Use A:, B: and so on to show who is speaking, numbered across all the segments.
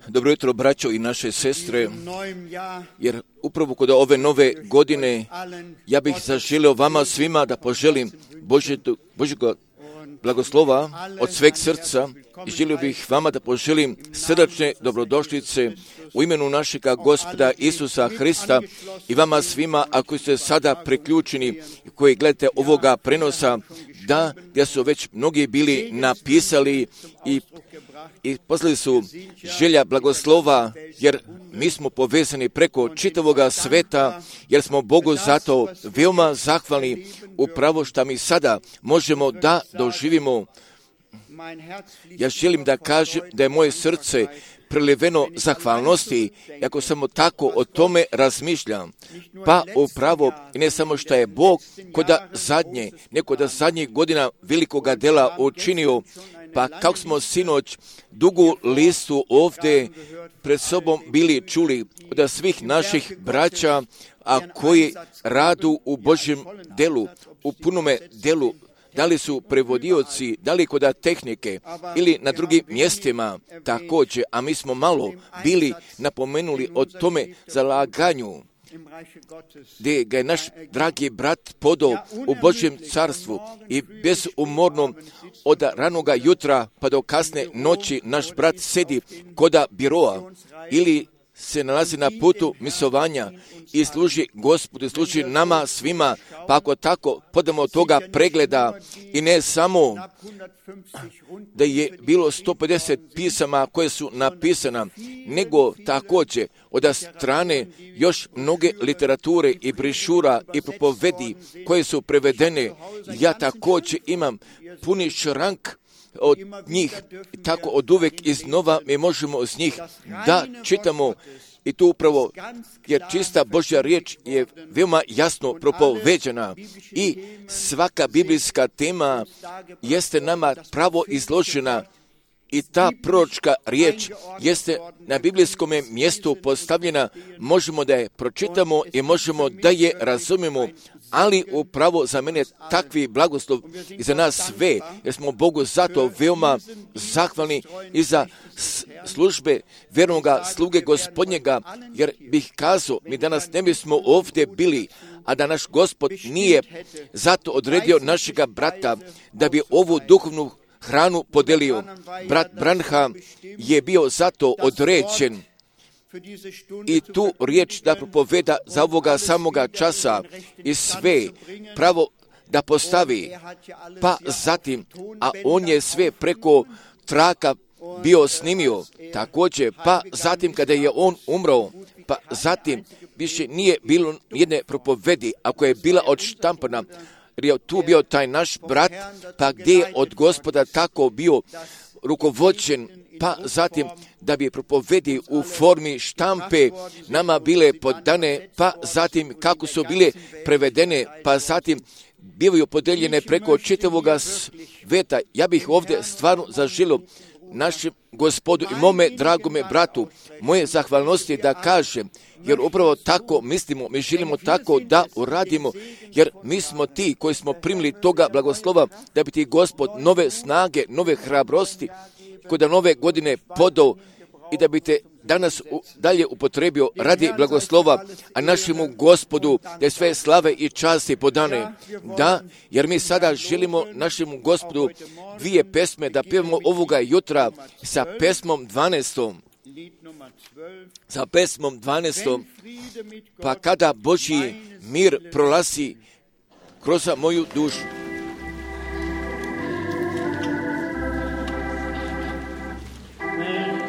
A: Dobro jutro, braćo i naše sestre, jer upravo kod ove nove godine ja bih zaželio vama svima da poželim Božjega blagoslova od sveg srca i želio bih vama da poželim srdačne dobrodošlice u imenu našega Gospoda Isusa Hrista i vama svima, ako ste sada priključeni koji gledate ovoga prenosa, da gdje su već mnogi bili napisali i poslali su želja blagoslova, jer mi smo povezani preko čitavoga sveta, jer smo Bogu zato veoma zahvalni upravo što mi sada možemo da doživimo. Ja želim da kažem da je moje srce preliveno zahvalnosti, ako samo tako o tome razmišljam. Pa upravo, i ne samo što je Bog kod zadnjih godina velikoga dela učinio, pa kako smo sinoć dugu listu ovdje pred sobom bili čuli od svih naših braća, a koji radu u Božjem delu, u punome delu, da li su prevodioci, da li kod tehnike ili na drugim mjestima također, a mi smo malo bili napomenuli o tome zalaganju, gdje ga je naš dragi brat podao u Božjem carstvu i bezumorno od ranoga jutra pa do kasne noći naš brat sedi koda biroa ili se nalazi na putu misovanja i služi Gospodu, služi nama svima, pa ako tako podamo toga pregleda i ne samo da je bilo 150 pisama koje su napisana, nego također od strane još mnoge literature i brišura i propovedi koje su prevedene. Ja također imam puni šrank od njih, tako od uvek iznova mi možemo iz njih da čitamo i tu upravo, jer čista Božja riječ je veoma jasno propoveđena i svaka biblijska tema jeste nama pravo izložena i ta proročka riječ jeste na biblijskom mjestu postavljena, možemo da je pročitamo i možemo da je razumijemo, ali upravo za mene takvi blagoslov i za nas sve, jer smo Bogu zato veoma zahvalni i za službe vjernoga sluge Gospodnjega, jer bih kazao, mi danas ne bismo ovdje bili, a da naš Gospod nije zato odredio našega brata da bi ovu duhovnu hranu podelio. Brat Branham je bio zato određen i tu riječ da propoveda za ovoga samoga časa i sve pravo da postavi, pa zatim, a on je sve preko traka bio snimio, također, pa zatim kada je on umro, pa zatim više nije bilo jedne propovedi, ako je bila odštampana, jer je tu bio taj naš brat, pa gdje je od Gospoda tako bio rukovođen, pa zatim da bi propovedi u formi štampe nama bile podane, pa zatim kako su bile prevedene, pa zatim bivaju podeljene preko čitavoga sveta. Ja bih ovdje stvarno zaželio našem Gospodu i mome dragome bratu moje zahvalnosti da kažem, jer upravo tako mislimo, mi želimo tako da uradimo, jer mi smo ti koji smo primili toga blagoslova da bi ti Gospod nove snage, nove hrabrosti kod nove godine podao i da bi te danas dalje upotrebio radi blagoslova, a našemu Gospodu da je sve slave i časti podane. Da, jer mi sada želimo našemu Gospodu dvije pesme da pjevamo ovoga jutra sa pesmom 12. Sa pesmom 12. Pa kada Božji mir prolazi kroz moju dušu.
B: Amen.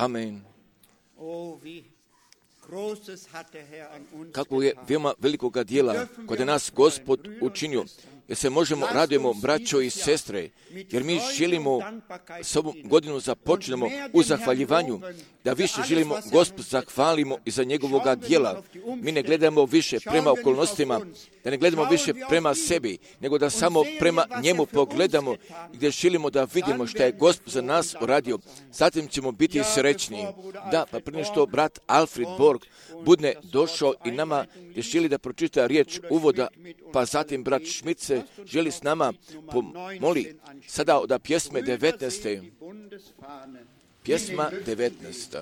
A: Amen. Kako je veoma velikoga dijela kod nas Gospod učinio, jer se možemo radujemo, braćo i sestre, jer mi želimo s ovom godinu započnemo u zahvaljivanju, da više želimo Gospod zahvalimo i za njegovoga dijela. Mi ne gledamo više prema okolnostima, da ne gledamo više prema sebi, nego da samo prema njemu pogledamo, gdje želimo da vidimo što je Gospod za nas uradio. Zatim ćemo biti srećni. Da, pa prije što brat Alfred Borg bude došao i nama je želi da pročita riječ uvoda, pa zatim brat Schmidt se želi s nama pomoli sada od pjesme 19. Pjesma 19.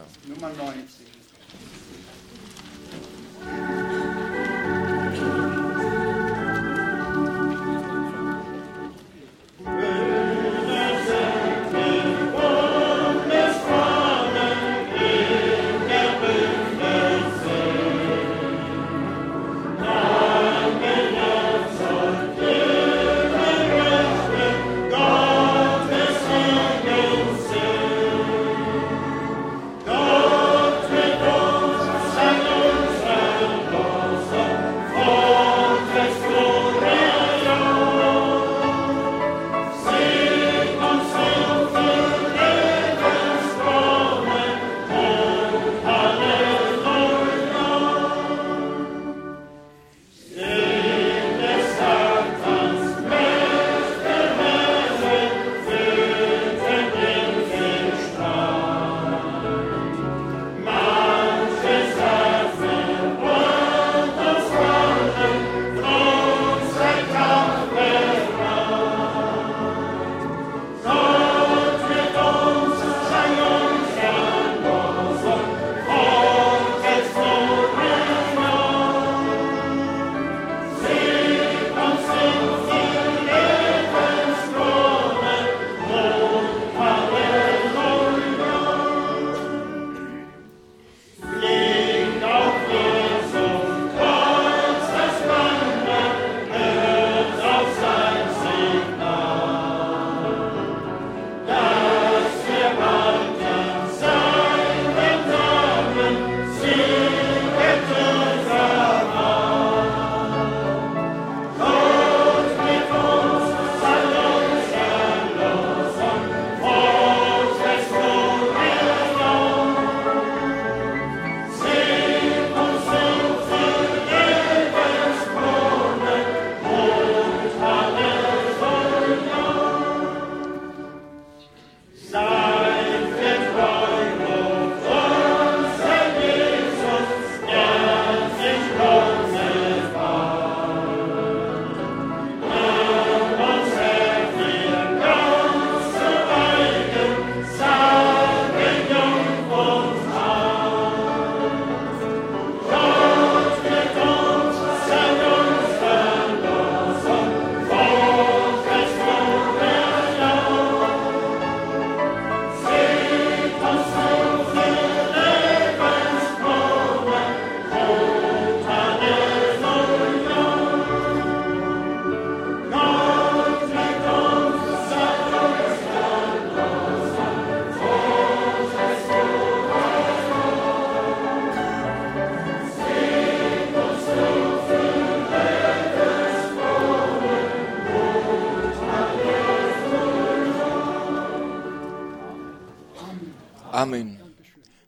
A: Amen.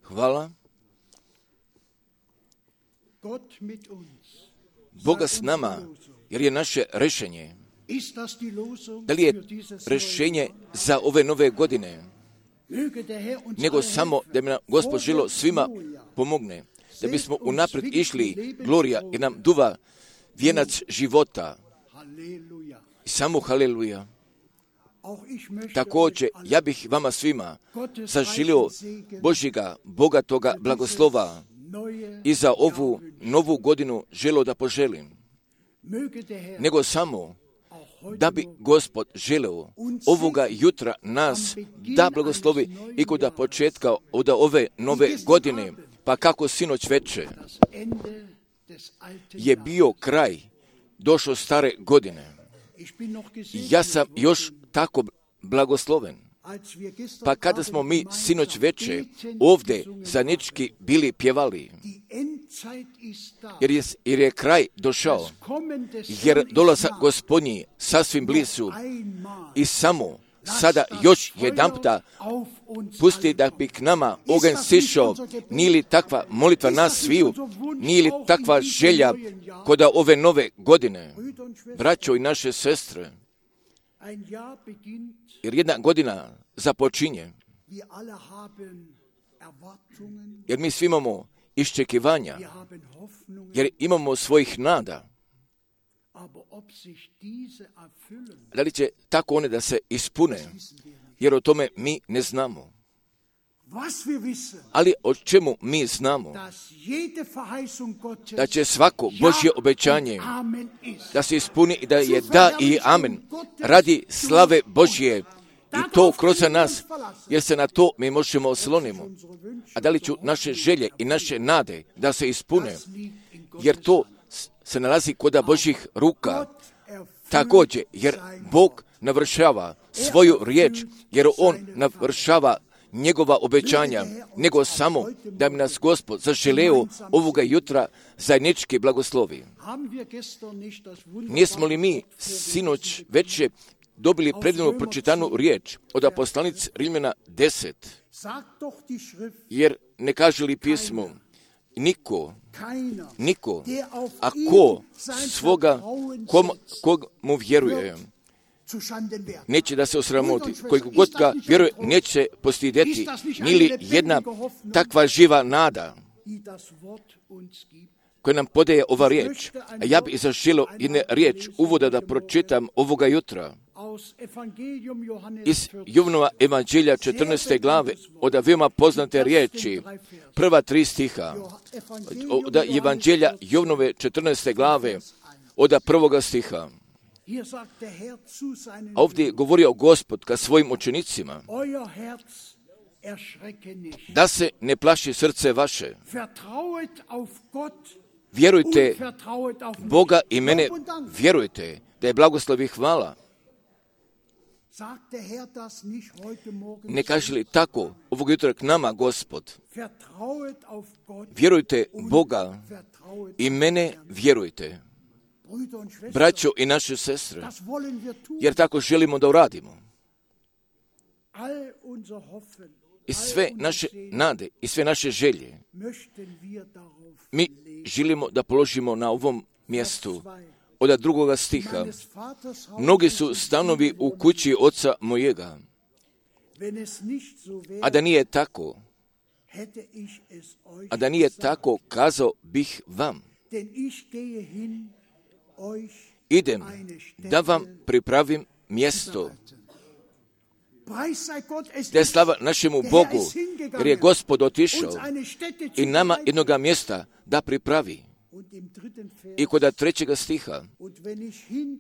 A: Hvala. Boga s nama, jer je naše rešenje. Da li je rešenje za ove nove godine? Nego samo da bi nam Gospod želo svima pomogne. Da bismo unaprijed išli, glorija, jer nam duva vijenac života. I samo haleluja. Također, ja bih vama svima zaželio Božjega, bogatoga blagoslova i za ovu novu godinu želio da poželim. Nego samo da bi Gospod želeo ovoga jutra nas da blagoslovi i kod početka od ove nove godine, pa kako sinoć veče je bio kraj, došao stare godine. Ja sam još tako blagosloven. Pa kada smo mi sinoć veče ovdje zajednički bili pjevali, jer je kraj došao, jer dolazak Gospodnji sasvim blizu i samo sada još jedanputa pusti da bi k nama oganj sišao, nije li takva molitva nas sviju, nije li takva želja kod ove nove godine, braćo i naše sestre, jer jedna godina započinje, jer mi svi imamo iščekivanja, jer imamo svojih nada. Da li će tako one da se ispune, jer o tome mi ne znamo. Ali o čemu mi znamo? Da će svako Božje obećanje da se ispuni i da je da i amen radi slave Božje i to kroz nas, jer se na to mi možemo oslonimo. A da li ću naše želje i naše nade da se ispune, jer to se nalazi kod Božjih ruka. Također, jer Bog navršava svoju riječ, jer On navršava njegova obećanja, nego samo da bi nas Gospod zaželeo ovoga jutra zajednički blagoslovi. Nismo li mi sinoć veče dobili predivnu pročitanu riječ od poslanice Rimljana 10, jer ne kaže li pismo, niko, a ko svoga, kog mu vjeruje, neće da se osramoti. Koji god ga vjeruje, neće postidjeti. Nije li jedna takva živa nada koja nam podaje ova riječ? A ja bih zaželio jedne riječ uvoda da pročitam ovoga jutra. Iz Jovanova evanđelja 14. glave, od veoma poznate riječi, prva 3 stiha, od evanđelja Jovanove 14. glave, od 1. stiha. A ovdje je govorio Gospod ka svojim učenicima, da se ne plaši srce vaše. Vjerujte Boga i mene, vjerujte da je blagoslov i hvala. Ne kaže li tako ovog jutra k nama Gospod? Vjerujte Boga i mene, vjerujte. Braćo i naše sestre, jer tako želimo da uradimo. I sve naše nade i sve naše želje mi želimo da položimo na ovom mjestu. Od 2. stiha. Mnogi su stanovi u kući oca mojega. A da nije tako, kazao bih vam. Idem da vam pripravim mjesto. Da je slava našemu Bogu, jer je Gospod otišao i nama jednoga mjesta da pripravi. I kod 3. stiha,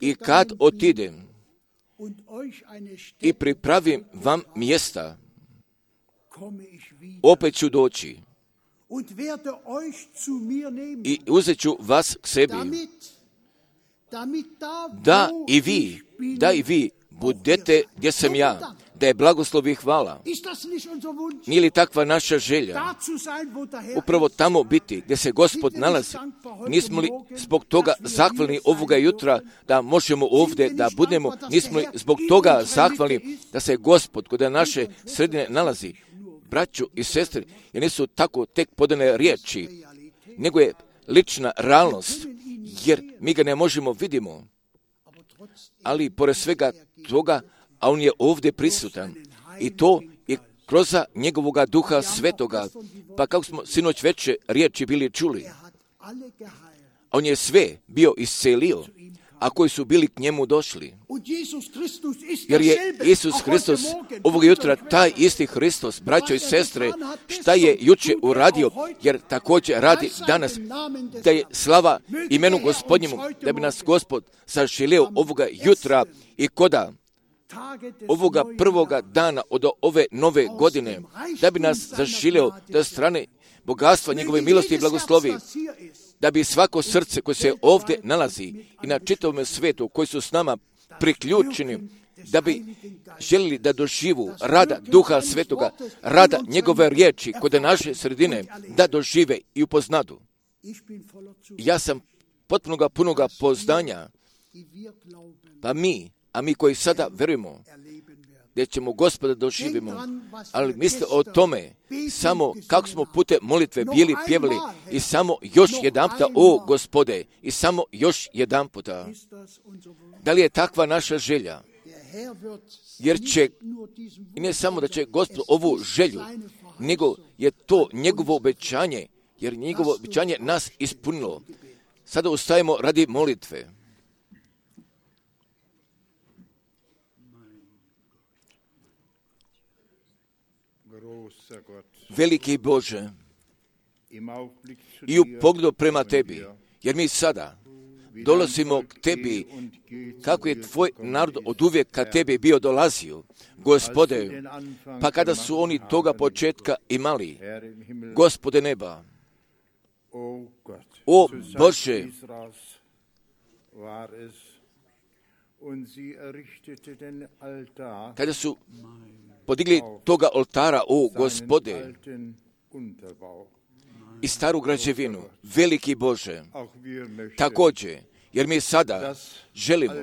A: i kad otidem i pripravim vam mjesta, opet ću doći i uzet ću vas k sebi, da i vi budete gdje sam ja, da je blagoslov i hvala. Nije li takva naša želja? Upravo tamo biti gdje se Gospod nalazi. Nismo li zbog toga zahvalni ovoga jutra da možemo ovdje da budemo? Nismo li zbog toga zahvalni da se Gospod kod naše sredine nalazi? Braćo i sestre, jer nisu tako tek podane riječi, nego je lična realnost, jer mi ga ne možemo vidimo. Ali pored svega toga, a on je ovdje prisutan. I to je kroz njegovoga duha svetoga. Pa kako smo sinoć veče riječi bili čuli, on je sve bio iscelio, a koji su bili k njemu došli. Jer je Isus Hristos ovog jutra taj isti Hristos, braćo i sestre, šta je juče uradio, jer također radi danas, da je slava imenu Gospodnjemu, da bi nas Gospod zaželio ovoga jutra i koda ovoga prvoga dana od ove nove godine, da bi nas zaželio da strane bogatstva njegove milosti i blagoslovi, da bi svako srce koje se ovdje nalazi i na čitavom svijetu koji su s nama priključeni, da bi željeli da doživu rada Duha Svetoga, rada njegove riječi kod naše sredine, da dožive i upoznadu. Ja sam potpunoga punoga poznanja, pa mi koji sada verujemo da ćemo Gospoda doživimo, ali misle o tome samo kako smo putem molitve bili pjevali i samo još jedanputa, o Gospode, i samo još jedanputa. Da li je takva naša želja? Jer će, i ne samo da će Gospod ovu želju, nego je to njegovo obećanje, jer njegovo obećanje nas ispunilo. Sada ustajemo radi molitve. Veliki Bože, i u pogledu prema Tebi, jer mi sada dolazimo k Tebi, kako je Tvoj narod od uvijek ka Tebi bio dolazio, Gospode, pa kada su oni toga početka imali, Gospode neba, o Bože, kada su podigli toga oltara, o Gospode, i staru građevinu, veliki Bože, također, jer mi sada želimo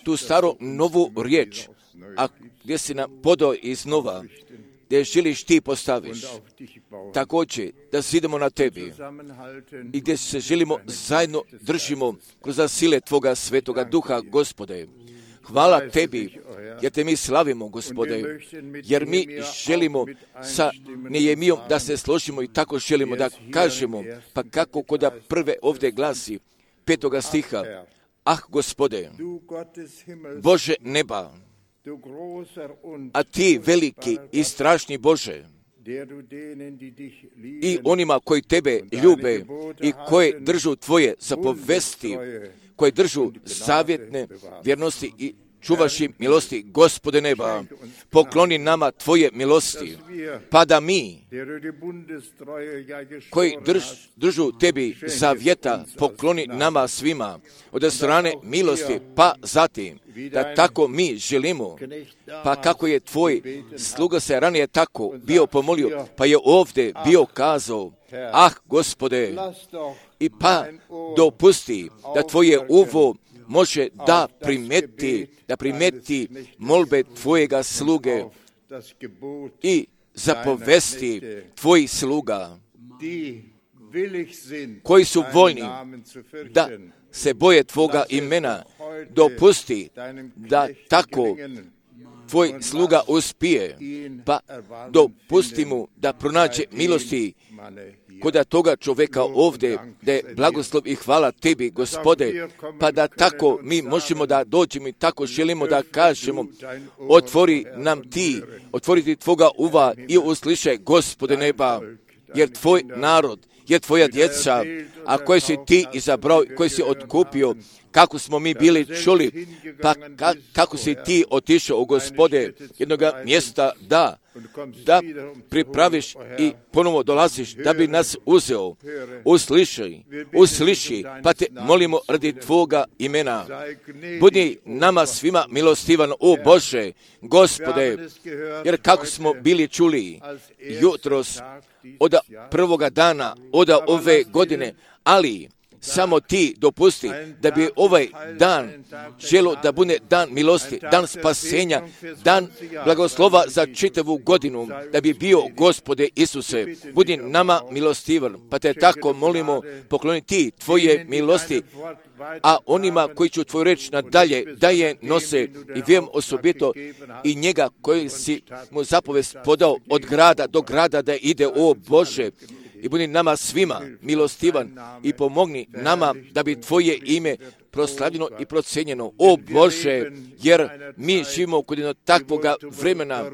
A: tu staru novu riječ, a gdje si nam podao iznova, gdje želiš Ti postaviš, također da idemo na Tebi i gdje se želimo zajedno držimo kroz sile Tvoga Svetoga Duha, Gospode. Hvala Tebi, jer Te mi slavimo, Gospode, jer mi želimo sa Nehemijom da se složimo i tako želimo da kažemo, pa kako kod prve ovdje glasi 5. stiha, ah, Gospode, Bože neba, a Ti veliki i strašni Bože, i onima koji Tebe ljube i koji držu Tvoje zapovesti, koji držu zavjetne vjernosti i čuvaš im milosti, Gospode neba, pokloni nama Tvoje milosti, pa da mi, koji držu Tebi zavjeta, pokloni nama svima od strane milosti, pa zatim, da tako mi želimo, pa kako je Tvoj sluga se ranije tako bio pomolio, pa je ovdje bio kazao, ah, Gospode, i pa dopusti da Tvoje uvo može da primeti molbe Tvojega sluge i zapovesti Tvojih sluga, koji su voljni da se boje Tvoga imena. Dopusti da tako Tvoj sluga uspije, pa dopusti mu da pronađe milosti kod toga čovjeka ovdje, da je blagoslov i hvala Tebi, Gospode, pa da tako mi možemo da dođemo i tako želimo da kažemo, otvori nam Ti, otvoriti Tvoga uva i uslišaj, Gospode neba, jer Tvoj narod je Tvoja djeca, a koje si Ti izabrao, koje si otkupio, kako smo mi bili čuli, pa kako si Ti otišao, Gospode, jednoga mjesta da pripraviš i ponovo dolaziš, da bi nas uzeo. Usliši, pa Te molimo radi Tvoga imena. Budi nama svima milostivan, o Bože, Gospode, jer kako smo bili čuli jutros od prvoga dana, od ove godine, ali samo Ti dopusti da bi ovaj dan želo da bude dan milosti, dan spasenja, dan blagoslova za čitavu godinu, da bi bio, Gospode Isuse, budi nama milostivan, pa Te tako molimo, pokloni Ti Tvoje milosti, a onima koji ću Tvoju reč nadalje da je nose i vjerujem osobito i njega koji si mu zapovest podao od grada do grada da ide, o Bože, i budi nama svima milostivan i pomogni nama da bi Tvoje ime proslavljeno i procijenjeno, o Bože, jer mi živimo kod jednog takvoga vremena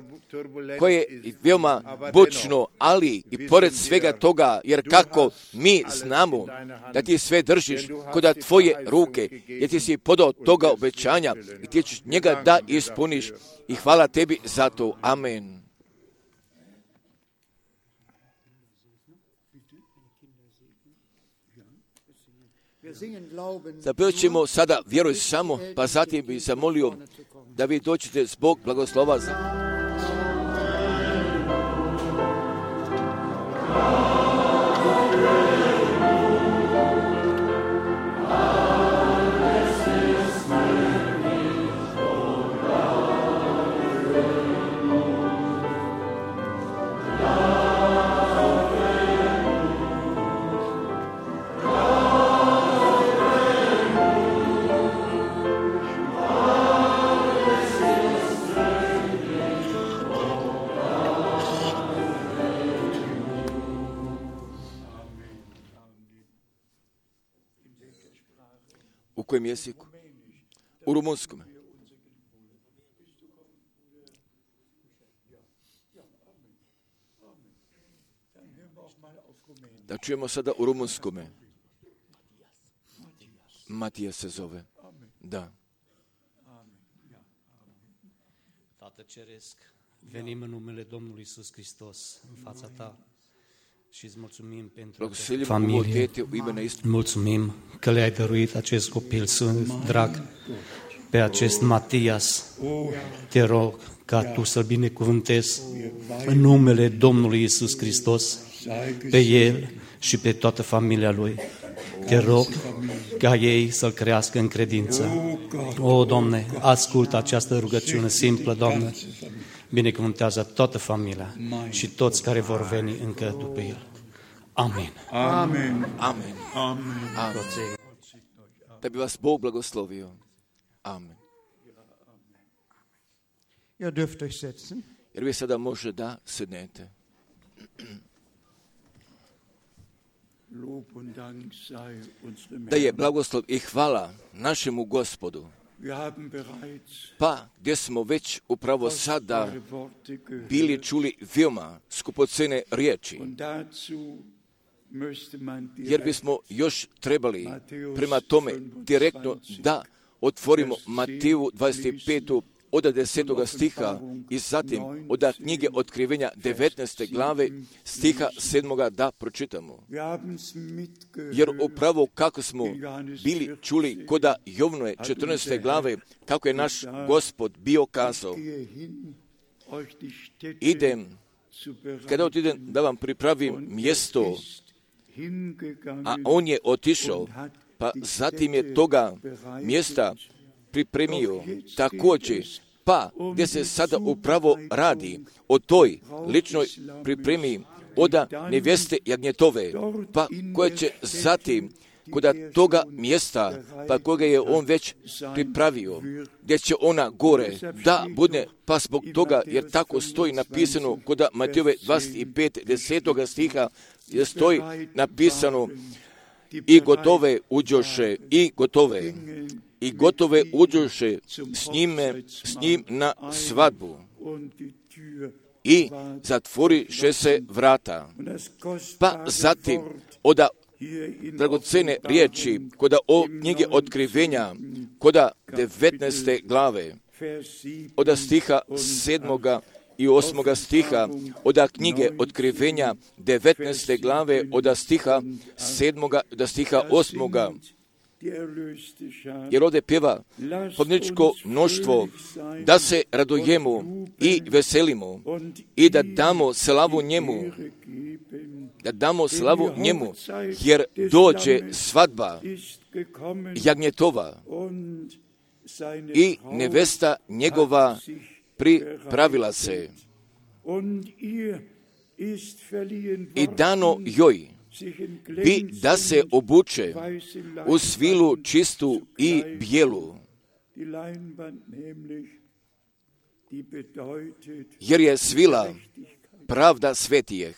A: koje je veoma bučno, ali i pored svega toga, jer kako mi znamo da Ti sve držiš kod Tvoje ruke, jer Ti si podao toga obećanja i Ti ćeš njega da ispuniš i hvala Tebi za to. Amen. Zapjevat ćemo sada vjeruj samo, pa zatim bih zamolio da vi dođete zbog blagoslova za... U kojem jeziku? U rumunskom. Da čujemo sada u rumunskome. Matija se zove. Da.
B: Tată Ceresc, venim în numele Domnului Iisus Hristos în fața ta și îți mulțumim pentru familie. Mulțumim că le-ai dăruit acest copil drag, pe acest Matias. Te rog ca tu să-l binecuvântezi în numele Domnului Iisus Hristos, pe el și pe toată familia lui. Te rog ca ei să-l crească în credință. O, Doamne, ascultă această rugăciune simplă, Doamne. Binecuvântează toată familia și toți care vor veni încă după el. Amen.
A: Amen. Amen. Amen. Amen. Da bi vas Bog blagoslovio. Amen.
C: Ihr dürft euch setzen.
A: Jer vi sada može da sednete. Da je blagoslov i hvala našemu Gospodu. Pa gdje smo već upravo sada bili čuli veoma skupocene riječi. Jer bismo još trebali prema tome direktno da otvorimo Mateju 25. od 10. stiha i zatim od knjige Otkrivenja 19. glave stiha 7. da pročitamo. Jer upravo kako smo bili čuli koda Jovnove 14. glave, kako je naš Gospod bio kazao, kada idem da vam pripravim mjesto, a on je otišao, pa zatim je toga mjesta pripremio također, pa gdje se sada upravo radi o toj ličnoj pripremi oda nevjeste jagnjetove, pa koja će zatim koda toga mjesta, pa koga je on već pripravio, gdje će ona gore da bude, pa zbog toga, jer tako stoji napisano koda Matejove 25. 10. stiha, je stoji napisano i gotove uđoše, i gotove uđoše s njim na svadbu. I zatvoriše se vrata. Pa zatim oda dragocene riječi koda o knjige Otkrivenja, koda 19. glave, oda stiha 7. i 8. stiha, oda knjige Otkrivenja 19. glave, oda stiha 7. do stiha 8. Jer ovdje pjeva pobjedničko mnoštvo, da se radujemo i veselimo i da damo slavu njemu, jer dođe svadba jagnjetova i nevesta njegova pripravila se. I dano joj bi da se obuče u svilu čistu i bijelu, jer je svila pravda svetijeh.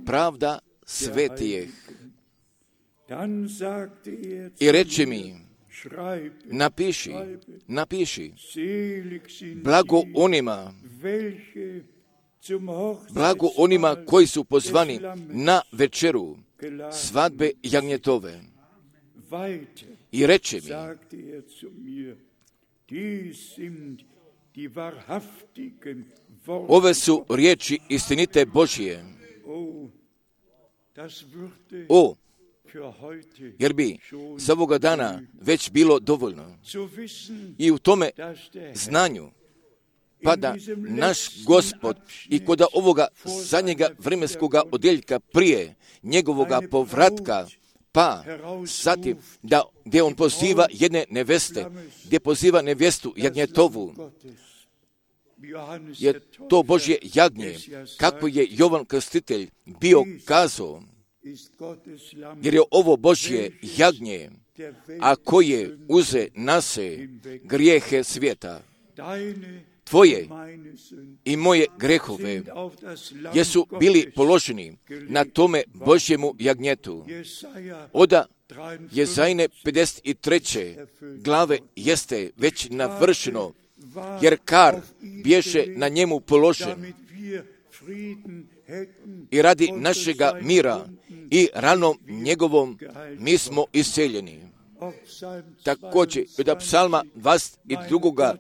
A: Pravda svetijeh. I reče mi, napiši, blago onima koji su pozvani na večeru svadbe jagnjetove. I reče mi, ove su riječi istinite Božije. jer bi za ovoga dana već bilo dovoljno. I u tome znanju pada naš Gospod i kod ovoga zadnjega vremenskoga odjeljka prije njegovoga povratka, pa zatim gdje on poziva jedne neveste, gdje poziva nevestu jagnjetovu, je to Božje jagnje, kako je Jovan Krstitelj bio kazao, jer je ovo Božje jagnje, a koje uze nase grijehe svijeta. Tvoje i moje grehove jesu bili položeni na tome Božjemu jagnjetu. Oda Jezajne 53. glave jeste već navršeno, jer kar bješe na njemu položen i radi našega mira i ranom njegovom mi smo isceljeni. Također, od psalma 22.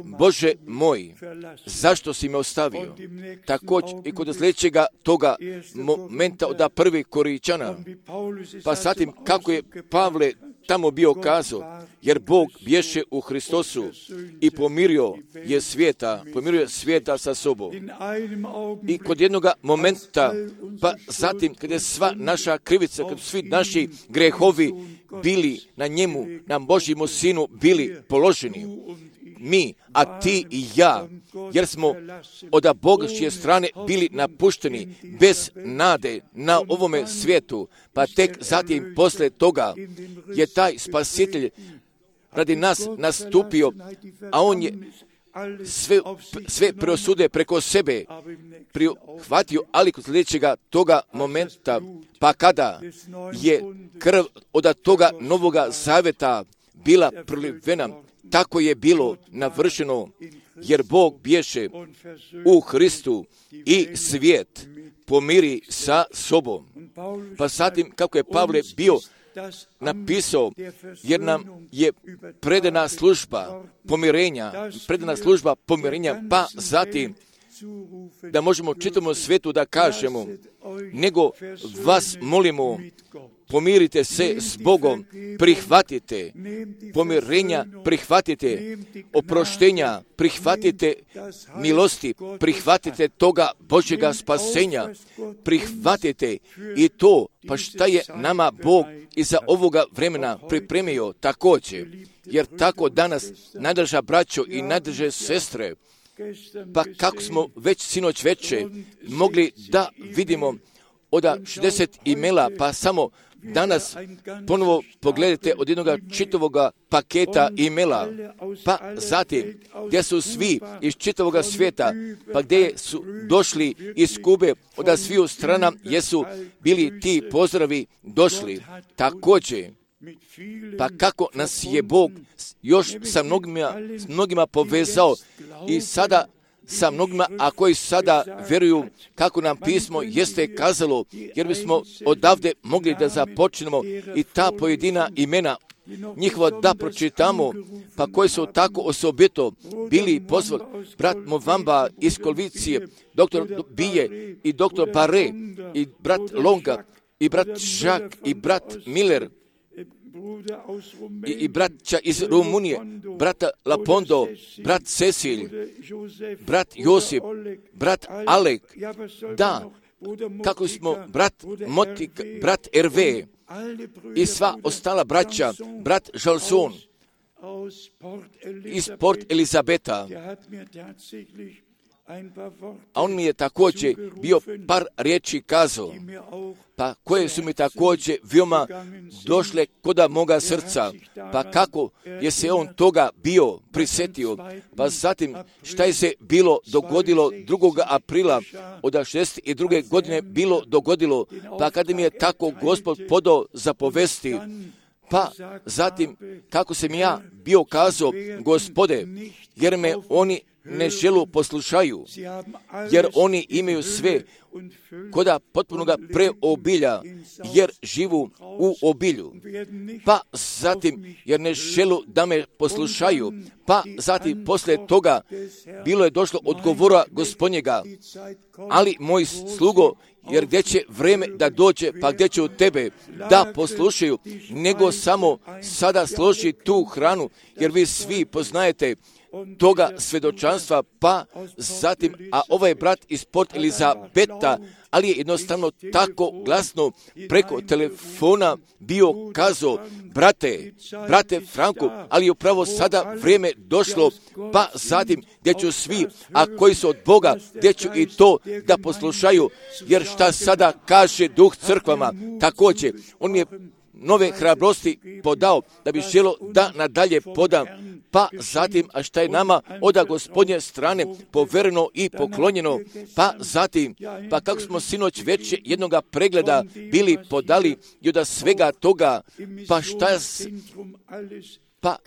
A: Bože moj, zašto si me ostavio? Također i kod sljedećega toga momenta od 1. Korinčana, pa zatim kako je Pavle tamo bio kazao, jer Bog bješe u Hristosu i pomirio je svijeta sa sobom. I kod jednoga momenta, pa zatim kada je sva naša krivica, kada svi naši grehovi bili na njemu, na Božjemu sinu bili položeni, mi, a ti i ja, jer smo od Božje strane bili napušteni bez nade na ovome svijetu, pa tek zatim poslije toga je taj spasitelj radi nas nastupio, a on je sve preosude preko sebe prihvatio, ali kod sljedećega toga momenta, pa kada je krv od toga novoga zaveta bila prolivena, tako je bilo navršeno, jer Bog bješe u Hristu i svijet pomiri sa sobom. Pa zatim kako je Pavle bio napisao, jer nam je predana služba pomirenja, pa zatim da možemo čitavom svijetu da kažemo, nego vas molimo, pomirite se s Bogom, prihvatite pomirenja, prihvatite oproštenja, prihvatite milosti, prihvatite toga Božjega spasenja, prihvatite i to, pa šta je nama Bog iza ovoga vremena pripremio također, jer tako danas, najdraža braćo i najdraže sestre, pa kako smo već sinoć veče mogli da vidimo od 60 imela, pa samo danas ponovo pogledajte od jednoga čitavoga paketa imela, pa zatim gdje su svi iz čitavoga svijeta, pa gdje su došli iz Kube, od sviju strana jesu bili ti pozdravi došli. Također, pa kako nas je Bog još sa mnogima povezao i sada sa mnogima, a koji sada vjeruju kako nam pismo jeste kazalo, jer bismo odavde mogli da započnemo i ta pojedina imena njihova da pročitamo, pa koji su tako osobito bili pozvani, brat Movamba iz Kolvicije, doktor Bije i doktor Bare i brat Longa i brat Žak i brat Miller i braća iz Rumunije, brata Lapondo, brat Cecil, brat Josip, brat Alek, da, kako smo brat Motik, brat Erve i sva ostala braća, brat Žalson iz Port Elizabeta. A on mi je također bio par riječi kazao, pa koje su mi također veoma došle koda moga srca, pa kako je se on toga bio prisjetio, pa zatim šta je se bilo dogodilo 2. aprila od 62. godine bilo dogodilo, pa kada mi je tako Gospod podao zapovesti, pa zatim kako sam ja bio kazao, Gospode, jer me oni ne želu poslušaju, jer oni imaju sve koda potpunoga preobilja, jer živu u obilju. Pa zatim, jer ne želu da me poslušaju, pa zatim poslije toga bilo je došlo odgovora Gospodnjega, ali moj slugo, jer gdje će vreme da dođe, pa gdje će od tebe da poslušaju, nego samo sada složi tu hranu, jer vi svi poznajete toga svjedočanstva, pa zatim, a ovaj brat iz Port Elizabeta, ali je jednostavno tako glasno preko telefona bio kazao, brate Franku, ali je upravo sada vrijeme došlo, pa zatim gdje ću svi, a koji su od Boga, gdje ću i to da poslušaju, jer šta sada kaže Duh crkvama, također, on je nove hrabrosti podao, da bi želo da nadalje podam, pa zatim, a šta je nama od Gospodnje strane povereno i poklonjeno, pa zatim, pa kako smo sinoć već jednoga pregleda bili podali i od svega toga, pa šta pa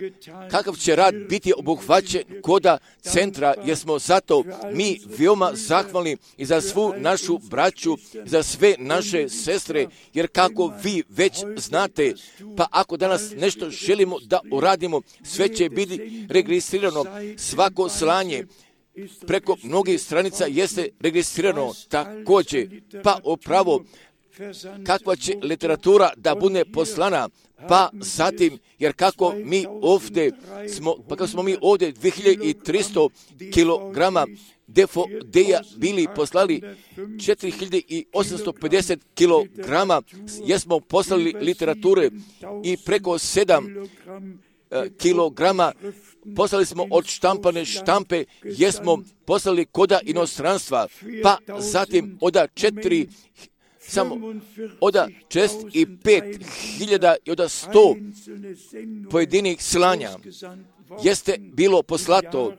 A: kakav će rad biti obuhvaćen koda centra, jer smo zato mi veoma zahvalni i za svu našu braću, za sve naše sestre, jer kako vi već znate, pa ako danas nešto želimo da uradimo, sve će biti registrirano, svako slanje preko mnogih stranica jeste registrirano također, pa upravo kakva će literatura da bude poslana, pa zatim, jer kako mi ovdje smo, pa kako smo mi ovdje 2300 kilograma DVD-a bili poslali 4850 kilograma, jesmo poslali literature i preko 7 kilograma poslali smo od štampane štampe, jesmo poslali koda inostranstva, pa zatim oda 4 i 5.000 i oda 100 pojedinih slanja jeste bilo poslato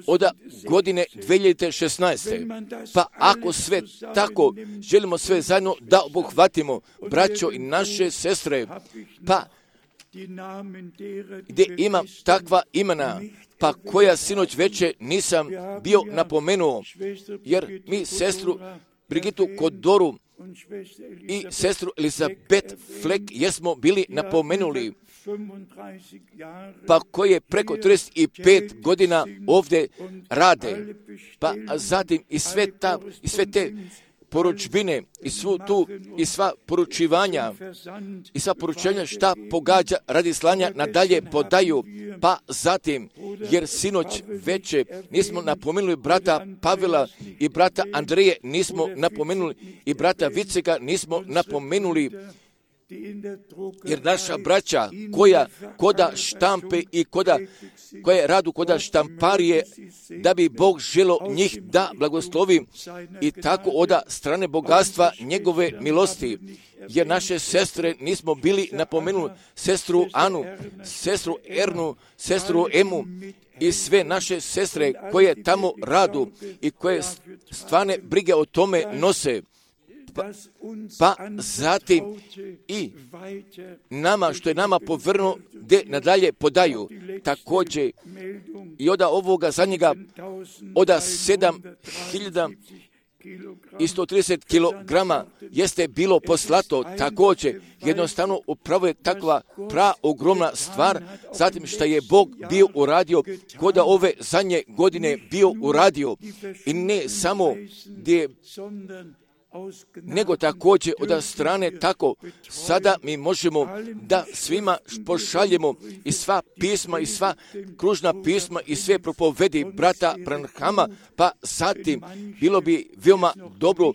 A: od godine 2016. Pa ako sve tako želimo sve zajedno da obuhvatimo, braćo i naše sestre, pa gdje imam takva imena, pa koja sinoć veče nisam bio napomenuo, jer mi sestru Brigitu Kodoru i sestru Elizabeth Fleck jesmo bili napomenuli, pa koje preko 35 godina ovdje rade, pa zatim i sve te poručbine i sva poručivanja i sva poručenja šta pogađa radi slanja nadalje podaju, pa zatim, jer sinoć veče nismo napomenuli brata Pavela i brata Andreje, nismo napomenuli i brata Vicega, nismo napomenuli, jer naša braća koja koda štampe i koja radu koda štamparije, da bi Bog želo njih da blagoslovi i tako oda strane bogatstva njegove milosti, jer naše sestre nismo bili napomenuli, sestru Anu, sestru Ernu, sestru Emu i sve naše sestre koje tamo radu i koje stvarne brige o tome nose. Pa zatim i nama, što je nama povrno, gdje nadalje podaju, također i od ovoga zadnjega, od 7.130 kilograma jeste bilo poslato, također jednostavno upravo je takva ogromna stvar, zatim što je Bog bio uradio, koda ove zadnje godine bio uradio, i ne samo gdje, nego također od strane tako, sada mi možemo da svima pošaljemo i sva pisma i sva kružna pisma i sve propovedi brata Branhama, pa zatim bilo bi veoma dobro,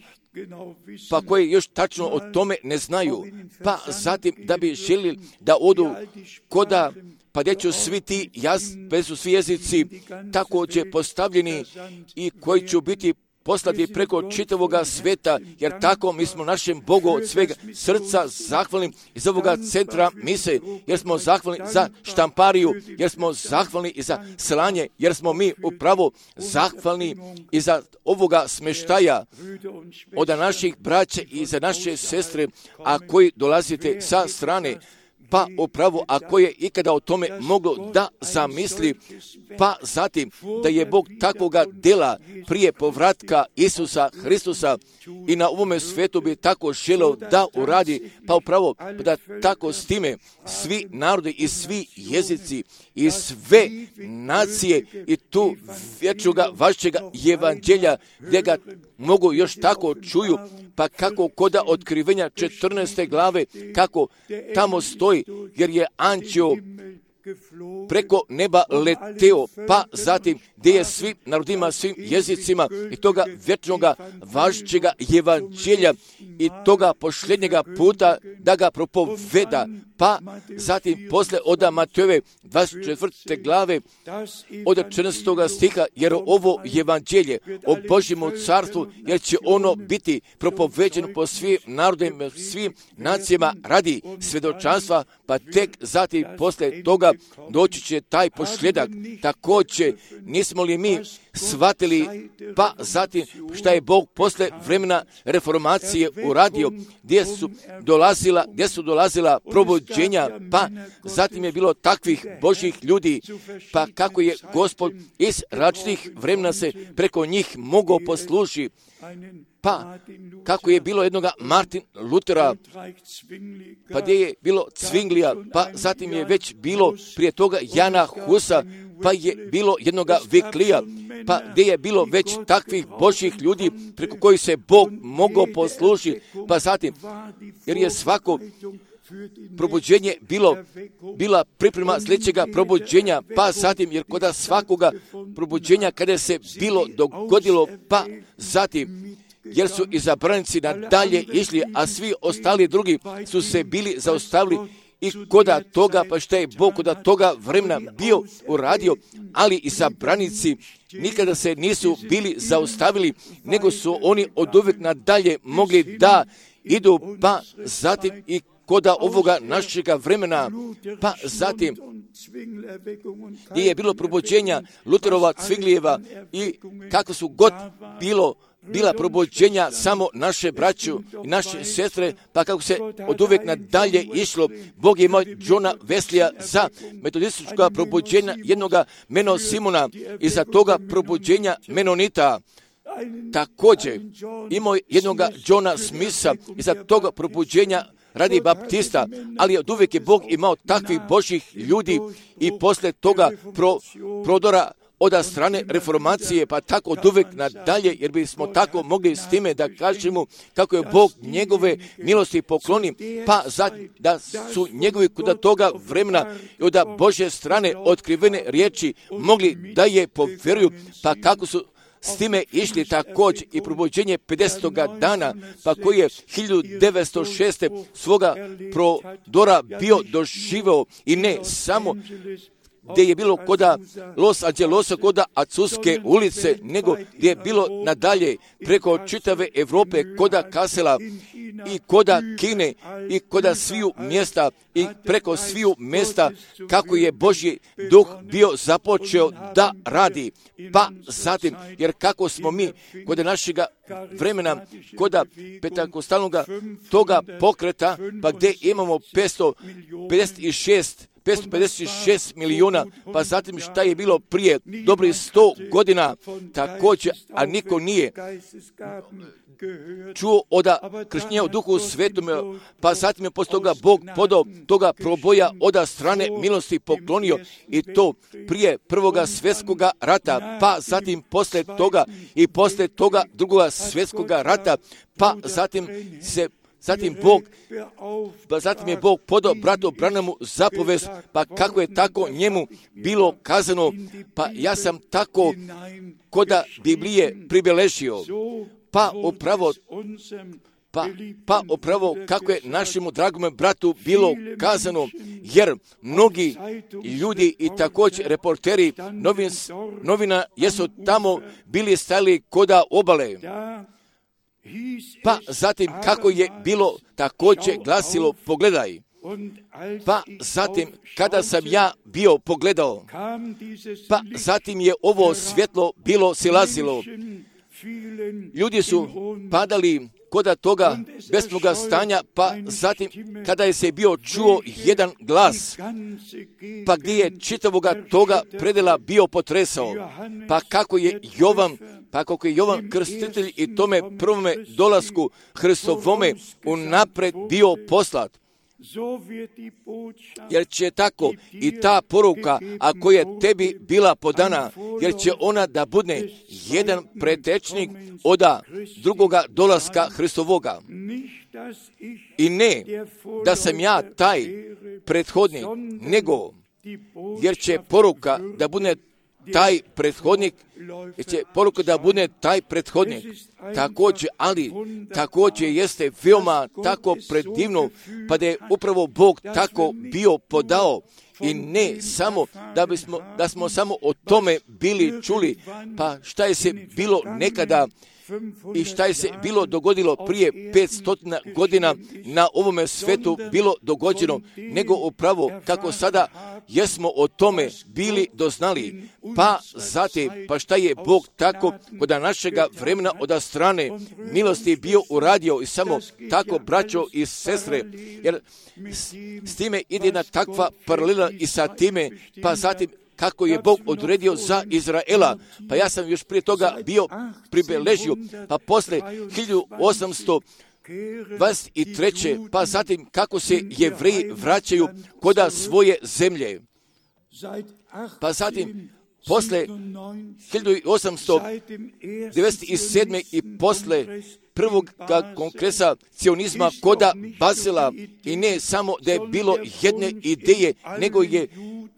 A: pa koji još tačno o tome ne znaju, pa zatim da bi željeli da odu koda, pa gdje će su svi jezici također postavljeni i koji će biti poslati preko čitavoga sveta, jer tako mi smo našem Bogu od svega srca zahvalni iz ovoga centra mise, jer smo zahvalni za štampariju, jer smo zahvalni i za slanje, jer smo mi upravo zahvalni i za ovoga smještaja od naših braća i za naše sestre, a koji dolazite sa strane, pa upravo ako je ikada o tome moglo da zamisli, pa zatim da je Bog takvoga dela prije povratka Isusa Hristusa i na ovome svetu bi tako želeo da uradi, pa upravo da tako s time svi narodi i svi jezici i sve nacije i tu vječnoga vašega evanđelja gdje ga mogu još tako čuju, pa kako koda otkrivenja 14. glave, kako tamo stoji, jer je anđeo preko neba leteo, pa zatim gdje je svim narodima, svim jezicima i toga vječnoga važećega evanđelja i toga posljednjega puta da ga propoveda, pa zatim posle od Matejove 24. glave od 14. stiha, jer ovo evanđelje o Božjemu carstvu, jer će ono biti propoveđeno po svim narodima, svim nacijama radi svjedočanstva, pa tek zatim posle toga doći će taj posljedak. Također, nismo li mi shvatili, pa zatim šta je Bog posle vremena reformacije uradio, gdje su dolazila probuđenja, pa zatim je bilo takvih Božjih ljudi, pa kako je Gospod iz različitih vremena se preko njih mogao poslužiti, pa kako je bilo jednoga Martin Lutera, pa gdje je bilo Zwinglija, pa zatim je već bilo prije toga Jana Husa, pa je bilo jednoga Viklija, pa gdje je bilo već takvih Božjih ljudi preko kojih se Bog mogao poslužiti, pa zatim, jer je svako probuđenje bila priprema sljedećega probuđenja, pa zatim, jer kod svakoga probuđenja kada se bilo dogodilo, pa zatim, jer su izabranici nadalje išli, a svi ostali drugi su se bili zaustavili i koda toga, pa što je Bog koda toga vremena bio uradio, ali izabranici nikada se nisu bili zaustavili, nego su oni od uvijek nadalje mogli da idu, pa zatim i koda ovoga našega vremena, pa zatim gdje je bilo probuđenja Luterova, Zwinglijeva i kako su god bila probuđenja samo naše braću i naše sestre, pa kako se od uvijek nadalje išlo. Bog je imao Johna Weslija za metodistička probuđenja jednoga Meno Simona i za toga probuđenja Menonita. Također imao jednoga Johna Smitha i za toga probuđenja radi baptista, ali od uvijek je Bog imao takvih Božjih ljudi i posle toga prodora od strane reformacije, pa tako od uvijek nadalje, jer bismo tako mogli s time da kažemo kako je Bog njegove milosti pokloni, pa da su njegovi kod toga vremena i od Božje strane otkrivene riječi mogli da je povjeruju, pa kako su s time išli također i probuđenje 50. dana, pa koji je 1906. svoga prodora bio doživeo i ne samo gdje je bilo koda Los Angelosa, koda Azuske ulice, nego gdje je bilo nadalje preko čitave Europe, koda Kasela i koda Kine i koda sviju mjesta i preko sviju mjesta kako je Božji duh bio započeo da radi. Pa zatim, jer kako smo mi kod našega vremena, koda pentakostalnog toga pokreta, pa gdje imamo 556 milijuna, pa zatim šta je bilo prije dobrih 100 godina također, a niko nije čuo od krštenja u duhu svetome, pa zatim je posle toga Bog podao toga proboja od strane milosti poklonio i to prije prvoga svjetskoga rata, pa zatim posle toga drugoga svjetskoga rata, pa zatim je Bog podao bratu Branhamu zapovest, pa kako je tako njemu bilo kazano, pa ja sam tako koda Biblije pribeležio, pa upravo kako je našemu dragome bratu bilo kazano, jer mnogi ljudi i također reporteri novina jesu tamo bili stali koda obale. Pa zatim kako je bilo također glasilo, pogledaj. Pa zatim kada sam ja bio pogledao, pa zatim je ovo svjetlo bilo silazilo. Ljudi su padali koda toga besnoga stanja, pa zatim kada je se bio čuo jedan glas, pa gdje je čitavoga toga predela bio potresao, pa kako je Jovan Krstitelj i tome prvome dolasku Hristovome unapred bio poslat. Jer će tako i ta poruka, ako je tebi bila podana, jer će ona da bude jedan pretečnik od drugoga dolaska Hristovoga. I ne da sam ja taj prethodnik, nego jer će poruka da bude taj prethodnik, također jeste veoma tako predivno, pa da je upravo Bog tako bio podao. I ne samo da smo samo o tome bili čuli, pa šta je se bilo nekada i šta je se bilo dogodilo prije 500 godina na ovome svetu bilo dogođeno, nego upravo kako sada jesmo o tome bili doznali, pa zatim, pa šta je Bog tako kod našega vremena od strane milosti bio uradio i samo tako, braćo i sestre, jer s time ide jedna takva paralela i sa time, pa zatim kako je Bog odredio za Izraela. Pa ja sam još prije toga bio pribeležio, pa posle 1823. pa zatim kako se Jevreji vraćaju koda svoje zemlje. Pa zatim posle 1897. i posle prvog kongresa cionizma koda Bazela, i ne samo da je bilo jedne ideje, nego je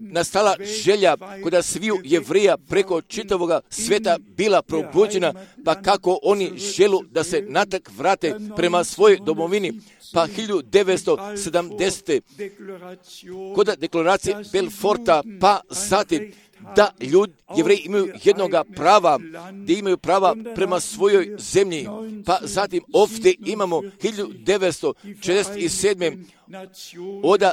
A: nastala želja koda sviju Jevreja preko čitavoga sveta bila probuđena, pa kako oni želu da se natrag vrate prema svojoj domovini. Pa 1970. koda deklaracije Belforta, pa zatim da Jevreji imaju jednoga prava, da imaju prava prema svojoj zemlji. Pa zatim ovdje imamo 1947. od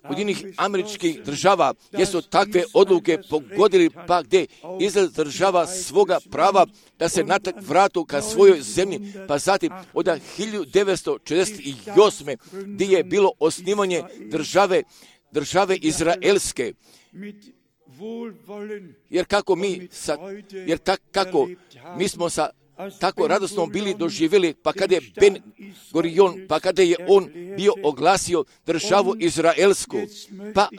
A: Ujedinjenih Američkih Država, gdje su takve odluke pogodili, pa gdje Izrael država svoga prava da se natrag vratu ka svojoj zemlji. Pa zatim od 1948. gdje je bilo osnivanje države Izraelske. Jer kako mi smo tako radosno bili doživjeli, pa kada je Ben Gurion, pa kada je on bio oglasio državu Izraelsku. Pa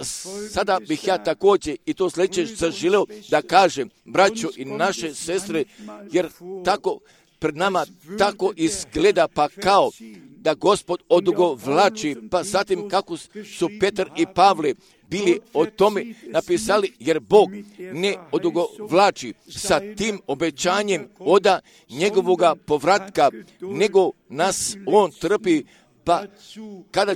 A: sada bih ja također i to sljedeće zaželeo da kažem, braćo i naše sestre, jer tako pred nama tako izgleda, pa kao da Gospod odugovlači, pa zatim kako su Petar i Pavle bili o tome napisali, jer Bog ne odugovlači sa tim obećanjem od njegovoga povratka, nego nas on trpi, pa kada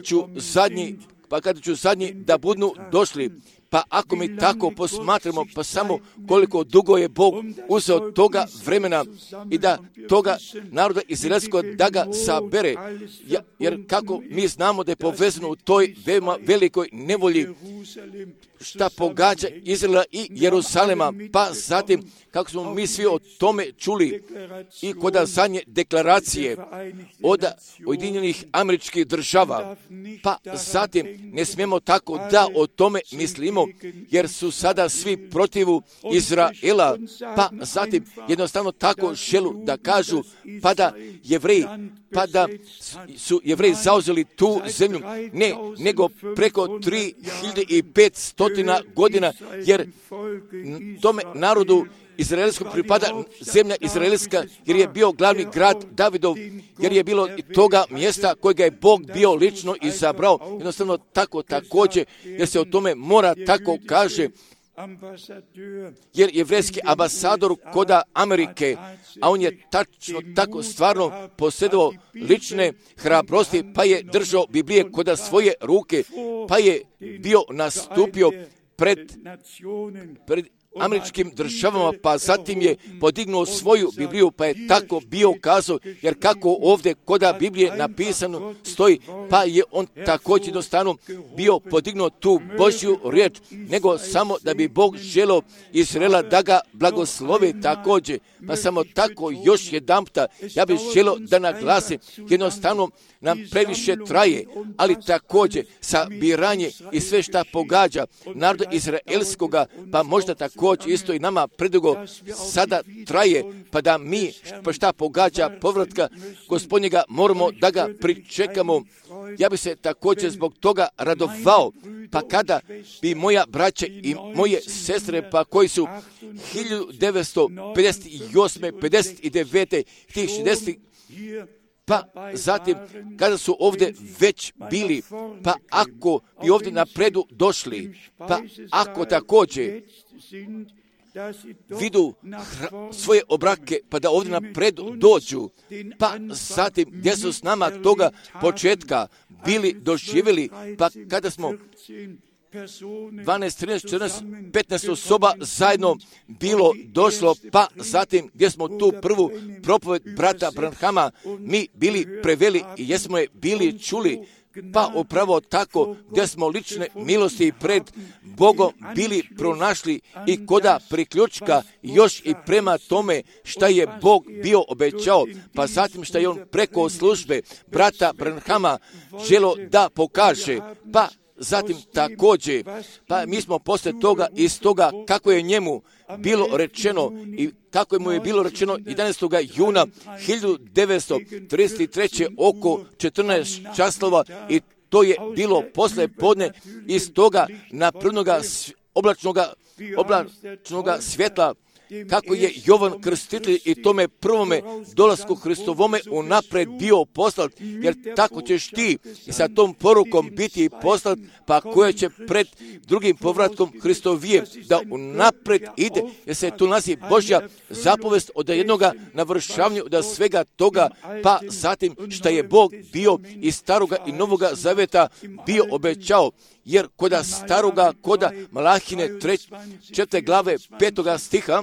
A: ću zadnji da budu došli. Pa ako mi tako posmatramo, pa samo koliko dugo je Bog uzeo toga vremena i da toga naroda izraelskog da ga sabere, jer kako mi znamo da je povezano u toj velikoj nevolji šta pogađa Izraela i Jeruzalema, pa zatim kako smo mi svi o tome čuli i kod zadnje deklaracije od Ujedinjenih Američkih Država, pa zatim ne smijemo tako da o tome mislimo, jer su sada svi protivu Izraela, pa zatim jednostavno tako želu da kažu, pa da su Jevreji zauzeli tu zemlju, ne, nego preko 3500 godina, jer tome narodu izraelskog pripada zemlja izraelska, jer je bio glavni grad Davidov, jer je bilo toga mjesta kojega je Bog bio lično izabrao. Jednostavno tako također, jer se o tome mora tako kaže, jer jevrejski ambasador koda Amerike, a on je tačno tako stvarno posjedovao lične hrabrosti, pa je držao Biblije koda svoje ruke, pa je bio nastupio pred američkim državama, pa zatim je podignuo svoju Bibliju, pa je tako bio kazao, jer kako ovdje koda Biblije napisano stoji, pa je on također jednostavno bio podignuo tu Božju riječ, nego samo da bi Bog želio Izraela da ga blagoslovi također. Pa samo tako još jedanputa ja bih želio da naglasim, jednostavno nam previše traje, ali također sabiranje i sve šta pogađa naroda izraelskoga, pa možda također isto i nama predugo sada traje, pa da mi pa šta pogađa povratka Gospodnjega moramo da ga pričekamo. Ja bi se također zbog toga radovao, pa kada bi moja braća i moje sestre, pa koji su 1958. 59. tih 60. pa zatim kada su ovdje već bili, pa ako bi ovdje napredu došli, pa ako također vidu svoje obrake, pa da ovdje napredu dođu, pa zatim gdje su s nama toga početka bili doživjeli, pa kada smo 12, 13, 14, 15 osoba zajedno bilo došlo, pa zatim gdje smo tu prvu propoved brata Branhama mi bili preveli i jesmo je bili čuli, pa upravo tako gdje smo lične milosti pred Bogom bili pronašli i koda priključka još i prema tome šta je Bog bio obećao, pa zatim šta je on preko službe brata Branhama želo da pokaže, pa zatim također, pa mi smo poslije toga iz toga kako je njemu bilo rečeno i kako mu je bilo rečeno 11. juna 1933. oko 14 časova i to je bilo poslije podne iz toga naprednoga oblačnoga svjetla, kako je Jovan Krstitelj i tome prvome dolasku Hristovome unaprijed bio poslat, jer tako ćeš ti i sa tom porukom biti poslat, pa koja će pred drugim povratkom Hristovije da unaprijed ide, jer se tu nalazi Božja zapovest od jednoga navršavanja od svega toga, pa zatim šta je Bog bio iz staroga i novoga zaveta bio obećao, jer koda staroga, koda Malahine 4. glave 5. stiha,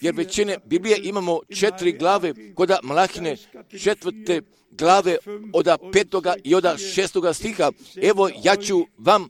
A: jer većine Biblije imamo 4 glave, koda Malahine 4. glave od 5. i od 6. stiha, evo ja ću vam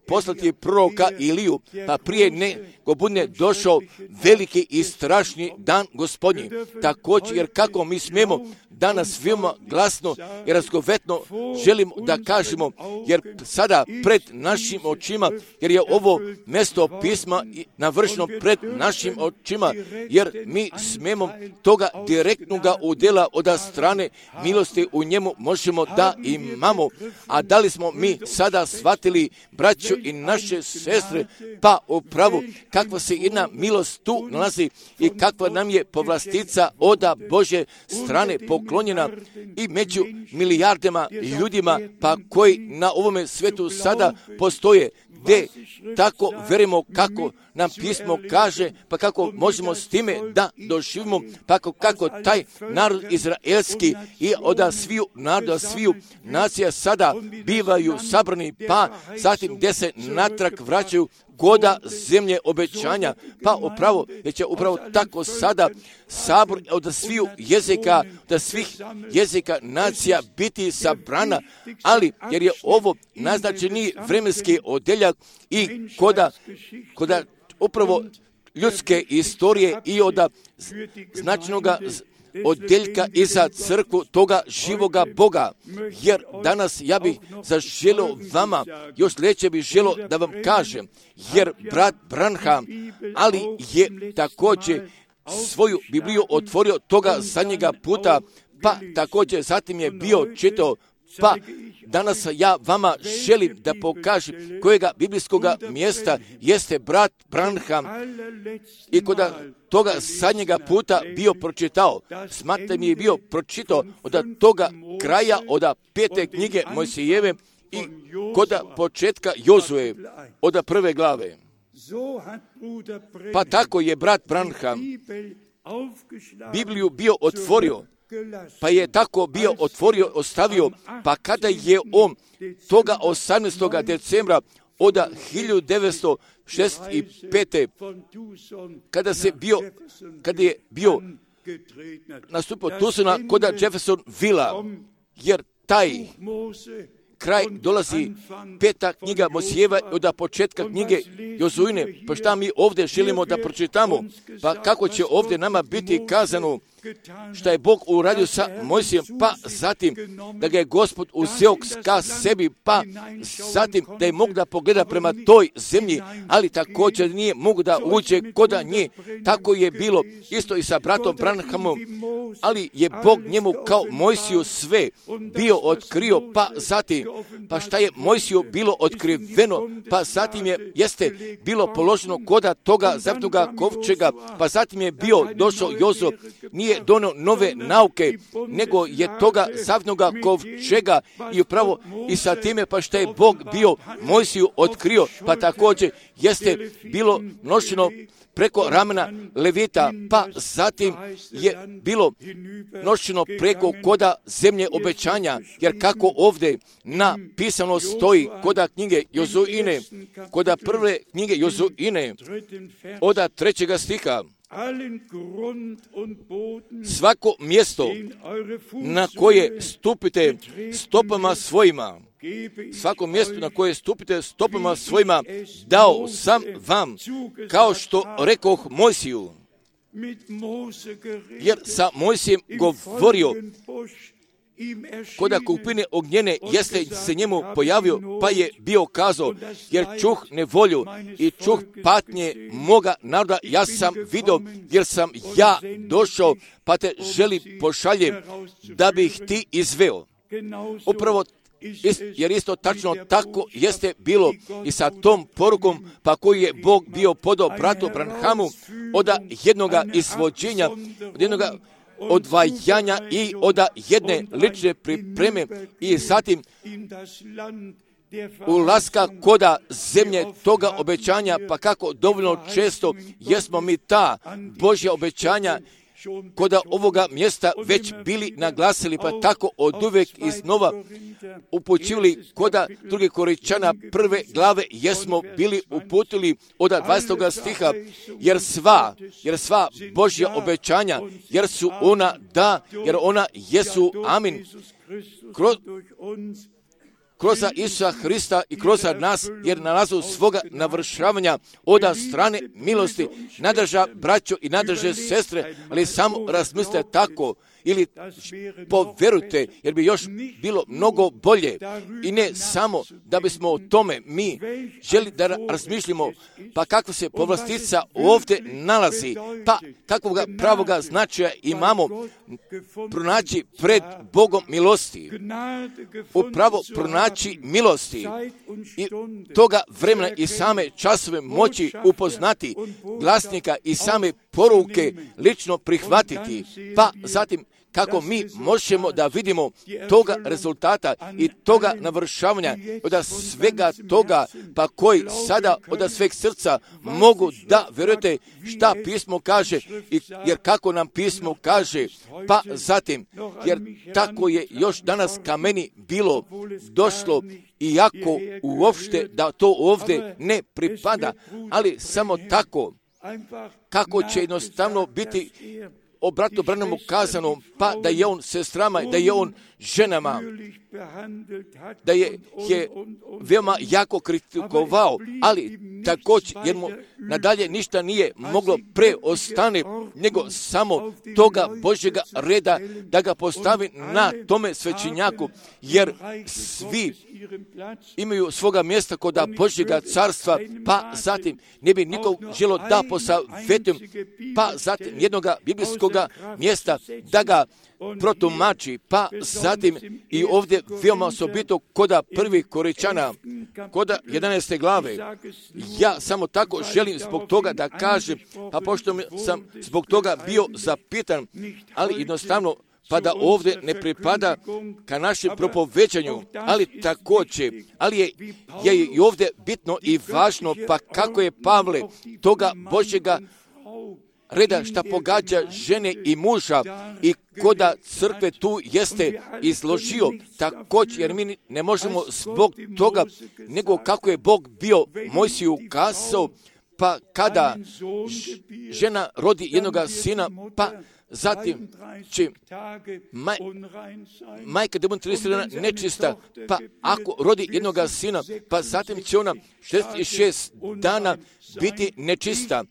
A: poslati proroka Iliju, pa prije nego bude došao veliki i strašni dan Gospodnji. Također, jer kako mi smijemo danas veoma glasno i razgovetno želimo da kažemo, jer sada pred našim očima, jer je ovo mjesto pisma navršeno pred našim očima, jer mi smijemo toga direktnoga udjela od strane milosti u njemu možemo da imamo. A da li smo mi sada shvatili, braćo i naše sestre, pa upravo kakva se jedna milost tu nalazi i kakva nam je povlastica od Božje strane poklonjena i među milijardama ljudima, pa koji na ovome svetu sada postoje, gdje tako verimo kako nam pismo kaže, pa kako možemo s time da doživimo, pa kako taj narod izraelski i od sviju naroda, sviju nacija sada bivaju sabrani, pa zatim gdje se natrag vraćaju goda zemlje obećanja, pa upravo, jer će upravo tako sada sabor od sviju jezika, od svih jezika nacija biti sabrana, ali jer je ovo naznačeni vremenski odeljak i koda upravo ljudske istorije i od značajnoga odjeljka i za crkvu toga živoga Boga, jer danas ja bih zaželio vama, još sljedeće bih želio da vam kažem, jer brat Branham, ali je također svoju Bibliju otvorio toga zadnjega puta, pa također zatim je bio čitao, pa danas ja vama želim da pokažem kojega biblijskog mjesta jeste brat Branham i kod toga zadnjega puta bio pročitao. Smatrate mi je bio pročitao od toga kraja od 5. knjige Mojsijeve i kod početka Jozue od 1. glave. Pa tako je brat Branham Bibliju bio otvorio, pa je tako bio otvorio, ostavio, pa kada je on toga 18. decembra od 1965. kada je bio nastupio Tucsona kod Jeffersonvilla, jer taj kraj dolazi 5. knjiga Mojsijeva od početka knjige Jozuine. Pa šta mi ovdje želimo da pročitamo? Pa kako će ovdje nama biti kazano šta je Bog uradio sa Mojsijem, pa zatim da ga je Gospod uzeo ka sebi, pa zatim da je mogu da pogleda prema toj zemlji, ali također nije mogu da uđe kod nje. Tako je bilo isto i sa bratom Branhamom, ali je Bog njemu kao Mojsiju sve bio otkrio, pa zatim, pa šta je Mojsiju bilo otkriveno, pa zatim jeste bilo položeno koda toga zavnoga kovčega, pa zatim je bio došao Jozo, nije donio nove nauke, nego je toga zavnoga kovčega i upravo i sa time pa šta je Bog bio Mojsiju otkrio, pa također jeste bilo nošeno preko ramena Levita, pa zatim je bilo nošeno preko koda zemlje obećanja, jer kako ovdje napisano stoji koda knjige Jozuine, koda prve knjige Jozuine, od 3. stiha, svako mjesto na koje stupite stopama svojima, svako mjesto na koje stupite stopama svojima dao sam vam, kao što rekoh Mojsiju. Jer sa Mojsijem govorio koda kupine ognjene, jeste se njemu pojavio, pa je bio kazao, jer čuh nevolju i čuh patnje moga naroda, ja sam vidio, jer sam ja došao, pa te želi pošaljem, da bih ti izveo. Upravo jer isto tačno tako jeste bilo i sa tom porukom, pa koji je Bog bio podao bratu Branhamu od jednoga izvođenja, od jednoga odvajanja i od jedne lične pripreme i zatim ulaska koda zemlje toga obećanja, pa kako dovoljno često jesmo mi ta Božja obećanja koda ovoga mjesta već bili naglasili, pa tako od uvijek iznova upućivali koda 2. Korinćana 1. glave jesmo bili uputili od 20. stiha, jer sva Božja obećanja, jer su ona da, jer ona jesu amin, kroz Isusa Hrista i kroz nas, jer nalazu svoga navršavanja od strane milosti nadrža braćo i nadrže sestre, ali samo razmislite tako ili povjerujte, jer bi još bilo mnogo bolje i ne samo da bismo o tome mi želi da razmišljamo, pa kakva se povlastica ovdje nalazi, pa kakvog pravoga značaja imamo pronaći pred Bogom milosti, upravo pronaći milosti i toga vremena i same časove moći upoznati glasnika i same poruke lično prihvatiti, pa zatim kako mi možemo da vidimo toga rezultata i toga navršavanja od svega toga, pa koji sada od sveg srca mogu da vjerujete šta pismo kaže, jer kako nam pismo kaže, pa zatim, jer tako je još danas ka meni bilo došlo, iako uopšte da to ovdje ne pripada, ali samo tako, kako će jednostavno biti o bratu Branhamu kazano, pa da je on sestrama, da je on ženama, da je veoma jako kritikovao, ali također, jer mu nadalje ništa nije moglo preostane, nego samo toga Božjega reda da ga postavi na tome svećenjaku, jer svi imaju svoga mjesta kod Božjega carstva, pa zatim ne bi nikog želo da posavjetujem, pa zatim jednoga biblijskoga mjesta da ga protumači, pa zatim i ovdje veoma osobito koda 1. Korinćana, koda 11. glave. Ja samo tako želim zbog toga da kažem, pa pošto sam zbog toga bio zapitan, ali jednostavno pa da ovdje ne pripada ka našem propoveđanju, ali također, ali je i ovdje bitno i važno, pa kako je Pavle toga Božjega reda šta pogađa žene i muža i koda crkve tu jeste izložio također, jer mi ne možemo zbog toga, nego kako je Bog bio Mojsiju kazao, pa kada žena rodi jednoga sina, pa zatim će majka da bude 30 dana nečista, pa ako rodi jednoga sina, pa zatim će ona 66 dana biti nečista.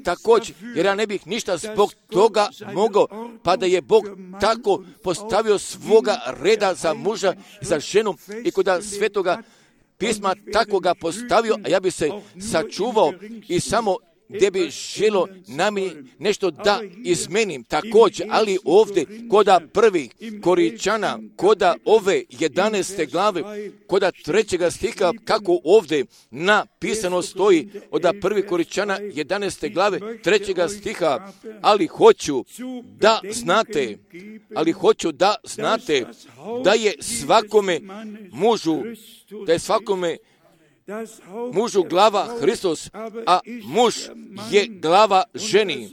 A: Također, jer ja ne bih ništa zbog toga mogao, pa da je Bog tako postavio svoga reda za muža i za ženu i kod Svetoga pisma tako ga postavio, a ja bi se sačuvao i samo gdje bi želo nami nešto da izmenim također, ali ovdje koda prvih Koričana, koda ove 11. glave, koda 3. stiha, kako ovdje napisano stoji, od prvih Koričana 11. glave 3. stiha, ali hoću da znate da je svakome mužu glava Hristos, a muž je glava ženi,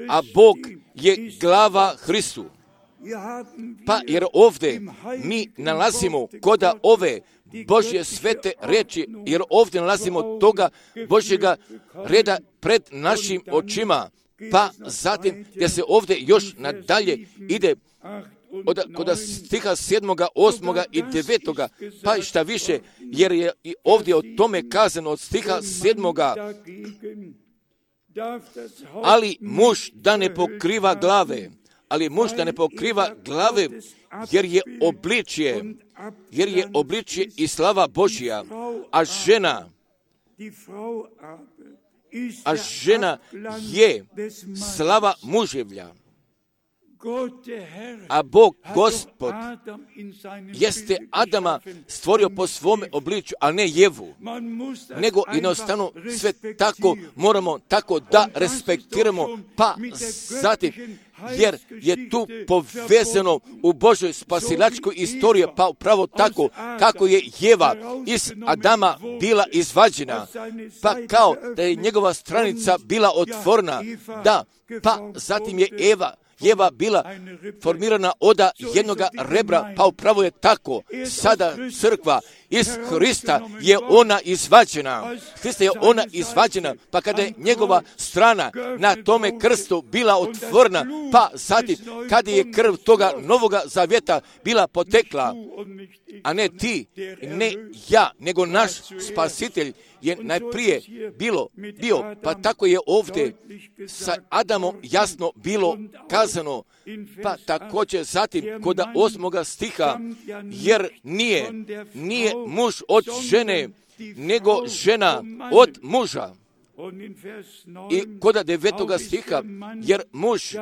A: a Bog je glava Hristu. Pa jer ovdje mi nalazimo koda ove Božje svete riječi, jer ovdje nalazimo toga Božjega reda pred našim očima, pa zatim gdje se ovdje još nadalje ide kod stiha 7., 8. i 9. pa i šta više, jer je i ovdje o tome kazano od stiha 7. Ali muž da ne pokriva glave, jer je obličje i slava Božja, a žena je slava muževlja. A Bog, Gospod, jeste Adama stvorio po svome obličju, a ne Jevu. Nego jednostavno sve tako moramo tako da respektiramo, pa zatim, jer je tu povezano u Božoj spasilačkoj istoriji, pa upravo tako kako je Jeva iz Adama bila izvađena, pa kao da je njegova stranica bila otvorena, da, pa zatim je Jeva bila formirana od jednoga rebra, pa upravo je tako. Sada crkva iz Hrista je ona izvađena. Hrista je ona izvađena, pa kada je njegova strana na tome krstu bila otvorena, pa zatim kada je krv toga novoga zavjeta bila potekla, a ne ti, ne ja, nego naš spasitelj je najprije bio, pa tako je ovdje sa Adamom jasno bilo kazano, pa također zatim kod 8. stiha, jer nije muž od žene, nego žena od muža. I kod 9. stiha, jer muž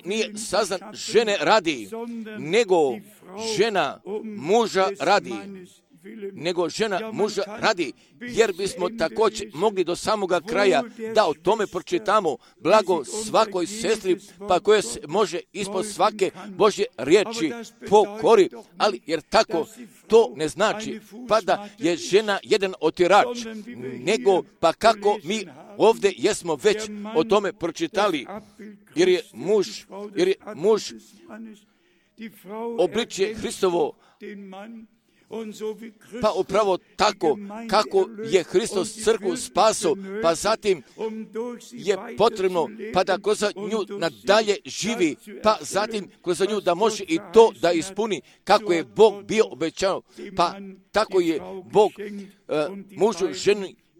A: nije sazdan žene radi, nego žena muža radi, jer bismo također mogli do samoga kraja da o tome pročitamo, blago svakoj sestri, pa koja se može ispod svake Božje riječi pokori, ali jer tako to ne znači pa da je žena jedan otirač, nego pa kako mi ovdje jesmo već o tome pročitali, jer je muž obličje Hristovo, pa upravo tako kako je Hristos crkvu spasao, pa zatim je potrebno pa da kroz nju nadalje živi, pa zatim kroz nju da može i to da ispuni kako je Bog bio obećao, pa tako je Bog mužu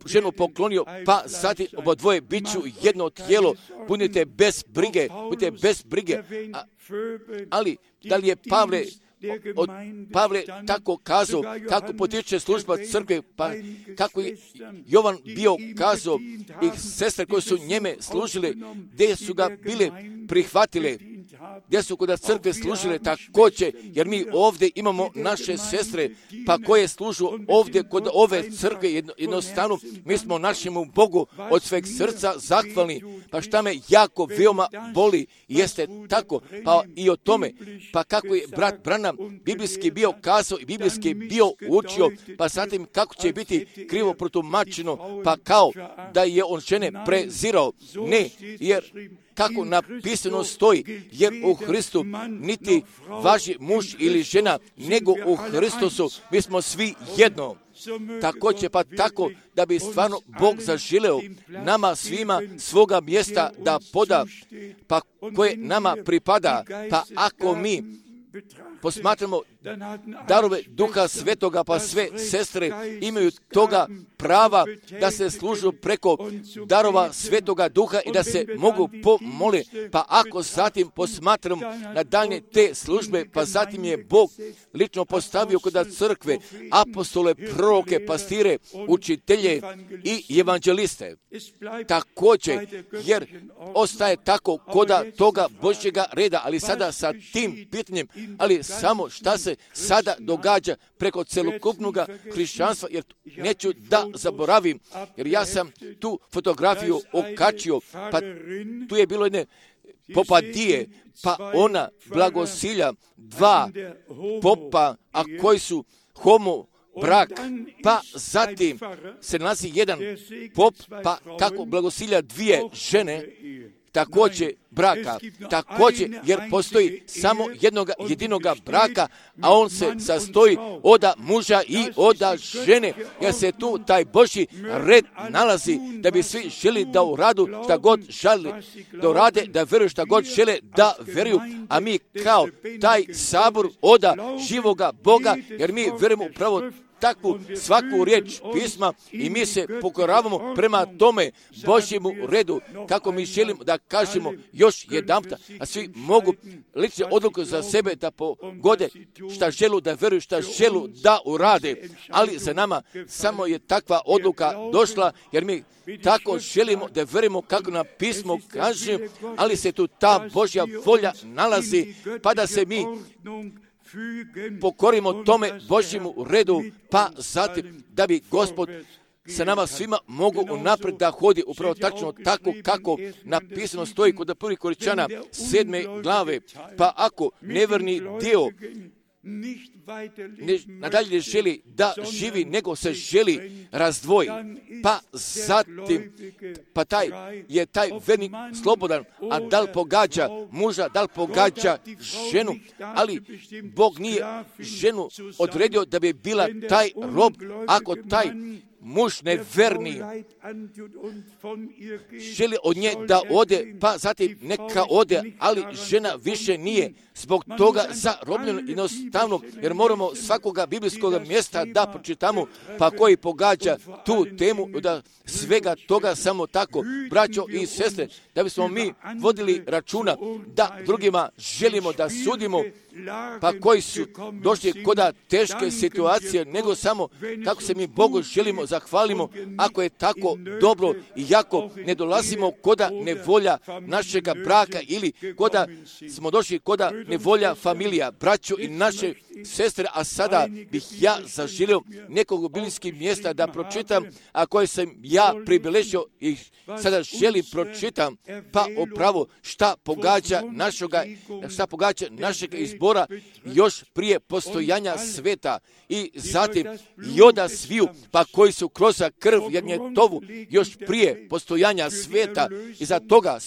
A: ženu poklonio, pa zatim obodvoje biću jedno tijelo, budite bez brige. Ali da li je Pavle tako kazao, kako potiče služba crkve, pa kako je Jovan bio kazao i sestre koje su njeme služile, gdje su ga bile prihvatile, gdje su kod crkve služile također, jer mi ovdje imamo naše sestre, pa koje služu ovdje kod ove crkve, jednostavno mi smo našemu Bogu od sveg srca zahvalni, pa šta me jako veoma boli, jeste tako, pa i o tome, pa kako je brat Branham biblijski bio kazao i biblijski bio učio, pa zatim kako će biti krivo protumačeno, pa kao da je on žene prezirao, ne, jer kako napisano stoji, jer u Hristu niti važi muž ili žena, nego u Hristusu mi smo svi jedno. Također pa tako da bi stvarno Bog zaželeo nama svima svoga mjesta da poda, pa koje nama pripada, pa ako mi posmatramo darove Duha Svetoga, pa sve sestre imaju toga prava da se služu preko darova Svetoga Duha i da se mogu pomoli. Pa ako zatim posmatramo na daljnje te službe, pa zatim je Bog lično postavio kod crkve apostole, proroke, pastire, učitelje i evanđeliste. Također, jer ostaje tako koda toga Božjega reda, ali sada sa tim pitanjem, ali samo šta se sada događa preko celokupnog hrišćanstva, jer neću da zaboravim, jer ja sam tu fotografiju okačio, pa tu je bilo jedne popadije, pa ona blagosilja dva popa, a koji su homo brak, pa zatim se nalazi jedan pop, pa kako blagosilja dvije žene, također braka, također jer postoji samo jedinoga braka, a on se sastoji od muža i od žene, jer se tu taj Božji red nalazi da bi svi želi da uradu šta god želi da urade, da vjeruju šta god žele da vjeruju, a mi kao taj sabor od živoga Boga, jer mi vjerujemo upravo takvu svaku riječ pisma i mi se pokoravamo prema tome Božjemu redu, kako mi želimo da kažemo još jedanputa, a svi mogu lične odluke za sebe da pogode šta želu da vjeruju, šta želu da urade, ali za nama samo je takva odluka došla, jer mi tako želimo da vjerujemo kako na pismo kaže, ali se tu ta Božja volja nalazi, pa da se mi pokorimo tome Božjemu redu, pa zatim da bi Gospod sa nama svima mogu unaprijed da hodi upravo tačno tako kako napisano stoji kod 1. Korinćana 7. glave, pa ako nevjerni dio nadalje ne želi da živi, nego se želi razdvoji, pa zatim, pa taj vernik slobodan, a da li pogađa muža, da li pogađa ženu, ali Bog nije ženu odredio da bi bila taj rob, ako taj muž neverni želi od nje da ode, pa zatim neka ode, ali žena više nije zbog toga zarobljena jednostavno, jer moramo svakoga biblijskog mjesta da pročitamo, pa koji pogađa tu temu, da svega toga samo tako, braćo i sestre, da bismo mi vodili računa da drugima želimo da sudimo, pa koji su došli koda teške situacije, nego samo kako se mi Bogu želimo zahvalimo, ako je tako dobro i jako ne dolazimo koda nevolja našega braka ili koda smo došli koda nevolja familija, braćo i naše sestre, a sada bih ja zaželio nekog biblijskih mjesta da pročitam, a koje sam ja pribilježio i sada želim pročitam, pa upravo šta pogađa našeg izbora još prije postojanja sveta i zatim i oda sviju, pa koji su kroz krv jagnjetovu još prije postojanja sveta i za toga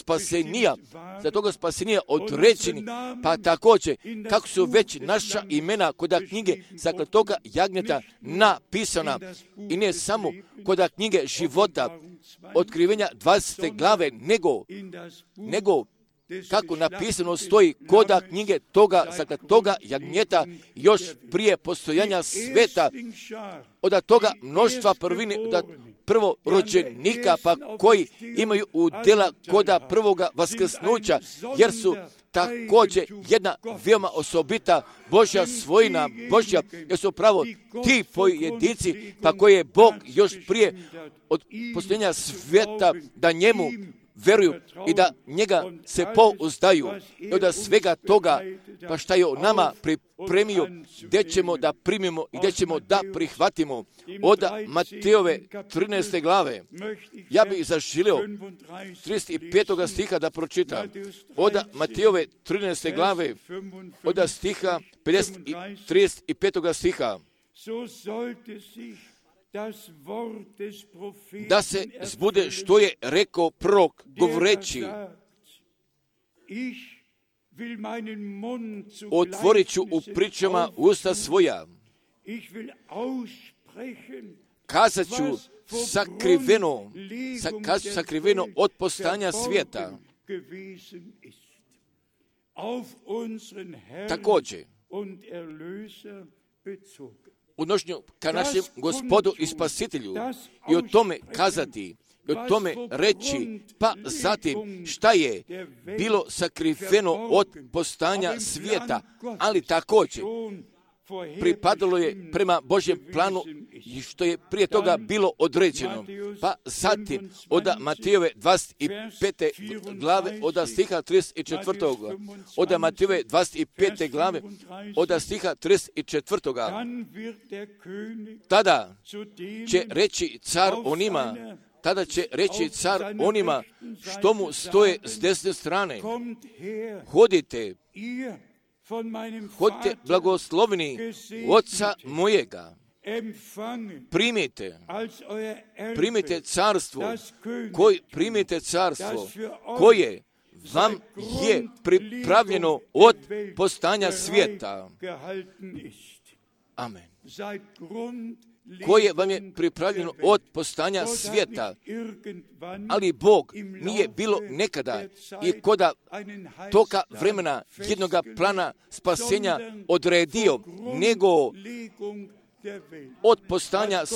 A: spasenija određeni, pa također kako su već naša imena kod knjige zakletoga jagnjeta napisana i ne samo kod knjige života otkrivenja 20. glave, nego kako napisano stoji koda knjige toga jagnjeta još prije postojanja sveta, od toga mnoštva prvine, od prvorođenika, pa koji imaju udjela koda prvoga vaskrsnuća, jer su također jedna veoma osobita Božja svojina Božja, jer su pravo ti pojedinci, pa koje je Bog još prije od postojanja svijeta da njemu veruju i da njega se pouzdaju i od svega toga, pa šta je nama pripremio, gdje ćemo da primimo i gdje ćemo da prihvatimo. Od Matejove 13. glave, ja bih zaželio 35. stiha da pročitam. Od Matejove 13. glave, od stiha 35. stiha. Da se zbude što je rekao prorok govoreći, otvorit ću u pričama usta kazat ću sakriveno od postojanja svijeta. Također, odnošenju ka našem Gospodu i Spasitelju i o tome kazati, i o tome reći, pa zatim šta je bilo sakriveno od postojanja svijeta, ali također pripadalo je prema Božjem planu i što je prije toga bilo određeno. Pa zatim od Matejove 25. glave od stiha 34. Od Matejove 25. glave od stiha 34. Tada će reći car onima, što mu stoje s desne strane, hodite blagoslovni Oca mojega, primite carstvo koje vam je pripravljeno od postojanja svijeta. Amen. Koje vam je pripravljeno od postojanja svijeta, ali Bog nije bilo nekada i koda toga vremena jednoga plana spasenja odredio, nego od postojanja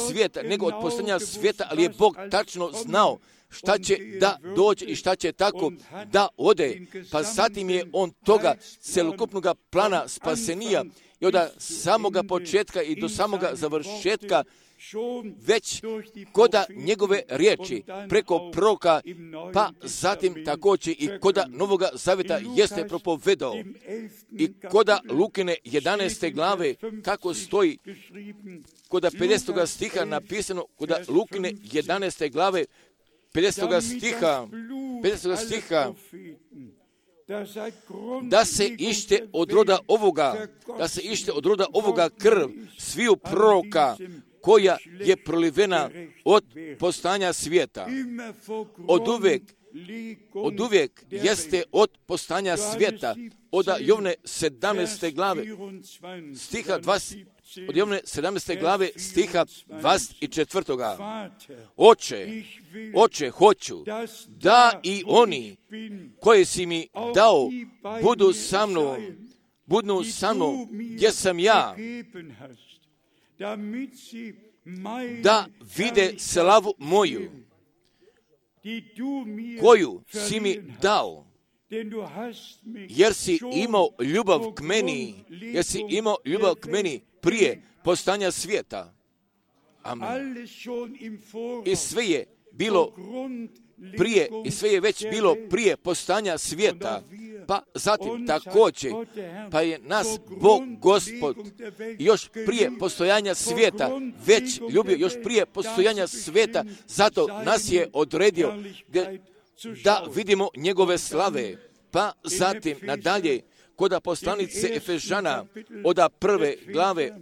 A: svijeta, ali je Bog tačno znao šta će da dođe i šta će tako da ode, pa zatim je on toga celokupnog plana spasenija i od samoga početka i do samoga završetka već koda njegove riječi preko proroka, pa zatim također i koda Novoga Zaveta jeste propovedao. I koda Lukine 11. glave, kako stoji koda 50. stiha napisano, koda Lukine 11. glave 50. stiha, da se ište od roda ovoga krv sviju proroka koja je prolivena od postojanja svijeta. Od uvijek jeste od postojanja svijeta. Od Jovne 17. glave stiha 20, od Jovne 17. glave stiha 24. Oče, hoću da i oni koji si mi dao budu sa mnom gdje sam ja, da vide slavu moju koju si mi dao, jer si imao ljubav k meni prije postojanja svijeta. Amen. I sve je već bilo prije postojanja svijeta. Pa zatim također, pa je nas Bog Gospod još prije postojanja svijeta već ljubio, još prije postojanja svijeta, zato nas je odredio da vidimo njegove slave. Pa zatim nadalje, koda poslanice Efežana,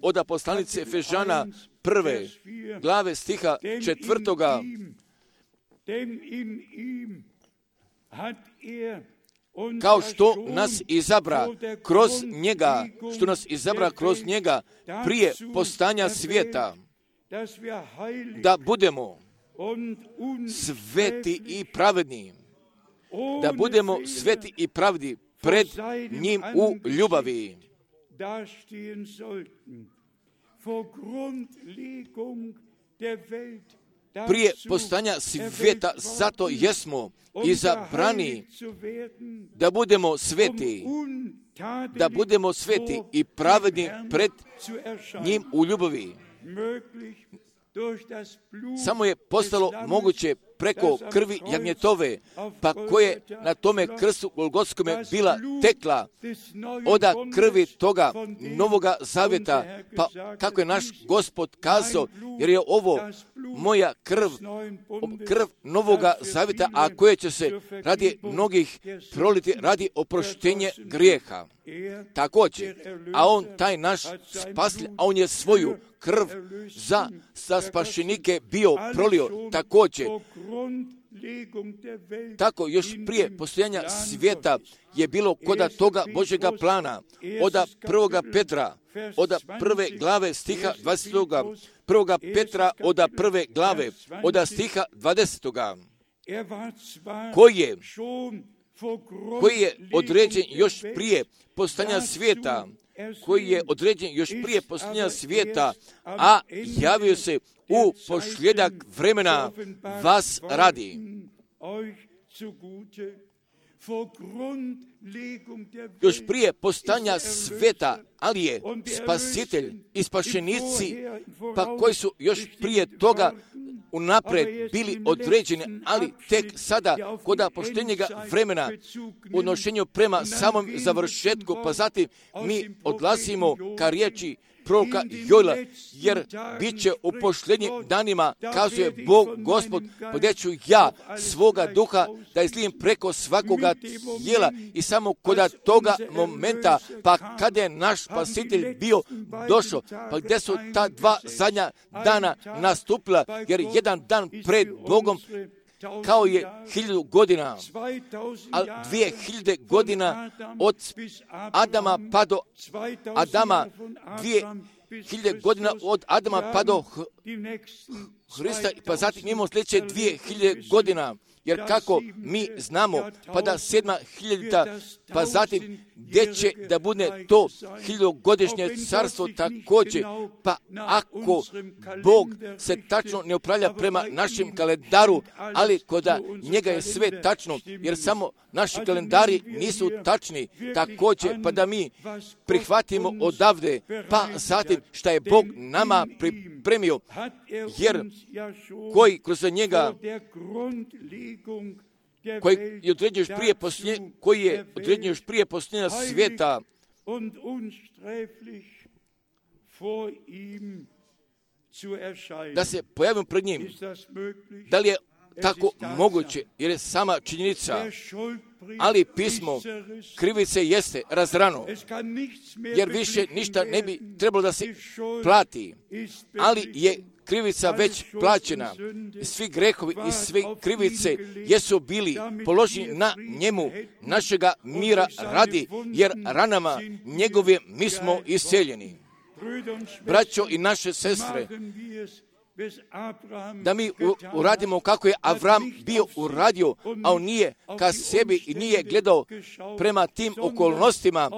A: od poslanice Efežana 1. glave stiha 4. Kao što nas izabra kroz njega prije postojanja svijeta, da budemo sveti i pravedni, pred njim u ljubavi. Prije postojanja svijeta, zato jesmo izabrani da budemo sveti i pravedni pred njim u ljubavi. Samo je postalo moguće preko krvi jagnjetove, pa koje na tome krstu Golgotskome bila tekla, oda krvi toga Novoga Zavjeta, pa kako je naš Gospod kazao, jer je ovo moja krv Novoga Zavjeta, a koje će se radi mnogih proliti radi oproštenje grijeha. Također, a on taj naš spasitelj, a on je svoju krv za spašenike bio prolio također. Tako još prije postojanja svijeta je bilo koda toga Božjega plana, od 1. Petra, od 1. glave stiha 20. 1. Petra od 1. glave, od stiha 20. Koji je određen još prije postojanja svijeta, a javio se u posljedak vremena vas radi. Još prije postojanja svijeta, ali je spasitelj i spašenici, pa koji su još prije toga unaprijed bili određeni, ali tek sada, kod poštenjega vremena, u odnošenju prema samom završetku, pa zatim mi odlazimo ka riječi proroka Joela, jer bit će u posljednjim danima, kazuje Bog Gospod, podjet ću ja svoga duha da izlijem preko svakoga tijela, i samo kod toga momenta, pa kada je naš spasitelj bio došao, pa gdje su ta dva zadnja dana nastupila, jer jedan dan pred Bogom kao je 1000 godina, a 2000 godina od Adama pa do Adama, 2000 godina od Adama pa do Hrista, pa zatim imamo sljedeće 2000 godina. Jer kako mi znamo, pa da 7000, pa zatim gdje će da bude to 1000-godišnje carstvo također, pa ako Bog se tačno ne upravlja prema našem kalendaru, ali kod njega je sve tačno, jer samo naši kalendari nisu tačni, također, pa da mi prihvatimo odavde, pa zatim šta je Bog nama pripremio, jer koji kroz njega koji je određen još prije posljednja svijeta, da se pojavimo pred njim. Da li je tako moguće? Jer je sama činjenica, ali pismo krivice jeste razrano, jer više ništa ne bi trebalo da se plati, ali je krivica već plaćena. Svi grehovi i sve krivice jesu bili položeni na njemu, našega mira radi, jer ranama njegove mi smo isceljeni. Braćo i naše sestre, da mi uradimo kako je Avram bio uradio, a on nije ka sebi i nije gledao prema tim okolnostima,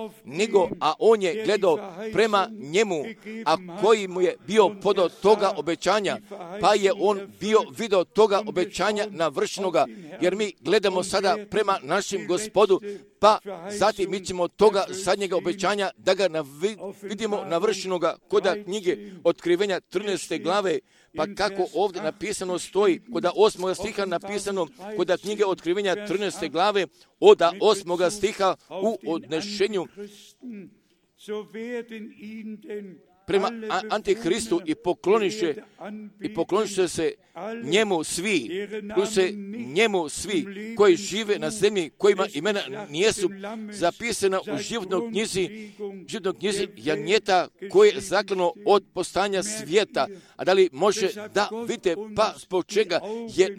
A: a on je gledao prema njemu, a koji mu je bio podao toga obećanja, pa je on bio video toga obećanja navršenoga, jer mi gledamo sada prema našem Gospodu, pa zatim mi ćemo toga zadnjega obećanja da ga vidimo navršenoga kod knjige Otkrivenja 13. glave, pa kako ovdje napisano stoji, kod 8. stiha napisano, kod knjige Otkrivenja 13. glave, od 8. stiha u odnešenju prema Antihristu i pokloniše se njemu svi koji žive na zemlji, kojima imena nijesu zapisana u životnoj knjizi jagnjeta koje je zaklano od postojanja svijeta. A da li može da vidite, pa zbog čega je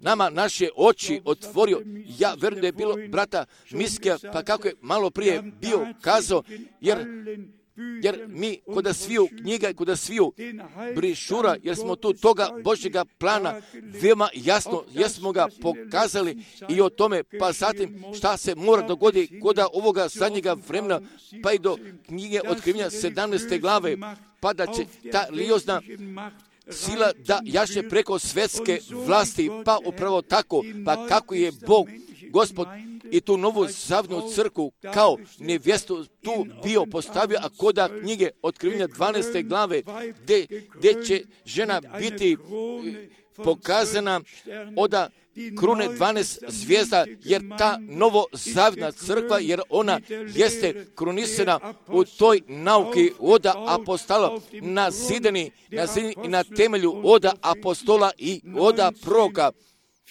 A: nama naše oči otvorio? Ja verujem da je bilo brata Miskija, pa kako je malo prije bio kazao, jer mi kod sviju knjiga i kod sviju brišura, jer smo tu toga Božjega plana veoma jasno, jesmo ga pokazali i o tome, pa zatim šta se mora dogoditi kod ovoga zadnjega vremena, pa i do knjige Otkrivenja 17. glave, pa da će ta liozna sila da jaše preko svjetske vlasti, pa upravo tako, pa kako je Bog, Gospod, i tu novu zavnu crkvu kao nevjestu tu bio postavio, a koda knjige Otkrivenja 12. glave, gdje će žena biti pokazana oda krune 12 zvijezda, jer ta novozavna crkva, jer ona jeste krunisana u toj nauki oda apostola nazidani i na temelju oda apostola i oda proroka.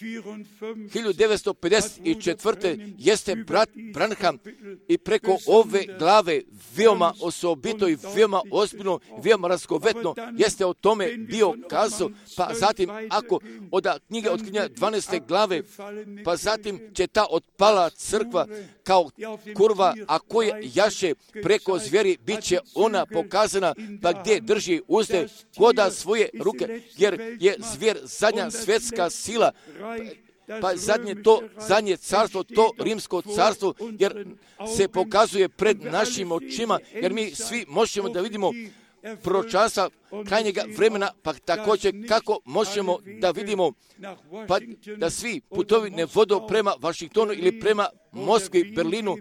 A: 1954. jeste brat Branham i preko ove glave veoma osobito i veoma ozbiljno, veoma razgovetno jeste o tome bio kazao, pa zatim ako od knjige Otkrivenja 12. glave, pa zatim će ta otpala crkva kao kurva, a koja jaše preko zvijeri, bit će ona pokazana, pa gdje drži uzde koda svoje ruke, jer je zvijer zadnja svjetska sila, pa zadnje carstvo, to rimsko carstvo, jer se pokazuje pred našim očima, jer mi svi možemo da vidimo proročanstva krajnjega vremena, pa također kako možemo da vidimo pa da svi putovi ne vodu prema Vašingtonu ili prema Moskvi, Berlinu,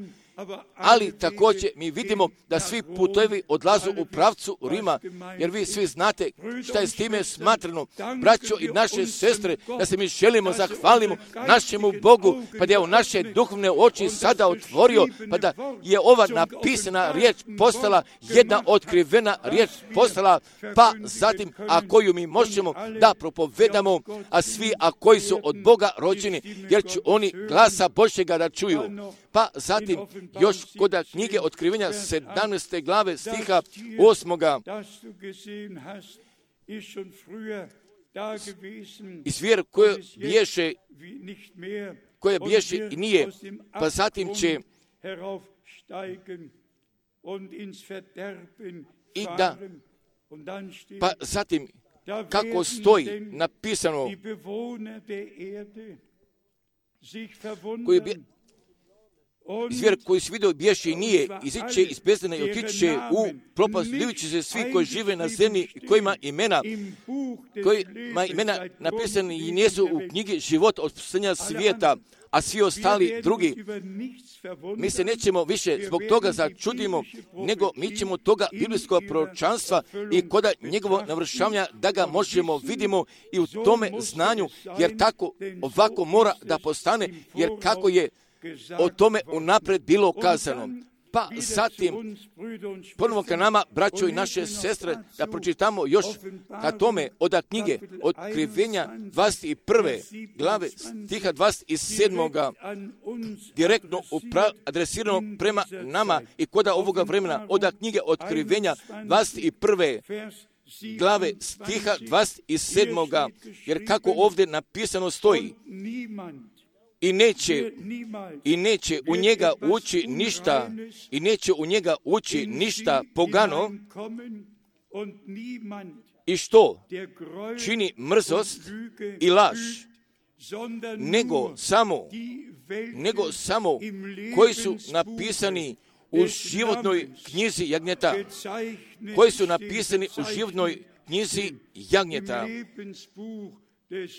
A: ali također mi vidimo da svi putevi odlazu u pravcu Rima, jer vi svi znate šta je s time smatrano, braćo i naše sestre, da se mi želimo zahvalimo našemu Bogu, pa da je u naše duhovne oči sada otvorio, pa da je ova napisana riječ postala jedna otkrivena riječ postala, pa zatim, a koju mi možemo da propovedamo, a svi, a koji su od Boga rođeni, jer će oni glasa Božjega da čuju. Pa zatim, još kod knjige Otkrivenja 17. glave stiha 8. I zvijer koja bješe i nije, pa zatim će i da, pa zatim kako stoji napisano, zvijer koji se vidio bješe i nije, iziće iz bezdana i otiće u propast, livići se svi koji žive na zemlji, kojima imena napisani i nisu u knjigi života od stvorenja svijeta, a svi ostali drugi. Mi se nećemo više zbog toga začudimo, nego mi ćemo toga biblijskog proročanstva i koda njegovo navršavanja da ga možemo vidimo i u tome znanju, jer tako ovako mora da postane, jer kako je o tome unapred bilo kazano. Pa zatim, ponovo ka nama, braćo i naše sestre, da pročitamo još ka tome od knjige Otkrivenja 21. glave stiha 27. direktno adresirano prema nama i koda ovoga vremena od knjige Otkrivenja 21. glave stiha 27. jer kako ovdje napisano stoji, i neće u njega ući ništa, i neće u njega ući ništa pogano, i što čini mrzost i laž, nego samo koji su napisani u životnoj knjizi jagnjeta, koji su napisani u životnoj knjizi jagnjeta,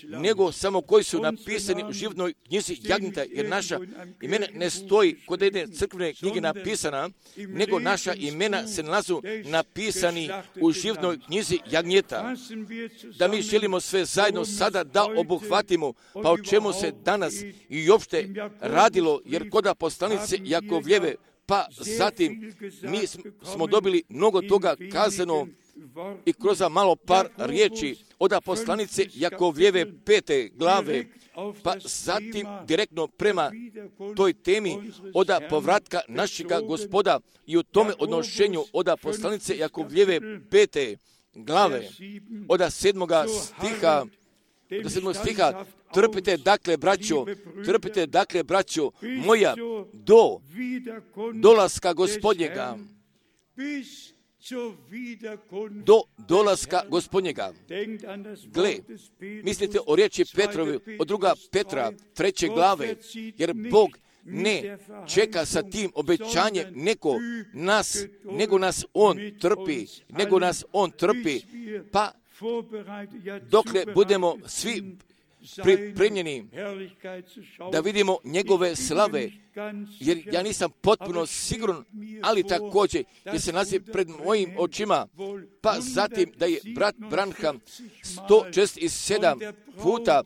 A: nego samo koji su napisani u životnoj knjizi jagnjeta, jer naša imena ne stoji kod jedne crkvene knjige napisana, nego naša imena se nalazu napisani u životnoj knjizi jagnjeta. Da mi želimo sve zajedno sada da obuhvatimo, pa o čemu se danas i uopšte radilo, jer kod poslanice Jakovljeve, pa zatim mi smo dobili mnogo toga kazano i kroz malo par riječi od poslanice Jakovljeve 5. glave, pa zatim direktno prema toj temi od povratka našega Gospoda i u tome odnošenju od poslanice Jakovljeve 5. glave od 7. stiha, trpite dakle braćo moja do dolaska Gospodnjega, do dolaska Gospodnjega. Gle, mislite o riječi Petrovi, od 2. Petra 3. glave, jer Bog ne čeka sa tim obećanjem nego nas On trpi, pa dokle budemo svi pripremljeni da vidimo njegove slave, jer ja nisam potpuno siguran, ali također jer se nalazi pred mojim očima, pa zatim da je brat Branham 167 puta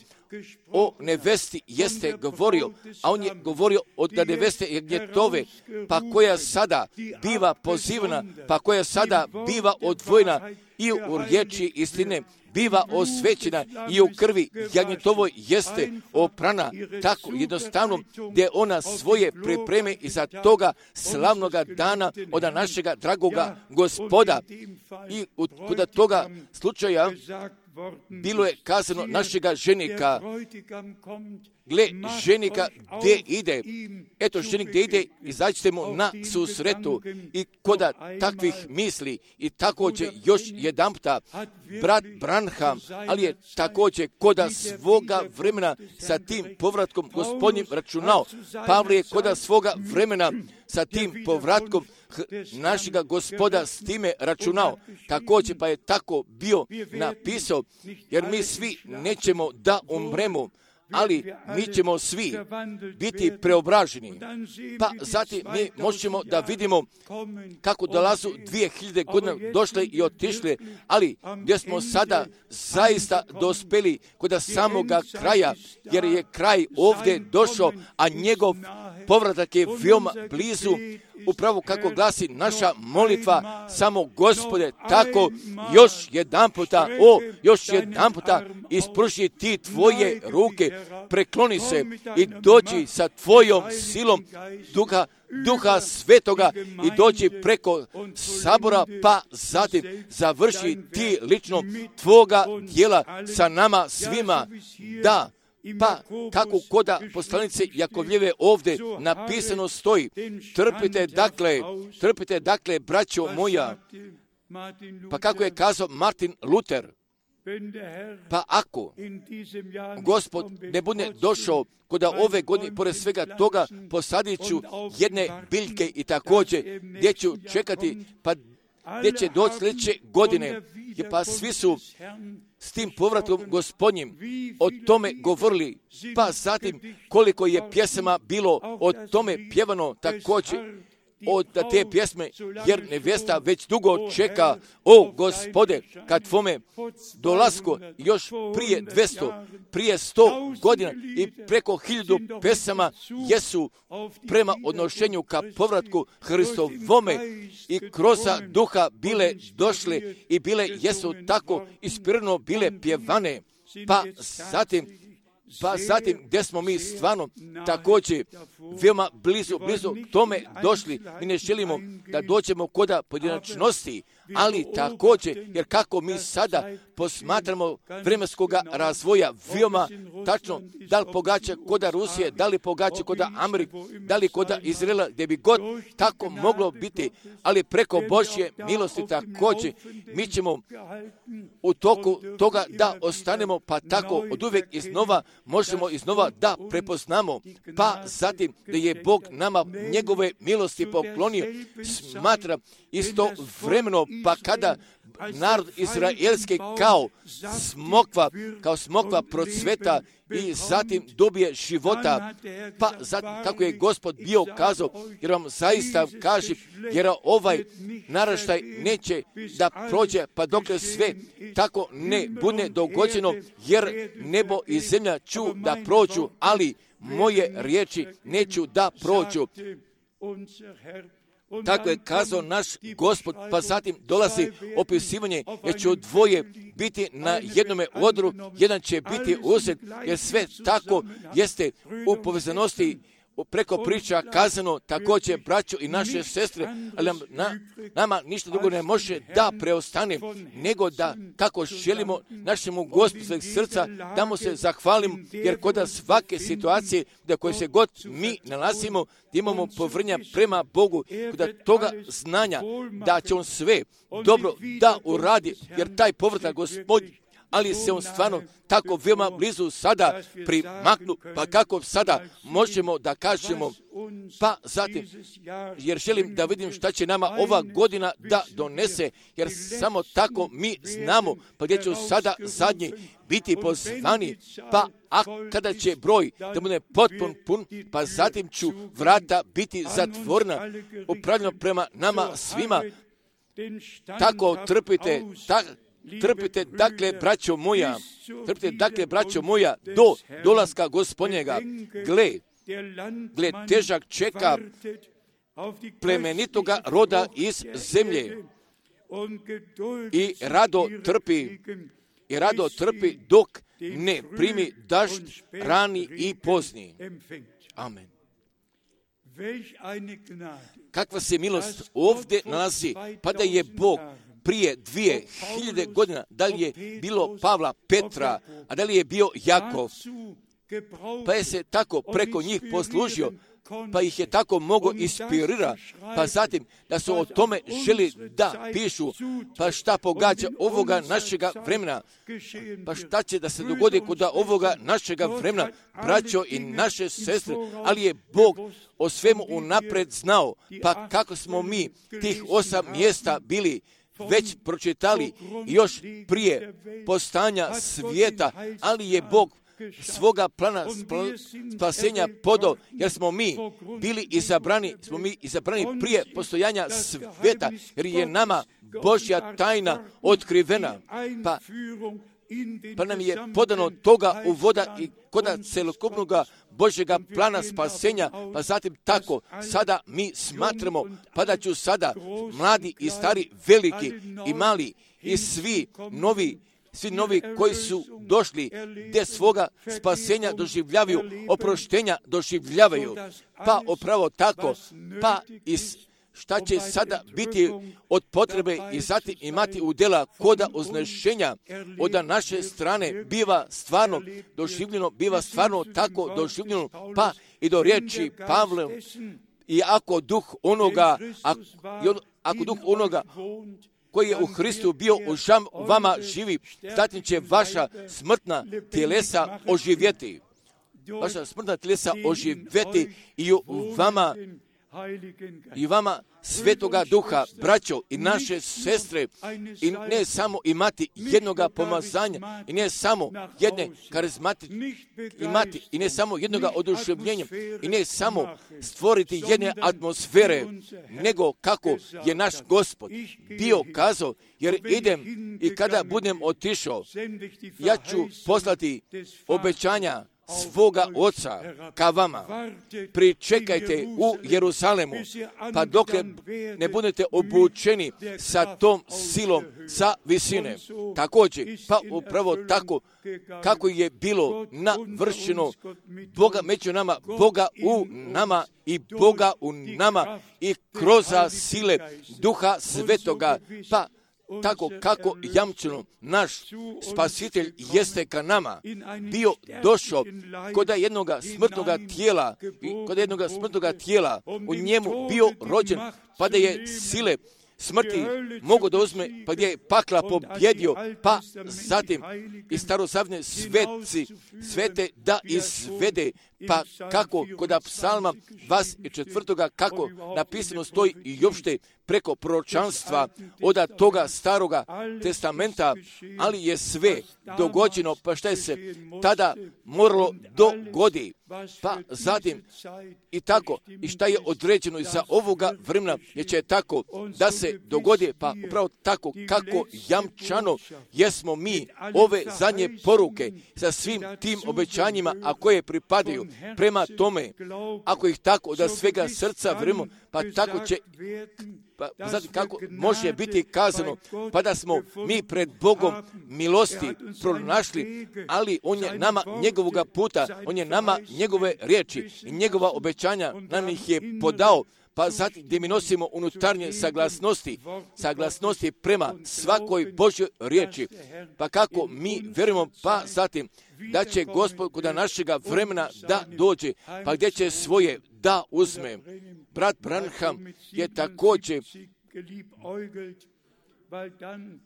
A: o nevesti jeste govorio, a on je govorio od neveste Jagnjetove, pa koja sada biva pozivana, pa koja sada biva odvojena i u riječi istine, biva osvećena i u krvi Jagnjetovoj jeste oprana, tako jednostavno gdje ona svoje pripreme iza toga slavnoga dana od našega dragoga Gospoda. I kod toga slučaja bilo je kazano našega ženika, gle, ženika gdje ide, eto ženik gdje ide, izađite mu na susretu. I koda takvih misli i također još jedanputa brat Branham, ali je također koda svoga vremena sa tim povratkom Gospodnjim računao. Pavle je koda svoga vremena sa tim povratkom našega Gospoda s time računao. Također pa je tako bio napisao, jer mi svi nećemo da umremo, ali mi ćemo svi biti preobraženi. Pa zatim mi možemo da vidimo kako dolazu 2000 godina došle i otišle, ali gdje smo sada zaista dospeli kod samoga kraja, jer je kraj ovdje došao, a njegov povratak je veoma blizu. Upravo kako glasi naša molitva, samo Gospode, tako još jedan puta ispruži ti tvoje ruke, prekloni se i dođi sa tvojom silom Duha Svetoga i dođi preko sabora, pa zatim završi ti lično tvoga djela sa nama svima, da. Pa kako koda poslanice Jakovljeve ovdje napisano stoji, trpite dakle, braćo moja. Pa kako je kazao Martin Luther, pa ako Gospod ne bude došao koda ove godine, pored svega toga posadit ću jedne biljke i također gdje ću čekati, pa gdje će doći sljedeće godine, pa svi su s tim povratom Gospodnjim o tome govorili, pa zatim koliko je pjesama bilo o tome pjevano također od te pjesme, jer nevjesta već dugo čeka, o Gospode, kad tvome dolasku još prije 200, prije 100 godina i preko 1000 pesama jesu prema odnošenju ka povratku Hristovome i kroz duha bile došle i bile jesu tako ispirano bile pjevane, pa zatim gdje smo mi stvarno također veoma blizu tome došli. Mi ne želimo da dođemo koda pojedinačnosti, ali također, jer kako mi sada posmatramo vremenskog razvoja veoma tačno, da li pogađa koda Rusije, da li pogađa koda Amerike, da li koda Izraela, gdje bi god tako moglo biti, ali preko Božje milosti također mi ćemo u toku toga da ostanemo, pa tako od uvijek iznova možemo iznova da prepoznamo, pa zatim da je Bog nama njegove milosti poklonio, smatra istovremeno, pa kada narod izraelski kao smokva procveta i zatim dobije života, pa zatim kako je Gospod bio kazao, jer vam zaista kaže, jer ovaj naraštaj neće da prođe, pa dokle sve tako ne bude dogođeno, jer nebo i zemlja ću da prođu, ali moje riječi neću da prođu. Tako je kazao naš Gospod, pa zatim dolazi opisivanje, jer će dvoje biti na jednome odru, jedan će biti uzet, jer sve tako jeste u povezanosti preko priča kazano također, braćo i naše sestre, ali nama ništa drugo ne može da preostane, nego da kako želimo našemu Gospodu sveg srca, da mu se zahvalimo, jer kod svake situacije da koje se god mi nalazimo, da imamo povrnja prema Bogu, kod toga znanja da će on sve dobro da uradi, jer taj povratak Gospod ali se on stvarno tako veoma blizu sada primaknu, pa kako sada možemo da kažemo, pa zatim, jer želim da vidim šta će nama ova godina da donese, jer samo tako mi znamo, pa gdje ću sada zadnji biti pozvani, pa a kada će broj da bude potpun pun, pa zatim ću vrata biti zatvorena, upravljeno prema nama svima. Tako trpite, dakle, braćo moja, do dolaska Gospodnjega. Gle, težak čeka plemenitoga roda iz zemlje i rado trpi dok ne primi dažd rani i pozni. Amen. Kakva se milost ovdje nalazi, pa da je Bog prije 2000 godina, da li je bilo Pavla, Petra, a da li je bio Jakov, pa je se tako preko njih poslužio, pa ih je tako mogo inspirira, pa zatim da su o tome želi da pišu, pa šta pogađa ovoga našega vremena, pa šta će da se dogodi kod ovoga našega vremena, braćo i naše sestre, ali je Bog o svemu unapred znao, pa kako smo mi tih 8 mjesta bili već pročitali još prije postanja svijeta, ali je Bog svoga plana spasenja podao, jer smo mi bili izabrani prije postojanja svijeta, jer je nama Božja tajna otkrivena, pa nam je podano toga uvoda i koda celokupnog Božjega plana spasenja, pa zatim tako sada mi smatramo, pa da ću sada mladi i stari, veliki i mali i svi novi koji su došli gdje svoga spasenja doživljavaju, oproštenja doživljavaju, pa upravo tako, pa šta će sada biti od potrebe i zatim imati udjela koda oznešenja od naše strane biva stvarno tako doživljeno, pa i do riječi Pavle, i ako duh onoga koji je u Hristu bio u vama živi, zatim će vaša smrtna tjelesa oživjeti. Vaša smrtna tjelesa oživjeti i vama Svetoga Duha, braćo i naše sestre, i ne samo imati jednoga pomazanja, i ne samo jedne karizmatike imati, i ne samo jednoga oduševljenja, i ne samo stvoriti jedne atmosfere, nego kako je naš Gospod bio kazao, jer idem i kada budem otišao, ja ću poslati obećanja svoga Oca ka vama. Pričekajte u Jeruzalemu, pa dok ne budete obučeni sa tom silom sa visine. Također, pa upravo tako kako je bilo navršeno Boga među nama, Boga u nama i Boga u nama i kroz sile Duha Svetoga, pa tako kako jamčeno naš Spasitelj jeste ka nama bio došao kod jednog smrtnoga tijela, u njemu bio rođen, pa da je sile smrti mogu da uzme, pa gdje je pakla pobjedio, pa zatim i starozavne svete da izvede, pa kako kod psalma 24. kako napisano stoji i uopšte preko proročanstva od toga staroga testamenta, ali je sve dogođeno, pa šta je se tada moralo dogodi, pa zatim i tako, i šta je određeno i za ovoga vremena, jer će tako da se dogodi, pa upravo tako kako jamčano jesmo mi ove zadnje poruke sa svim tim obećanjima, a koje pripadaju prema tome, ako ih tako da svega srca vremo, pa tako će, pa znate kako može biti kazano, pa da smo mi pred Bogom milosti pronašli, ali on je nama njegovoga puta, on je nama njegove riječi i njegova obećanja nam ih je podao, pa zatim gdje mi nosimo unutarnje saglasnosti prema svakoj Božjoj riječi, pa kako mi vjerujemo, pa zatim da će Gospod kod našega vremena da dođe, pa gdje će svoje da uzme. Brat Branham je također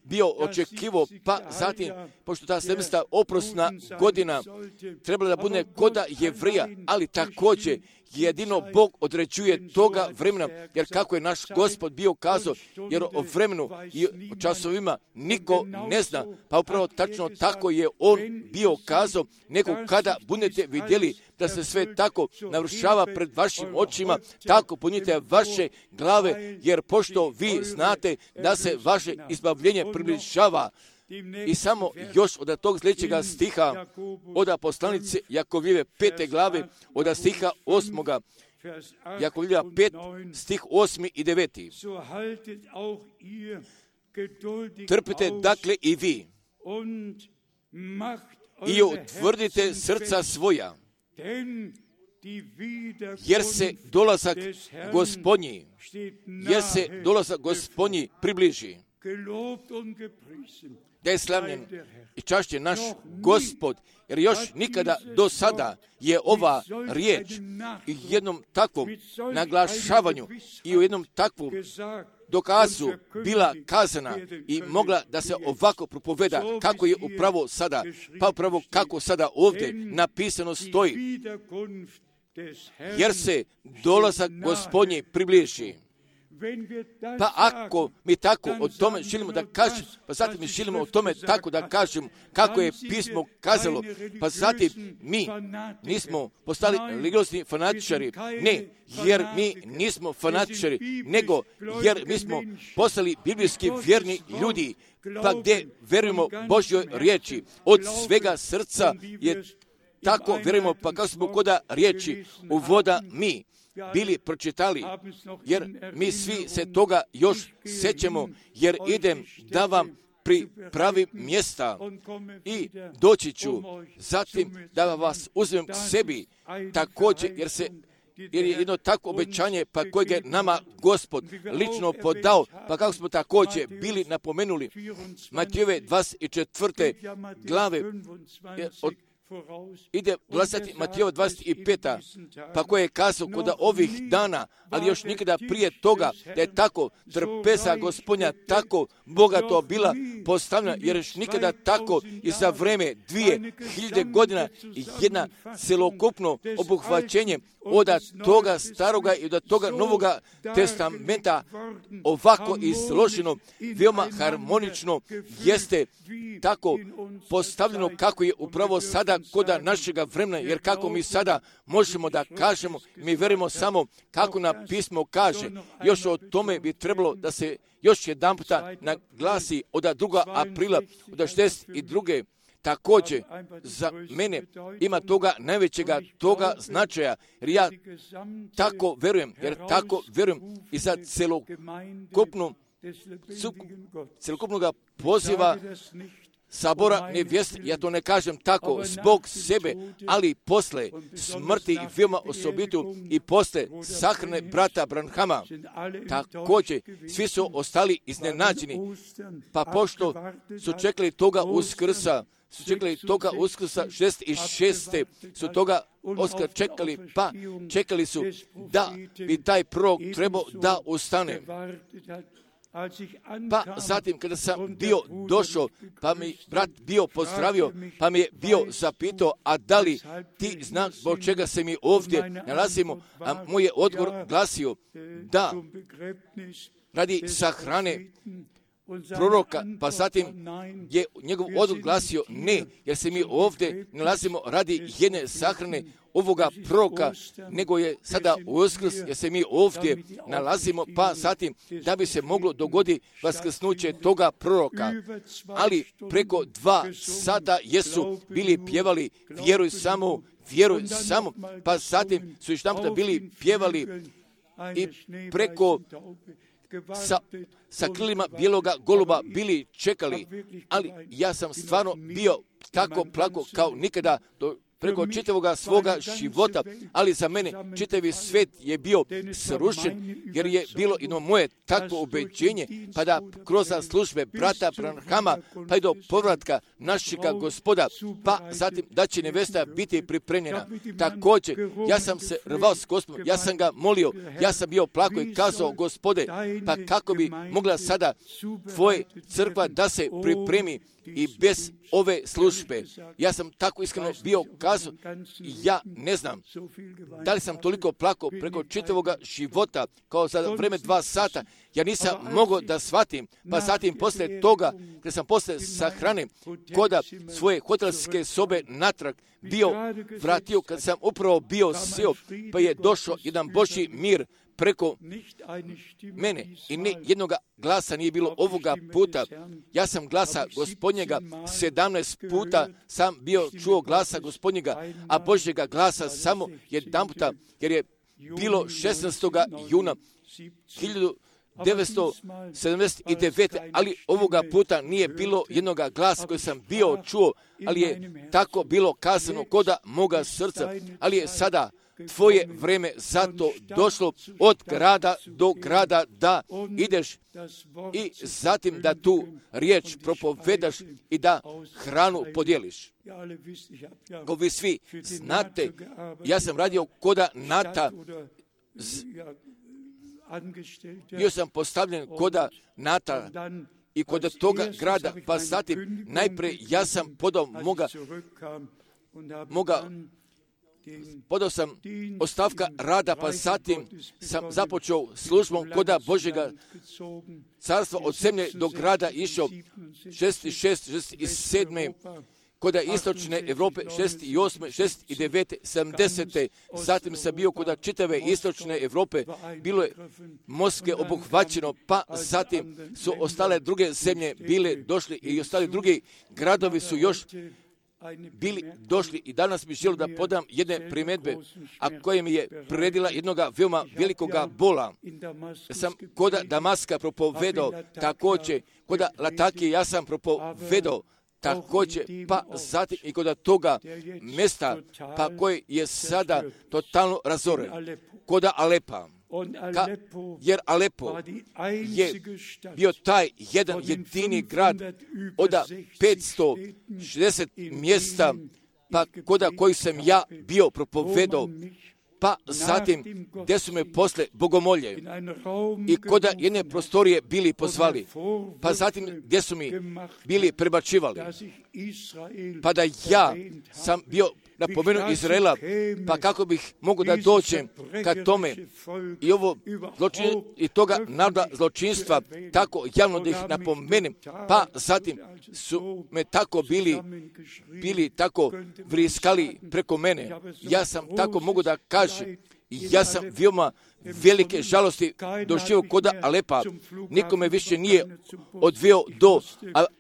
A: bio očekivao, pa zatim, pošto ta 700 oprosna godina trebala da bude koda Jevrija, ali također jedino Bog određuje toga vremena, jer kako je naš Gospod bio kazao, jer o vremenu i o časovima niko ne zna, pa upravo tačno tako je On bio kazao, nego kada budete vidjeli da se sve tako navršava pred vašim očima, tako punite vaše glave, jer pošto vi znate da se vaše izbavljenje približava. I samo još od tog sljedećega stiha, od poslanice Jakovljeve 5. glave, od stiha 8. Jakovljeva 5, stih 8. i 9. Trpite dakle i vi i utvrdite srca svoja, jer se dolazak Gospodnji približi. Da je slavljen i čašćen naš Gospod, jer još nikada do sada je ova riječ i jednom takvom naglašavanju i u jednom takvom dokazu bila kazana i mogla da se ovako propoveda kako je upravo sada, pa upravo kako sada ovdje napisano stoji, jer se dolazak Gospodnji približi. Pa ako mi tako o tome želimo da kažemo, pa zatim mi želimo o tome tako da kažemo kako je pismo kazalo, pa zatim mi nismo postali religiozni fanatičari, ne, jer mi nismo fanatičari, nego jer mi smo postali biblijski vjerni ljudi, pa gdje verujemo Božjoj riječi, od svega srca je tako vjerujemo, pa kako smo koda riječi uvoda mi bili pročitali, jer mi svi se toga još sećamo, jer idem da vam pripravim mjesta i doći ću, zatim da vas uzmem sebi također, jer je jedno takvo obećanje, pa kojeg je nama Gospod lično podao, pa kako smo također bili napomenuli, Matejove 24. glave, ide dolazati Matejova 25. pa koje je kazao kod ovih dana, ali još nikada prije toga, da je tako trpeza Gospodnja tako bogato bila postavljena, jer još nikada tako i za vreme 2000 godina jedna celokupno obuhvaćenje od toga staroga i od toga novoga testamenta ovako izloženo, veoma harmonično jeste tako postavljeno kako je upravo sada koda našega vremena, jer kako mi sada možemo da kažemo, mi verujemo samo kako nam pismo kaže. Još o tome bi trebalo da se još jedan puta naglasi od 2. aprila od 62. Također za mene ima toga najvećega toga značaja, jer ja tako verujem, i za celokupnog poziva sabora nevjeste, ja to ne kažem tako zbog sebe, ali posle smrti i veoma osobitu i posle sahrane brata Branhama, također svi su ostali iznenađeni, pa pošto su čekali toga Uskrsa, 66. su toga Oskar čekali, pa čekali su da bi taj prorok trebao da ustane. Pa zatim kada sam bio došao, pa mi brat bio pozdravio, pa mi je bio zapitao, a da li ti znaš zbog čega se mi ovdje nalazimo, a moj je odgovor glasio da radi sahrane proroka, pa zatim je njegov odgovor glasio ne, jer se mi ovdje nalazimo radi jedne sahrane ovoga proroka, nego je sada Uskrs, jer se mi ovdje nalazimo, pa zatim da bi se moglo dogoditi vaskrsnuće toga proroka. Ali preko 2 sata jesu bili pjevali vjeruj samo, pa zatim su još naputa bili pjevali i preko sa krilima bijeloga goluba bili čekali, ali ja sam stvarno bio tako plako kao nikada preko čitavoga svoga života, ali za mene čitavi svet je bio srušen, jer je bilo jedno moje takvo ubeđenje, pa da kroz službe brata Branhama, pa i do povratka našega Gospoda, pa zatim da će nevesta biti pripremljena. Također, ja sam se rvao s Gospodom, ja sam ga molio, ja sam bio plako i kazao, Gospode, pa kako bi mogla sada tvoja crkva da se pripremi i bez ove službe. Ja sam tako iskreno bio kazao, ja ne znam da li sam toliko plako preko čitavoga života kao za vreme 2 sata. Ja nisam mogao da shvatim, pa zatim poslije toga, kada sam poslije sahrane koda svoje hotelske sobe natrag bio vratio, kad sam upravo bio sjeo, pa je došao jedan Božji mir preko mene i ne jednoga glasa nije bilo ovoga puta. Ja sam glasa Gospodnjega 17 puta sam bio čuo glasa Gospodnjega, a Božjega glasa samo jedan puta, jer je bilo 16. juna 1979. ali ovoga puta nije bilo jednoga glasa koji sam bio čuo, ali je tako bilo kazano koda moga srca, ali je sada tvoje vreme zato došlo od grada do grada da ideš i zatim da tu riječ propovedaš i da hranu podijeliš. Ko vi svi znate, ja sam radio koda Nata, bio sam postavljen koda Nata i kod toga grada, pa zatim najprije ja sam podao podao sam ostavka rada, pa zatim sam započeo službom koda Božjega carstva od zemlje do grada išao 66, 67, koda istočne Europe 68, 69, 70. Zatim sam bio koda čitave istočne Europe, bilo je Moskve obuhvaćeno, pa zatim su ostale druge zemlje bile došli i ostali drugi gradovi su još bili došli i danas bih želio da podam jedne primjedbe, a koje mi je priredila jednoga veoma velikoga bola. Sam koda Damaska propovedao, također koda Latakije ja sam propovedao, također, pa zatim i kod toga mjesta, pa koji je sada totalno razoren, koda Alepa. Jer Alepo je bio taj jedan jedini grad od 560 mjesta, pa koda koji sam ja bio propovedao, pa zatim gdje su me posle bogomolje i koda jedne prostorije bili pozvali, pa zatim gdje su mi bili prebačivali, pa da ja sam bio napomenuo Izraela, pa kako bih mogu da dođem ka tome i ovo i toga naroda zločinstva, tako javno da ih napomenem, pa zatim su me tako bili tako vriskali preko mene. Ja sam tako mogu da kažem, ja sam veoma velike žalosti doživio koda Alepa. Nikome više nije odveo do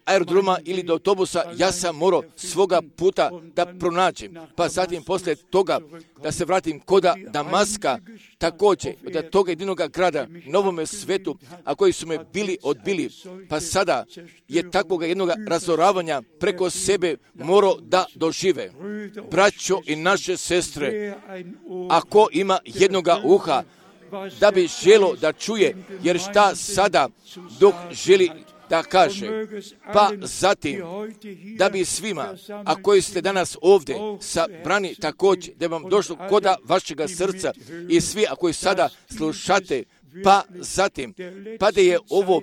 A: aerodroma ili do autobusa. Ja sam morao svoga puta da pronađem. Pa zatim poslije toga da se vratim koda Damaska, također od toga jedinoga grada na ovome svetu, a koji su me bili odbili. Pa sada je takvoga jednoga razoravanja preko sebe morao da dožive. Braćo i naše sestre, ako ima jednoga uha, da bi želo da čuje, jer šta sada Duh želi da kaže, pa zatim da bi svima, a koji ste danas ovdje sabrani također, da vam došlo koda vašega srca i svi, a koji sada slušate, pa zatim, pa da je ovo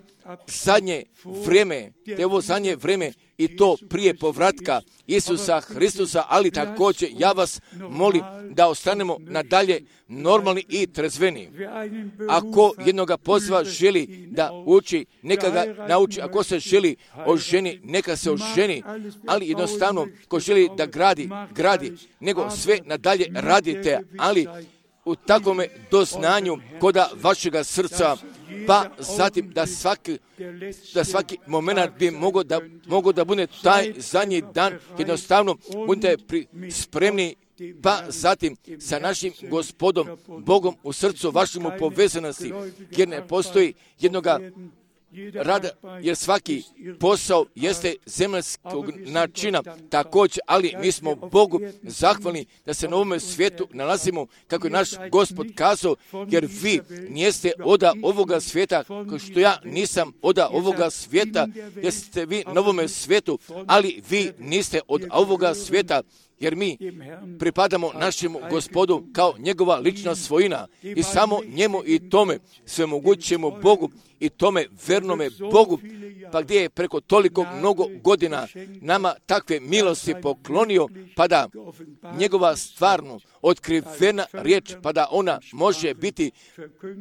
A: zadnje vrijeme, i to prije povratka Isusa Hristusa, ali također ja vas molim da ostanemo nadalje normalni i trezveni. Ako jednoga poziva želi da uči, neka ga nauči. Ako se želi oženi, neka se oženi, ali jednostavno ko želi da gradi, nego sve nadalje radite, ali u takvome doznanju koda vašega srca, pa zatim da svaki moment bi mogao da bude taj zadnji dan, jednostavno budete spremni, pa zatim sa našim Gospodom, Bogom u srcu vašemu povezanosti, jer ne postoji jednoga rada, jer svaki posao jeste zemaljskog načina također, ali mi smo Bogu zahvalni da se na ovome svijetu nalazimo, kako je naš Gospod kazao, jer vi nijeste oda ovoga svijeta, kao što ja nisam oda ovoga svijeta, jer ste vi na ovome svijetu, ali vi niste od ovoga svijeta, jer mi pripadamo našemu Gospodu kao njegova lična svojina i samo njemu i tome svemogućemu Bogu i tome vernome Bogu, pa gdje je preko toliko mnogo godina nama takve milosti poklonio, pa da njegova stvarno otkrivena riječ, pa da ona može biti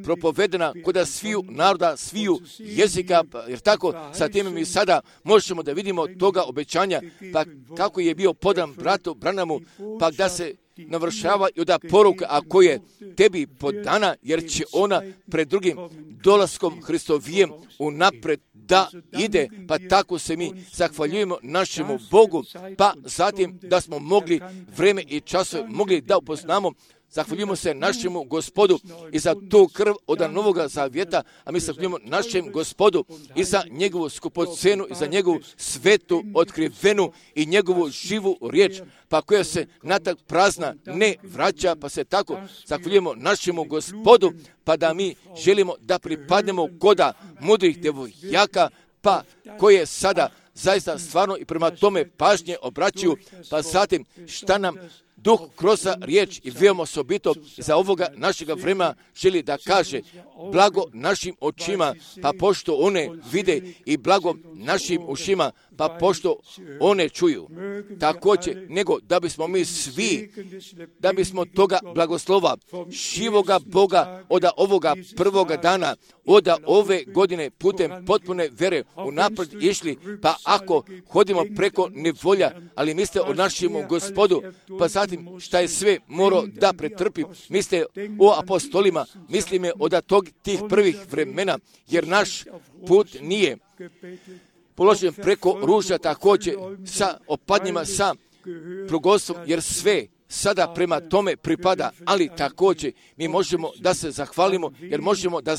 A: propovedena kod sviju naroda, sviju jezika, jer tako sa tim mi sada možemo da vidimo toga obećanja, pa kako je bio podan bratu Branamu, pa da se navršava i oda poruka, ako je tebi podana, jer će ona pred drugim dolaskom Hristovijem unapred da ide, pa tako se mi zahvaljujemo našemu Bogu, pa zatim da smo mogli vreme i časove mogli da upoznamo. Zahvaljujemo se našemu Gospodu i za tu krv od Novoga Zavjeta, a mi zahvaljujemo našem Gospodu i za njegovu skupocenu i za njegovu svetu otkrivenu i njegovu živu riječ, pa koja se natak prazna ne vraća, pa se tako zahvaljujemo našemu Gospodu, pa da mi želimo da pripadnemo koda mudrih devojaka, pa koje sada zaista stvarno i prema tome pažnje obraćaju, pa zatim šta nam Duh kroz riječ i veoma osobito za ovoga našega vremena želi da kaže, blago našim očima, pa pošto one vide, i blago našim ušima, pa pošto one čuju. Također, nego da bismo mi svi, da bismo toga blagoslova živoga Boga od ovoga prvoga dana, od ove godine putem potpune vere unaprijed išli, pa ako hodimo preko nevolja, ali mislite o našemu Gospodu, pa zatim šta je sve morao da pretrpi, mislite o apostolima, mislime od tih prvih vremena, jer naš put nije položen preko ruža, također sa opadnjima, sa progostvom, jer sve sada prema tome pripada, ali također mi možemo da se zahvalimo, jer možemo da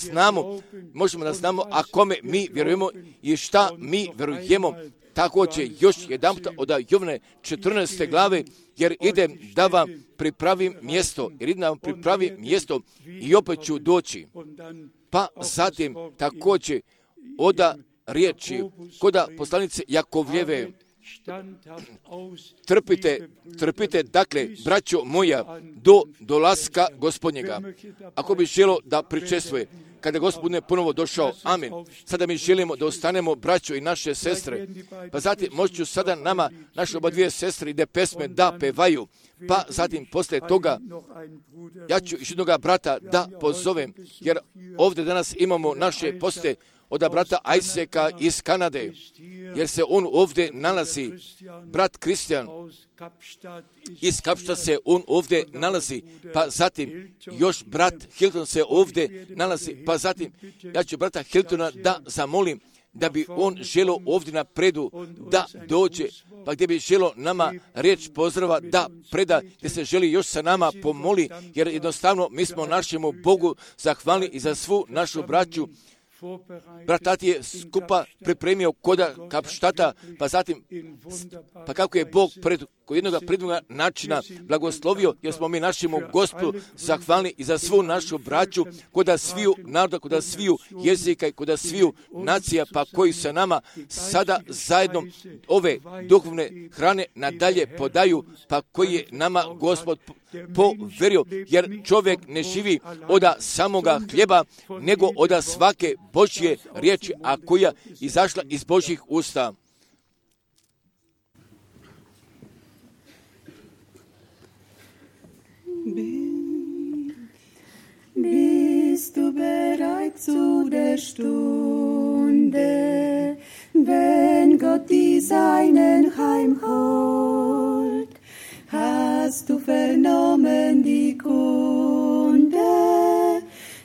A: znamo a kome mi vjerujemo i šta mi vjerujemo. Također još jedanput od Jovane 14. glave, jer idem da vam pripravim mjesto, i opet ću doći. Pa zatim također oda riječi koda poslanice Jakovljeve, trpite, dakle, braćo moja, do dolaska Gospodnjega. Ako bi želo da pričestvuje, kada Gospod ne ponovo došao, amen. Sada mi želimo da ostanemo braćo i naše sestre, pa zatim možda sada nama, naše oba dvije sestre, ide pesme da pevaju, pa zatim poslije toga ja ću još jednoga brata da pozovem, jer ovdje danas imamo naše poste od brata Isaaca iz Kanade, jer se on ovdje nalazi, brat Kristijan iz Kapšta se on ovdje nalazi, pa zatim još brat Hilton se ovdje nalazi, pa zatim ja ću brata Hiltona da zamolim da bi on želo ovdje na predu da dođe, pa gdje bi želo nama riječ pozdrava da preda, gdje se želi još sa nama pomoli, jer jednostavno mi smo našemu Bogu zahvalni i za svu našu braću. Brat Tati je skupa pripremio koda Kapštata, pa zatim, pa kako je Bog kod jednoga prednoga načina blagoslovio, jer smo mi našemu Gospodu zahvalni i za svu našu braću, koda sviju naroda, koda sviju jezika i koda sviju nacija, pa koji sa nama sada zajedno ove duhovne hrane nadalje podaju, pa koji je nama Gospod poverio, jer čovjek ne živi od samoga hljeba, nego od svake Božje riječi, a koja izašla iz Božjih usta.
D: Bist du bereit zu der Stunde, wenn Gott die Seinen heimholt? Hast du vernommen die Kunde,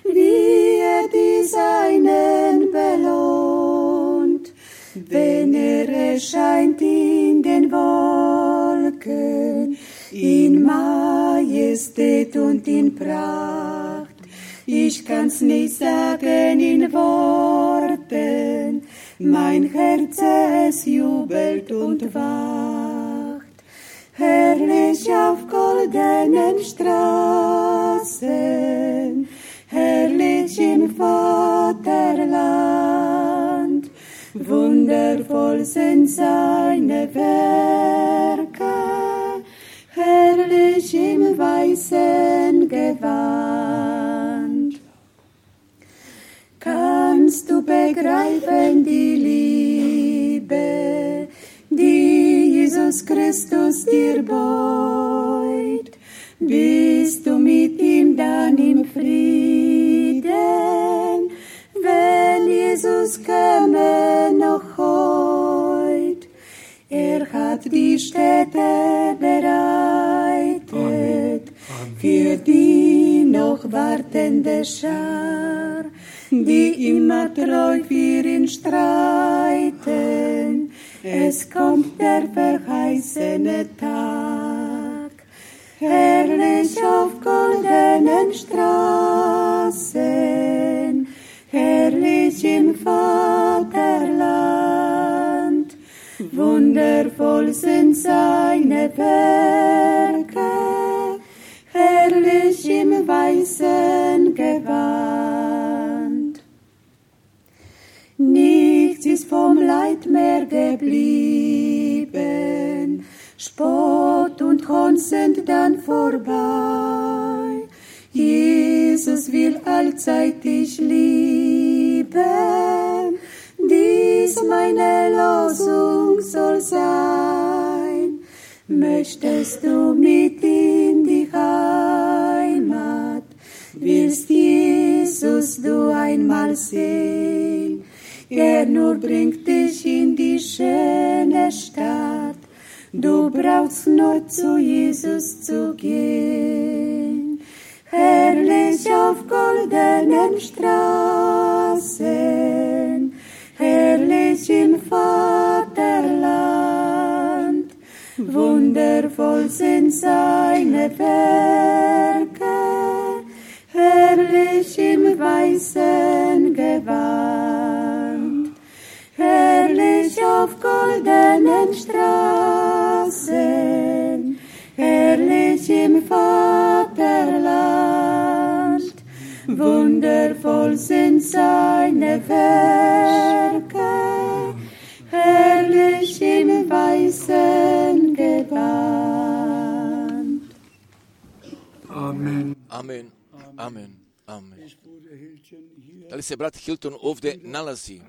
D: wie die Seinen belohnt? Wenn erscheint in den Wolken, in Majestät und in Pracht. Ich kann's nicht sagen in Worten, mein Herz es jubelt und wacht. Herrlich auf goldenen Straßen, herrlich im Vaterland, wundervoll sind seine Werke, herrlich im weißen Gewand. Kannst du begreifen die Liebe, die Jesus Christus dir beugt? Bist du mit ihm dann im Frieden, wenn Jesus käme noch heut? Er hat die Städte bereitet für die noch wartende Schar, die immer treu für ihn streiten. Es kommt der verheißene Tag, herrlich auf goldenen Straßen, herrlich im Vaterland, wundervoll sind seine Werke, herrlich im weißen Gewand. Nichts ist vom Leid mehr geblieben, Spott und Hohn sind dann vorbei. Jesus will allzeit dich lieben, dies meine Losung soll sein. Möchtest du mit in die Heimat, willst Jesus du einmal sehen? Er nur bringt dich in die schöne Stadt, du brauchst nur zu Jesus zu gehen. Herrlich auf goldenen Straßen, herrlich im Vaterland, wundervoll sind seine Werke, herrlich im weißen Gewand. Herrlich auf goldenen Straßen, herrlich im Vaterland, wundervoll sind seine Werke, herrlich im weißen Gewand.
A: Amen. Amen. Amen. Amen. Da li se brat Hilton ovdje nalazi?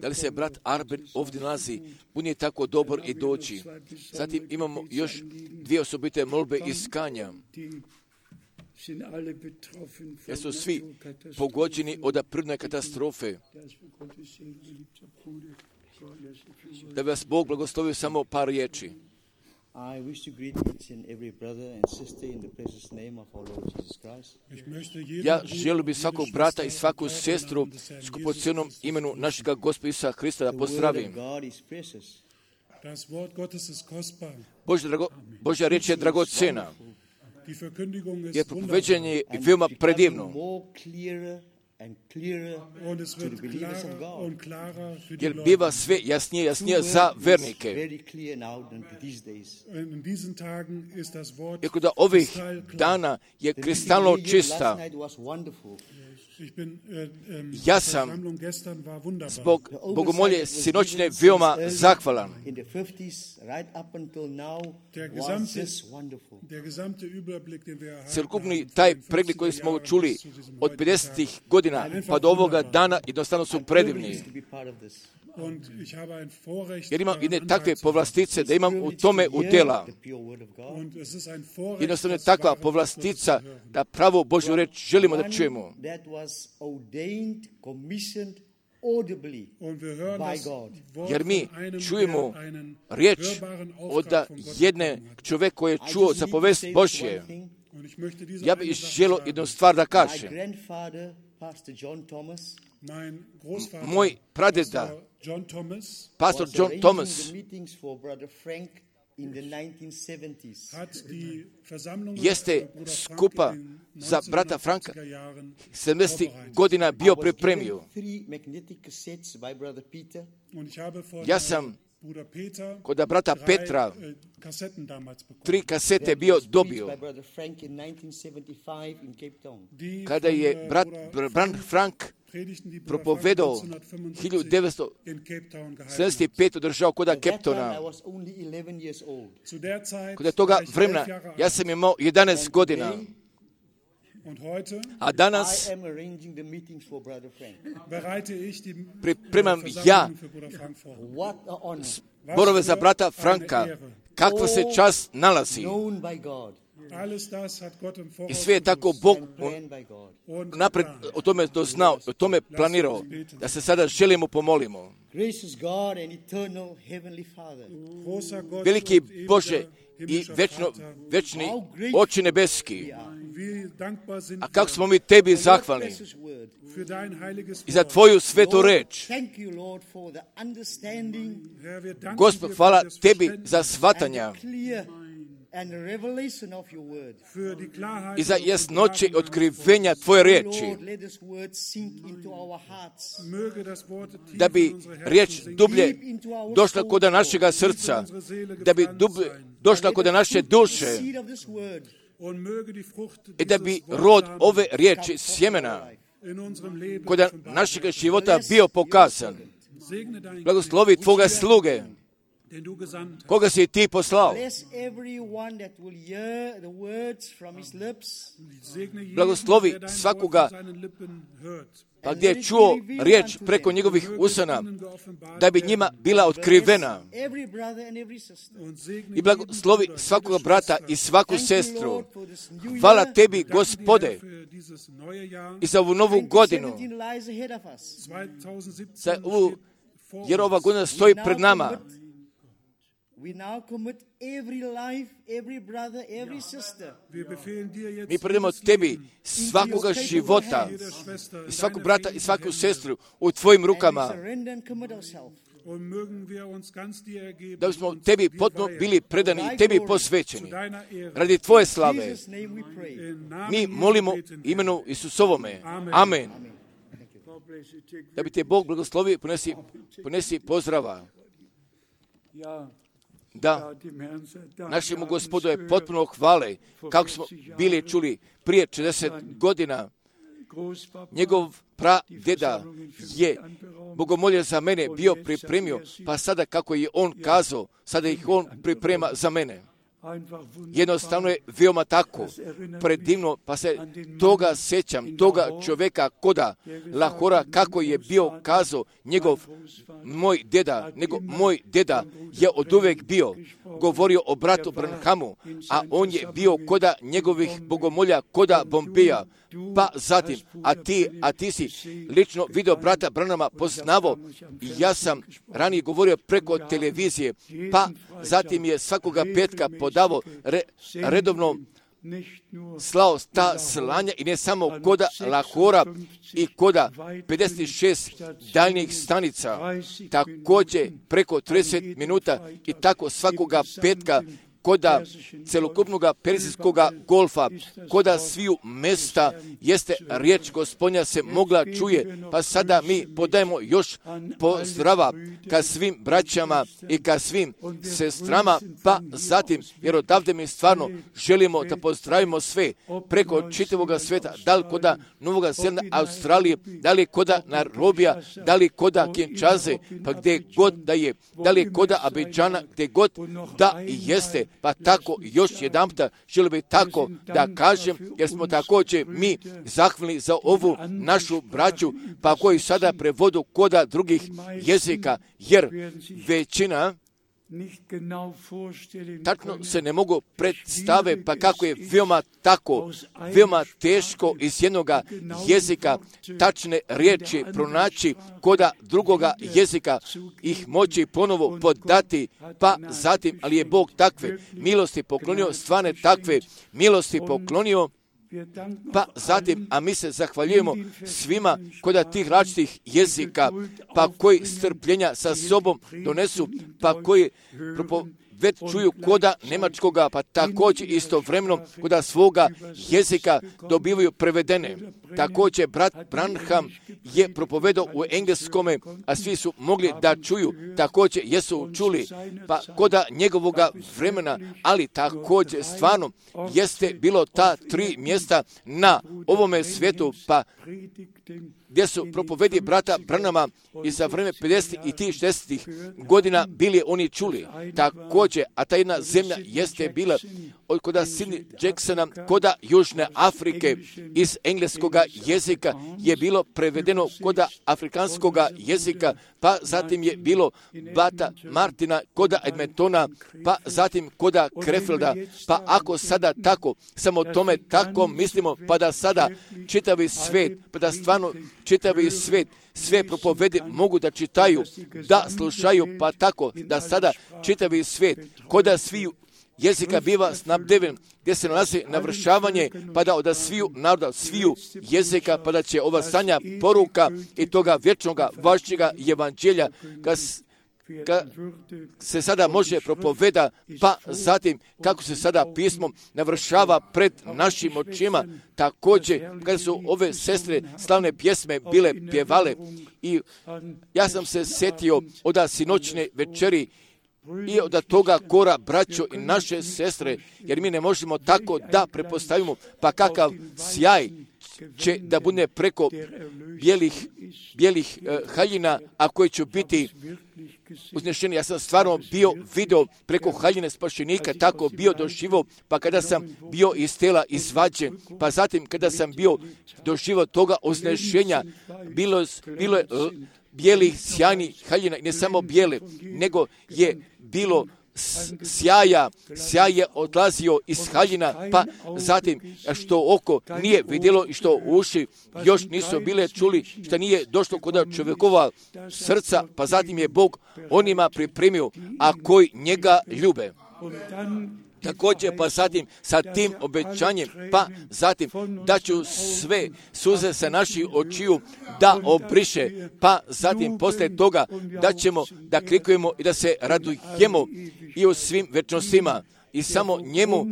A: Da li se brat Arben ovdje nalazi? On je tako dobar i doći. Zatim imamo još dvije osobite molbe iz Kanja. Jer su svi pogođeni od prirodne katastrofe. Da bi vas Bog blagoslovio samo par riječi.
E: I wish to greet each and every brother and sister in the precious name of our Lord Jesus Christ.
A: Ja želim bi svakog brata i svaku sestru skupocjenom imenu našega Gospoda Isusa Hrista da pozdravim. Božja riječ je dragocjena, jer propoveđenje je veoma predivno. Jer biva sve jasnije za vernike. Iako da ovih dana je kristalno čista. Ja sam zbog bogomolje sinoćne veoma zahvalan. Celokupni taj pregled koji smo čuli od 50. godina pa do ovoga dana jednostavno su predivni. Jer imam jedne takve povlastice da imam u tome udjela. Jednostavno je takva povlastica da pravo Božju reč želimo da čujemo. Jer mi čujemo riječ od jedne čovjeka koji je čuo za povest Božje. Ja bih želio jednu stvar da kažem. Moj pradeda, pastor John Thomas, jeste skupa za brata Franka 70. godina bio pripremio. Ja sam kod brata Petra 3 kasete bio dobio. Kada je brat Frank propovedao 1975. držao kod Cape Towna. Kod toga vremena ja sam imao 11 godina. A danas pripremam ja zborove za brata Franka. Kakva se čast nalazi. I sve je tako Bog napred o tome doznao, o tome planirao, da se sada želimo pomolimo. Veliki Bože i večni Oče nebeski, a kako smo mi Tebi zahvalni i za Tvoju svetu reč. Gospod, hvala Tebi za shvatanja i za jasnoće otkrivenja Tvoje riječi, da bi riječ dublje došla kod našega srca, da bi dublje došla kod naše duše i da bi rod ove riječi sjemena kod našega života bio pokazan. Blagoslovi Tvoga sluge, koga si Ti poslao. Blagoslovi svakoga pa gdje je čuo riječ preko njegovih usana, da bi njima bila otkrivena. I blagoslovi svakoga brata i svaku sestru. Hvala Tebi, Gospode, i za ovu novu godinu. Jer ova godina stoji pred nama. Mi predamo Tebi svakoga života, i svakog brata i svaku sestru u Tvojim rukama, da bismo Tebi potpuno bili predani i Tebi posvećeni. Radi Tvoje slave mi molimo imenu Isusovome. Amen. Da bi Te Bog blagoslovio, ponesi pozdrava. Da, našemu Gospodu je potpuno hvale, kako smo bili čuli prije 60 godina. Njegov pradeda je bogomolje za mene bio pripremio, pa sada kako je on kazao, sada ih on priprema za mene. Jednostavno je veoma tako predivno, pa se toga sjećam, toga čovjeka koda Lahora, kako je bio kazao moj deda je od uvek bio govorio o bratu Branhamu, a on je bio koda njegovih bogomolja, koda Bombija. Pa zatim, a ti si lično video brata Branhama poznavo, i ja sam ranije govorio preko televizije, pa zatim je svakoga petka podavo redovno slao ta slanja, i ne samo koda Lahora i koda 56 daljnjih stanica, također preko 30 minuta i tako svakoga petka koda celokupnog Perzijskog golfa, koda sviju mesta jeste riječ Gospodnja se mogla čuje, pa sada mi podajemo još pozdrava ka svim braćama i ka svim sestrama, pa zatim, jer odavde mi stvarno želimo da pozdravimo sve preko čitavoga sveta, da li koda Novoga Zelanda, Australije, da li koda Nairobija, da li koda Kinshase, pa gdje god da je, da li koda Abidžana, gdje god da jeste. Pa tako još jedanputa želio bih tako da kažem, jer smo također mi zahvalni za ovu našu braću, pa koji sada prevodu koda drugih jezika, jer većina tačno se ne mogu predstave, pa kako je veoma teško iz jednoga jezika tačne riječi pronaći koda drugoga jezika, ih moći ponovo podati, pa zatim, ali je Bog takve milosti poklonio, stvarne takve milosti poklonio, pa zatim, a mi se zahvaljujemo svima koda tih različitih jezika, pa koji strpljenja sa sobom donesu, pa koji već čuju koda njemačkoga, pa također istovremeno koda svoga jezika dobivaju prevedene. Također brat Branham je propovedao u engleskome, a svi su mogli da čuju, također jesu čuli, pa koda njegovoga vremena, ali također stvarno jeste bilo ta 3 mjesta na ovome svijetu, pa gdje su propovedi brata Branhama i za vreme 50. i 60. godina bili oni čuli. Također, a ta jedna zemlja jeste bila od koda Sidney Jacksona, koda Južne Afrike, iz engleskoga jezika je bilo prevedeno koda afrikanskoga jezika, pa zatim je bilo Bata Martina, koda Edmontona, pa zatim koda Krefelda, pa ako sada tako, samo tome tako mislimo, pa da sada čitavi svijet, pa da stvarno čitavi svijet, sve propovede mogu da čitaju, da slušaju, pa tako da sada čitavi svijet, koda sviju jezika biva snabdeven, gdje se nalazi navršavanje, pa da od sviju naroda, sviju jezika, pa da će ova sanja poruka i toga vječnoga vašćega evanđelja, kad se sada može propoveda, pa zatim kako se sada pismo navršava pred našim očima, također kada su ove sestre slavne pjesme bile pjevale i ja sam se sjetio od sinoćne večeri i od toga kora, braćo i naše sestre, jer mi ne možemo tako da prepostavimo, pa kakav sjaj će da bude preko bijelih haljina, a koji će biti uznešeni. Ja sam stvarno bio video preko haljine spašenika, tako bio doživio, pa kada sam bio iz tela izvađen, pa zatim kada sam bio doživio toga uznešenja, bilo je bijelih sjajnih haljina, ne samo bijele, nego je bilo sjaj je odlazio iz haljina, pa zatim što oko nije vidjelo i što uši još nisu bile čuli, što nije došlo kod čovjekova srca, pa zatim je Bog onima pripremio, a koji njega ljube. Također, pa zatim sa tim obećanjem, pa zatim da ću sve suze sa naših očiju da obriše, pa zatim posle toga da ćemo da klikujemo i da se radujemo i u svim večnostima i samo njemu,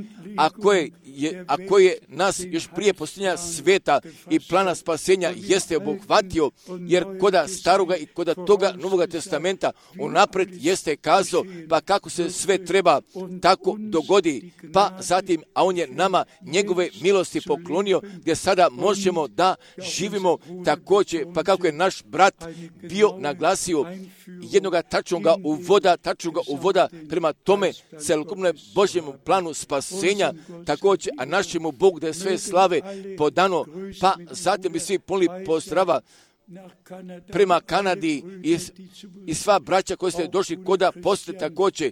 A: ako je nas još prije posljednja sveta i plana spasenja jeste obuhvatio, jer koda staroga i koda toga Novoga testamenta unapred jeste kazao, pa kako se sve treba tako dogodi, pa zatim, a on je nama njegove milosti poklonio, gdje sada možemo da živimo također, pa kako je naš brat bio naglasio jednoga tačnoga uvoda prema tome celokupnom Božjem planu spasenja, također, a našemu Bogu da je sve slave podano, pa zatim bi svi poli pozdrava prema Kanadi i sva braća koji ste došli koda poslije također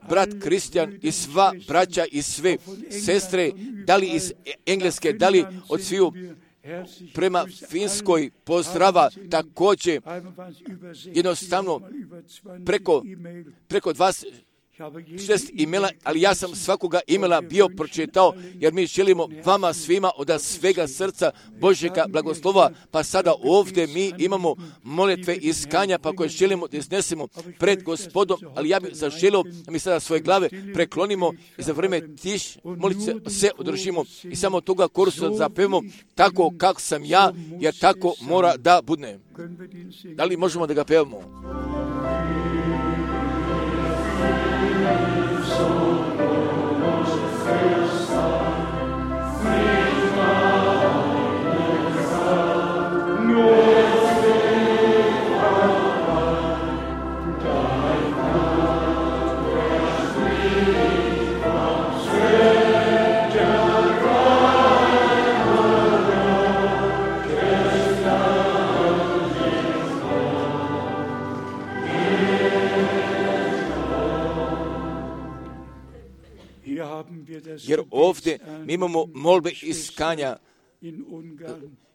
A: brat Kristijan i sva braća i sve sestre, da li iz Engleske, da li od sviju prema Finskoj pozdrava također jednostavno preko 26 imela, ali ja sam svakoga imela bio pročitao, jer mi želimo vama svima od svega srca Božjega blagoslova, pa sada ovdje mi imamo molitve iskanja, pa koje želimo da iznesemo pred Gospodom, ali ja bih zaželio da mi sada svoje glave preklonimo i za vrijeme molitve se održimo i samo toga korusa zapevamo tako kako sam ja, jer tako mora da bude. Da li možemo da ga pevamo? Jer ovdje mi imamo molbe iskanja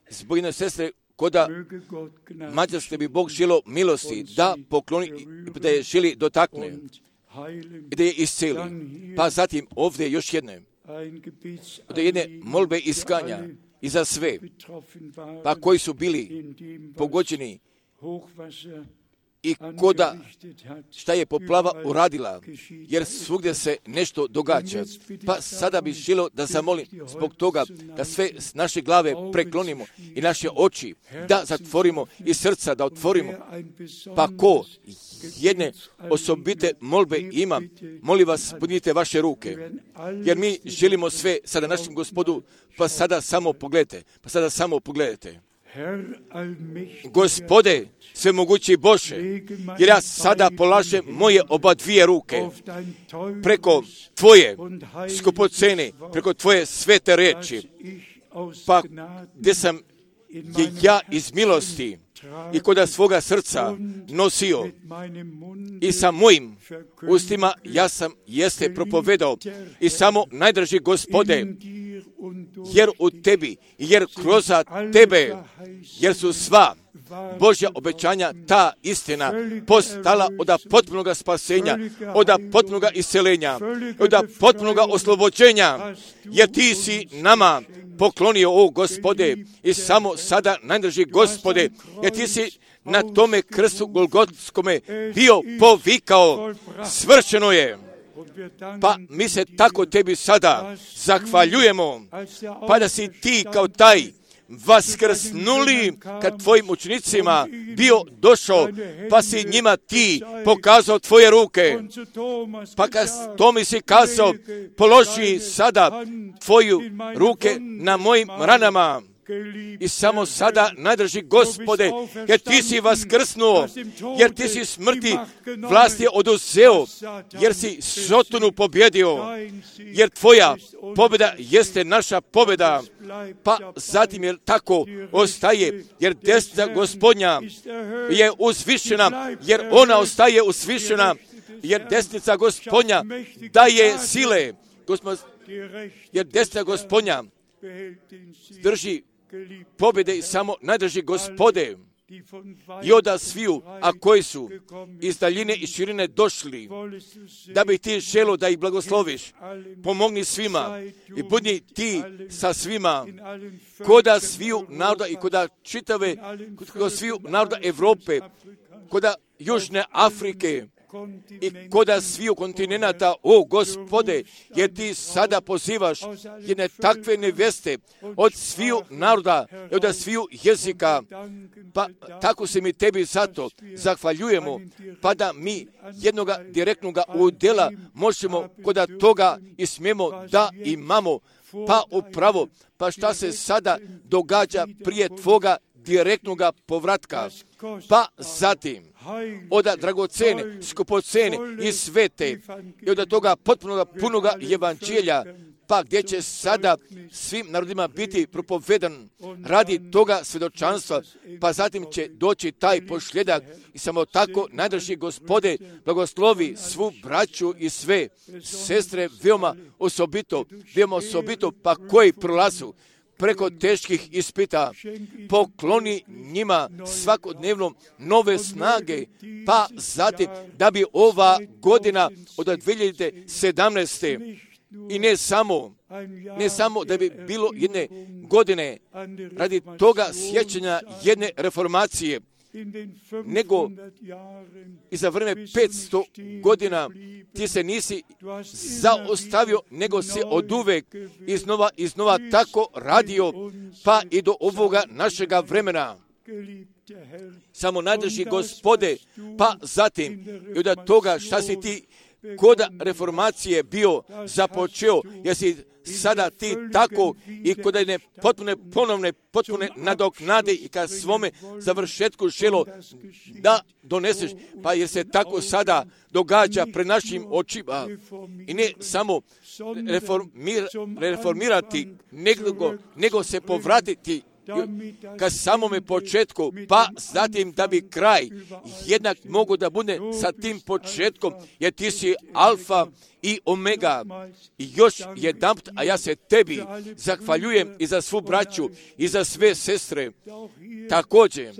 A: zbog jedne sestre koda Mađarske bi Bog želio milosti da pokloni, da je želi dotakne i da je isceli. Pa zatim ovdje još jedne od jedne molbe iskanja i za sve, pa koji su bili pogođeni i koda šta je poplava uradila, jer svugdje se nešto događa. Pa sada bih želio da zamolim zbog toga da sve naše glave preklonimo i naše oči da zatvorimo i srca da otvorimo. Pa ko jedne osobite molbe ima, molim vas, podignite vaše ruke, jer mi želimo sve sada našem Gospodu, pa sada samo pogledajte. Gospode, svemogući Bože, jer ja sada polažem moje oba dvije ruke preko Tvoje skupocene, preko Tvoje svete reči, pa gdje sam je ja iz milosti i koda svoga srca nosio i sa mojim ustima ja sam jeste propovedao i samo najdraži Gospode, jer u Tebi, jer kroz Tebe, jer su sva Božja obećanja, ta istina postala od potpunoga spasenja, od potpunoga isceljenja, od potpunoga oslobođenja, jer Ti si nama poklonio, o Gospode, i samo sada, najdraži Gospode, jer Ti si na tome krstu Golgotskome bio povikao, svršeno je. Pa mi se tako Tebi sada zahvaljujemo, pa da si Ti kao taj vaskrsnuli kad Tvojim učenicima bio došao, pa si njima Ti pokazao Tvoje ruke, pa kad Tomi si kazao, položi sada Tvoju ruke na mojim ranama. I samo sada, najdraži Gospode, jer Ti si vaskrsnuo, jer Ti si smrti vlast je oduzeo, jer si Sotonu pobjedio, jer Tvoja pobjeda jeste naša pobjeda, pa zatim jer tako ostaje, jer desnica Gospodnja je uzvišena, jer ona ostaje uzvišena, jer desnica Gospodnja daje sile, jer desnica Gospodnja drži pobjede i samo najdraži Gospode, i oda sviju, a koji su iz daljine i širine došli, da bi Ti želio da ih blagosloviš, pomogni svima i budi Ti sa svima, koda sviju naroda i koda čitave, koda sviju naroda Evrope, koda Južne Afrike i koda sviju kontinenta, o Gospode, jer Ti sada pozivaš jedne takve neveste od sviju naroda i od sviju jezika, pa tako se mi Tebi zato zahvaljujemo, pa da mi jednoga direktnoga udjela možemo koda toga i smijemo da imamo, pa upravo, pa šta se sada događa prije Tvoga direktnoga povratka, pa zatim od dragocene, skupocene i svete i od toga potpunoga punoga evanđelja, pa gdje će sada svim narodima biti propovedan radi toga svjedočanstva, pa zatim će doći taj posljedak i samo tako, najdraži Gospode, blagoslovi svu braću i sve sestre veoma osobito, pa koji prolazu preko teških ispita, pokloni njima svakodnevno nove snage, pa zatim da bi ova godina od 2017. i ne samo da bi bilo jedne godine radi toga sjećanja jedne reformacije, nego i za vreme 500 godina Ti se nisi zaostavio, nego si oduvek iznova tako radio, pa i do ovoga našega vremena. Samo najdraži Gospode, pa zatim i od toga šta si Ti koda reformacije bio započeo, jer si sada Ti tako i kod jedne potpune nadoknade i ka svome završetku želo da doneseš, pa jer se tako sada događa pred našim očima i ne samo reformirati, nego se povratiti ka samome početku, pa zatim da bi kraj jednak mogu da bude sa tim početkom, jer Ti si alfa i omega. I još jedanput, a ja se Tebi zahvaljujem i za svu braću i za sve sestre. Također,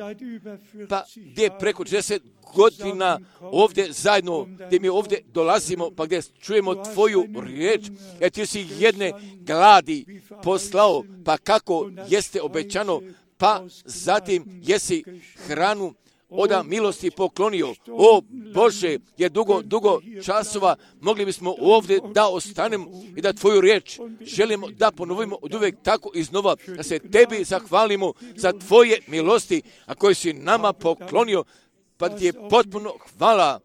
A: pa gdje preko 40 godina ovdje zajedno, gdje mi ovdje dolazimo, pa gdje čujemo Tvoju riječ, jer Ti si jedne gladi poslao, pa kako jeste obećano, pa zatim jesi hranu oda milosti poklonio. O Bože, jer dugo časova mogli bismo ovdje da ostanemo i da Tvoju riječ želimo da ponovimo od uvijek tako iznova, da se Tebi zahvalimo za Tvoje milosti, a koje si nama poklonio, pa ti je potpuno hvala,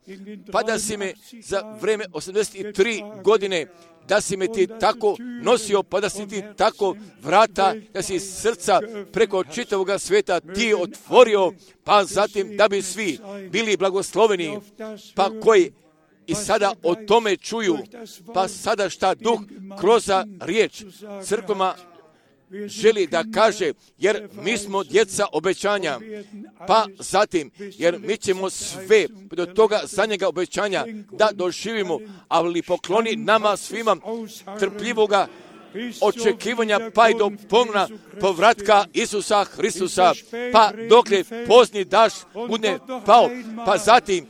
A: pa da si me za vreme 83 godine, da si me ti tako nosio, pa da si ti tako vrata, da si srca preko čitavoga sveta ti otvorio, pa zatim da bi svi bili blagosloveni, pa koji i sada o tome čuju, pa sada šta Duh kroz riječ crkvama želi da kaže, jer mi smo djeca obećanja, pa zatim, jer mi ćemo sve do toga zadnjega obećanja da doživimo, ali pokloni nama svima trpljivoga očekivanja pa i do ponovna povratka Isusa Hristusa, pa dokle pozni daš bude pao, pa zatim,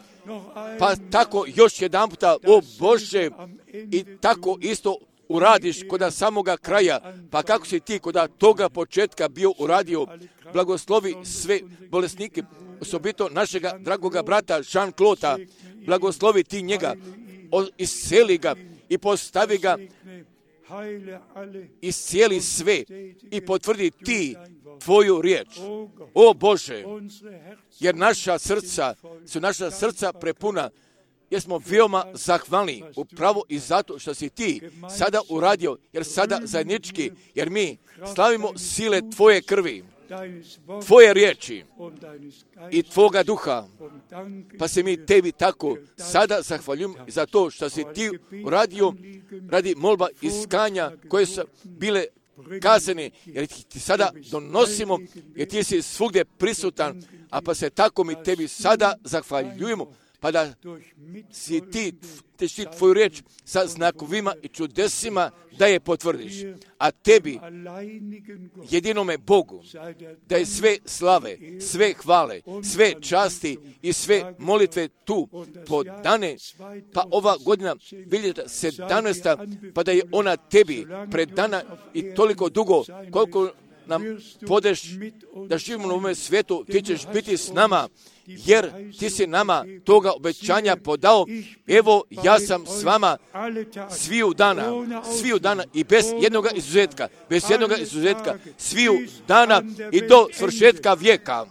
A: pa tako još jedan puta, o Bože, i tako isto uradiš kod samoga kraja, pa kako si ti kod toga početka bio uradio, blagoslovi sve bolesnike, osobito našega dragoga brata Jean-Claude, blagoslovi ti njega, isceli ga i postavi ga, iscijeli sve i potvrdi ti Tvoju riječ. O Bože, jer naša srca prepuna, jer smo veoma zahvalni upravo i zato što si ti sada uradio, jer sada zajednički, jer mi slavimo sile Tvoje krvi, Tvoje riječi i Tvoga duha, pa se mi Tebi tako sada zahvaljujemo za to što si ti uradio radi molba iskanja koje su bile kazane, jer ti sada donosimo, jer ti si svugdje prisutan, a pa se tako mi Tebi sada zahvaljujemo, pa da si ti Tvoju riječ sa znakovima i čudesima da je potvrdiš. A Tebi, jedinome Bogu, da je sve slave, sve hvale, sve časti i sve molitve tu podane, pa ova godina 2017. pa da je ona Tebi predana i toliko dugo koliko nam podeš da živimo na ovome svijetu, ti ćeš biti s nama, jer ti si nama toga obećanja podao. Evo, ja sam s vama sviju dana i bez jednoga izuzetka, sviju dana i do svršetka vijeka,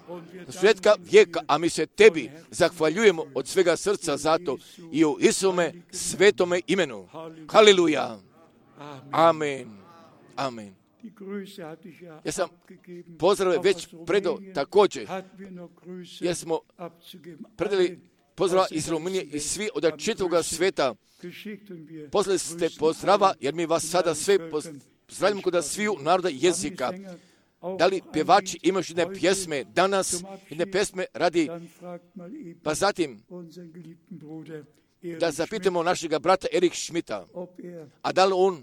A: a mi se Tebi zahvaljujemo od svega srca zato i u Isuse svetome imenu. Haleluja. Amen. Amen. Ja sam pozdrave već predao također, jer smo predali pozdrava iz Rumunije i svi od čitavoga sveta. Poslali ste pozdrava, jer mi vas sada sve pozdravljamo kod sviju naroda jezika. Da li pjevači imaju jedne pjesme danas, jedne pjesme radi, pa zatim da zapitamo našega brata Erika Schmidta, a da li on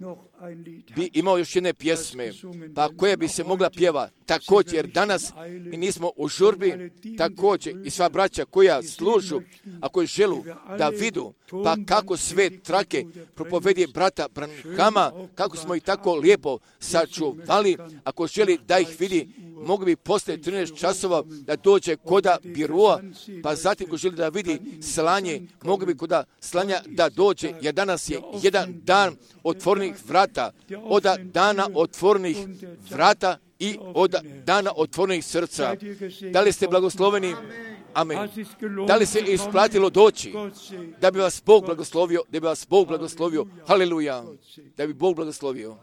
A: bi imao još jedne pjesme, pa koja bi se mogla pjeva također, jer danas mi nismo u žurbi, također i sva braća koja služu, a koji želu da vidu, pa kako sve trake propovedi brata Branhama, kako smo ih tako lijepo sačuvali, ako želi da ih vidi, mogli bi poslije 13 časova da dođe koda biroa, pa zatim ko želi da vidi slanje, mogli bi koda slanja da dođe, jer danas je jedan dan otvornih vrata, od dana otvornih vrata i od dana otvornih srca. Da li ste blagosloveni? Amen. Da li se isplatilo doći? Da bi vas Bog blagoslovio, Haleluja. Da bi Bog blagoslovio.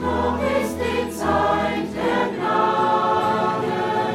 F: Noch ist die Zeit der Gnade.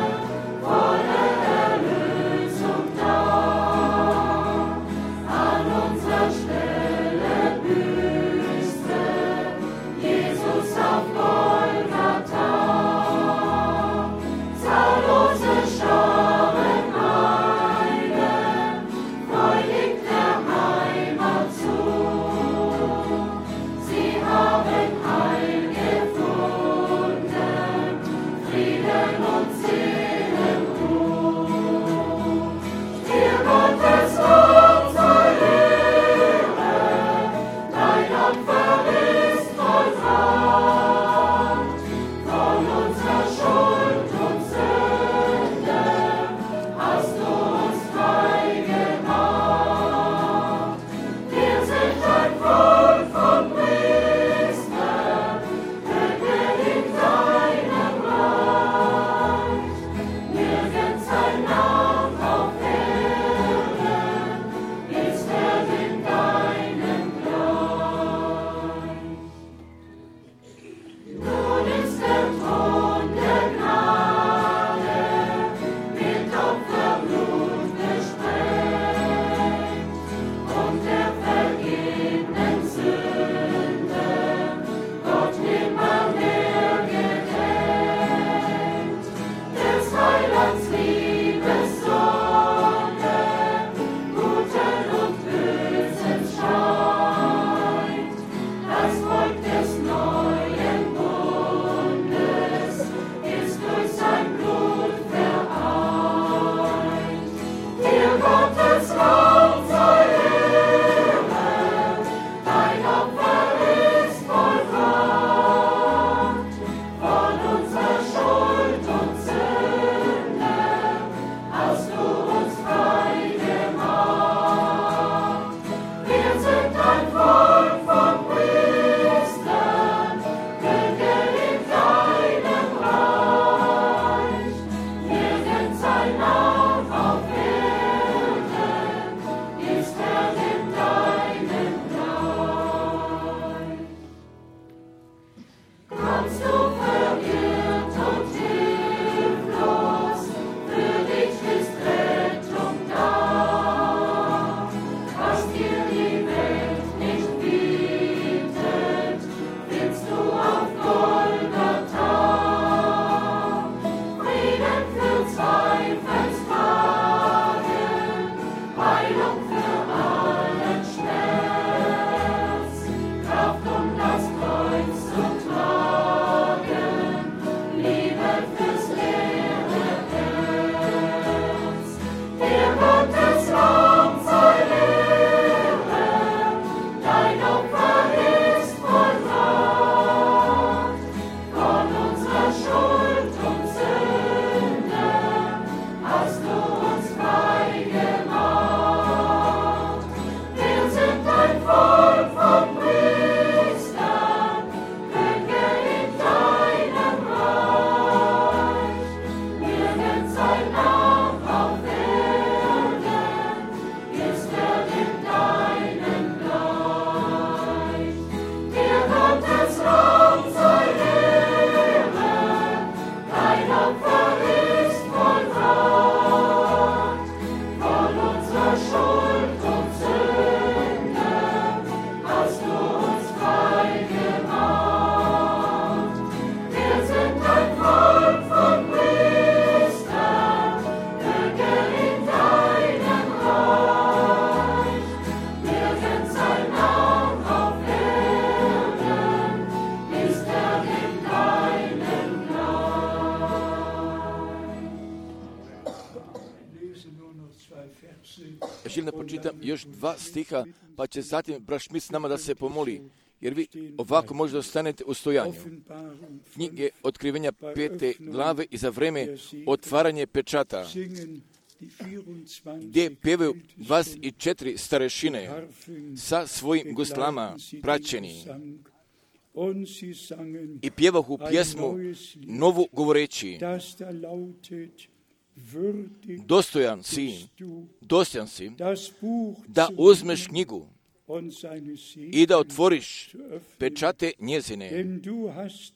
A: pročitam još 2 stiha, pa će zatim brat Šmit s nama da se pomoli, jer vi ovako možda ostanete u stojanju. Knjige Otkrivenja 5. glave i za vreme otvaranje pečata, gdje pjevaju 24 starešine sa svojim guslama praćeni i pjevahu pjesmu novu govoreći: dostojan si da uzmeš knjigu i da otvoriš pečate njezine,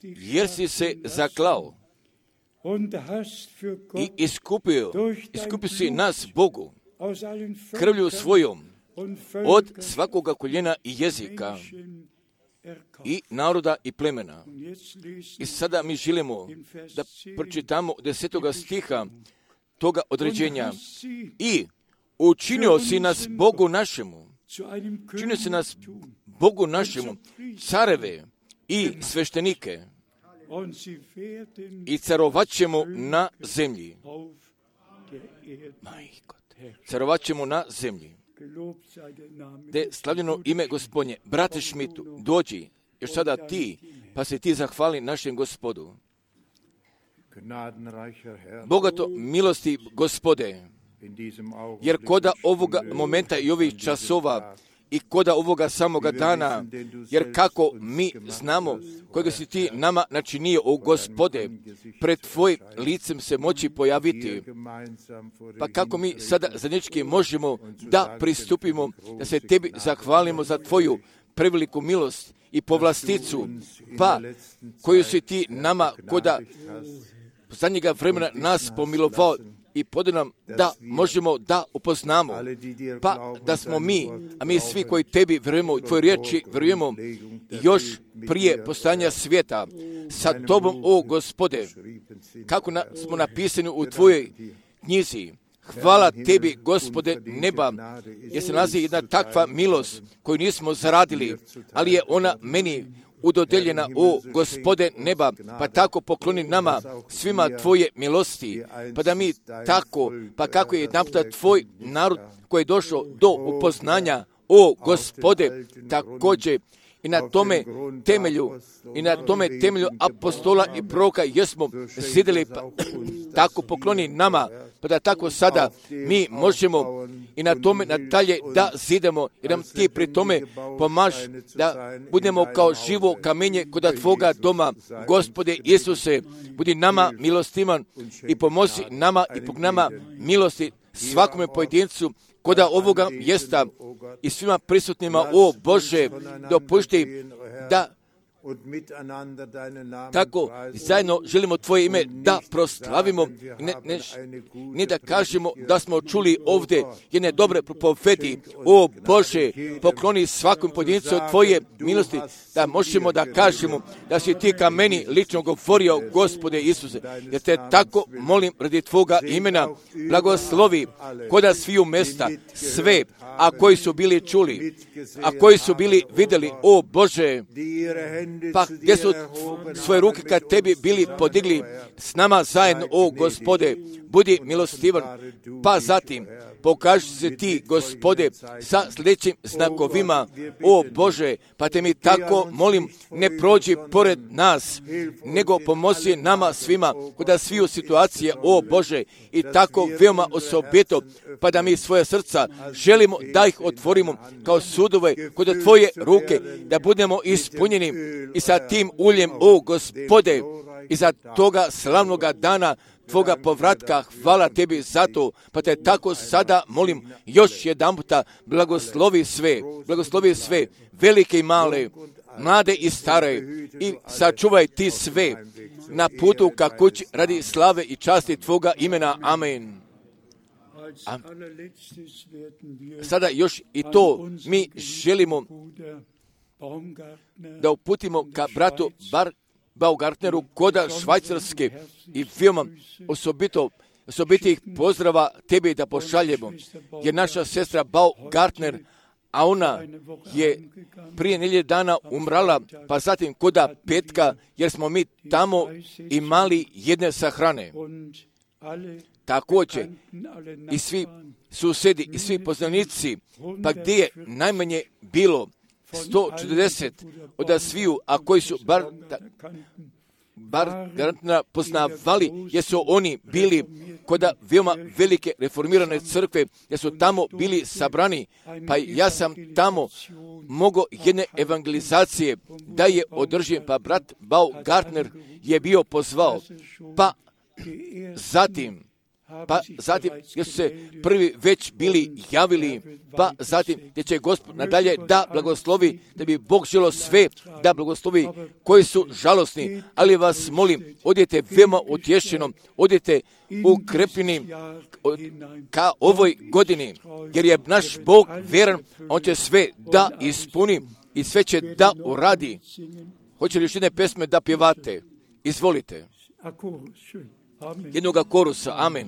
A: jer si se zaklao i iskupio si nas Bogu krvlju svojom od svakoga koljena i jezika i naroda i plemena. I sada mi želimo da pročitamo 10. stiha toga određenja. I učinio si nas Bogu našemu, careve i sveštenike, i carovat ćemo na zemlji. Carovat ćemo na zemlji. De slavljeno ime Gospodnje. Brate Šmitu, dođi, još sada ti, pa se ti zahvali našem Gospodu. Bogato milosti Gospode, jer koda ovoga momenta i ovih časova i koda ovoga samoga dana, jer kako mi znamo kojega si ti nama načinio, o Gospode, pred tvojim licem se moći pojaviti, pa kako mi sada zajednički možemo da pristupimo, da se tebi zahvalimo za tvoju preveliku milost i povlasticu, pa koju si ti nama koda zadnjega vremena nas pomilovao i podao nam da možemo da upoznamo, pa da smo mi, a mi svi koji tebi vjerujemo, u tvoje riječi vjerujemo, još prije postojanja svijeta sa tobom, o Gospode, kako smo napisani u tvojoj knjizi. Hvala tebi, Gospode neba, jer se nalazi jedna takva milost koju nismo zaradili, ali je ona meni udodeljena, o Gospode neba, pa tako pokloni nama svima tvoje milosti, pa da mi tako, pa kako je jedanputa tvoj narod koji je došao do upoznanja, o Gospode, također i na tome temelju apostola i proroka jesmo zidili, pa tako pokloni nama, pa da tako sada mi možemo i na tome nadalje da zidemo, jer nam ti pri tome pomaž da budemo kao živo kamenje kod tvoga doma. Gospode Isuse, budi nama milostivan i pomozi nama i pog nama milosti svakome pojedincu koda ovoga mjesta i svima prisutnima, o Bože, dopušti da tako zajedno želimo tvoje ime da proslavimo, ne da kažemo da smo čuli ovdje jedne dobre propovedi. O Bože, pokloni svakom pojedincu tvoje milosti, da možemo da kažemo da si ti ka meni lično govorio, Gospode Isuse, jer te tako molim radi tvoga imena, blagoslovi koda sviju mesta, sve, a koji su bili čuli, a koji su bili vidjeli, o Bože, pa gdje su svoje ruke kad tebi bili podigli s nama zajedno, o Gospode, budi milostivan, pa zatim pokaži se ti, Gospode, sa sljedećim znakovima, o Bože, pa te mi tako molim, ne prođi pored nas, nego pomozi nama svima kod sviju situacije, o Bože, i tako veoma osobito, pa da mi svoje srca želimo da ih otvorimo kao sudove kod tvoje ruke, da budemo ispunjeni i sa tim uljem, o Gospode, i za toga slavnoga dana tvoga povratka. Hvala tebi za to, pa te tako sada molim još jedanputa, blagoslovi sve, velike i male, mlade i stare, i sačuvaj ti sve na putu ka kući radi slave i časti tvoga imena. Amen. Sada još i to mi želimo da uputimo ka bratu Baumgartneru koda Švajcarske i veoma osobitih pozdrava tebi da pošaljemo, jer naša sestra Baumgartner, a ona je prije nedjelje dana umrala, pa zatim koda petka, jer smo mi tamo imali jedne sahrane. također i svi susjedi i svi poznanici, pa gdje je najmanje bilo 140 od sviju, a koji su bar garantno poznavali, jer su oni bili kod veoma velike reformirane crkve, jer su tamo bili sabrani, pa ja sam tamo mogao jedne evangelizacije da je održim, pa brat Baumgartner je bio pozvao, pa zatim gdje su se prvi već bili javili, pa zatim gdje će Gospod nadalje da blagoslovi, da bi Bog želio sve da blagoslovi koji su žalosni, ali vas molim, odite veoma utješeno, odite ukrepljeni ka ovoj godini, jer je naš Bog vjeran, on će sve da ispuni i sve će da uradi. Hoće li još jedne pesme da pjevate? Izvolite. Jednoga korusa, amen.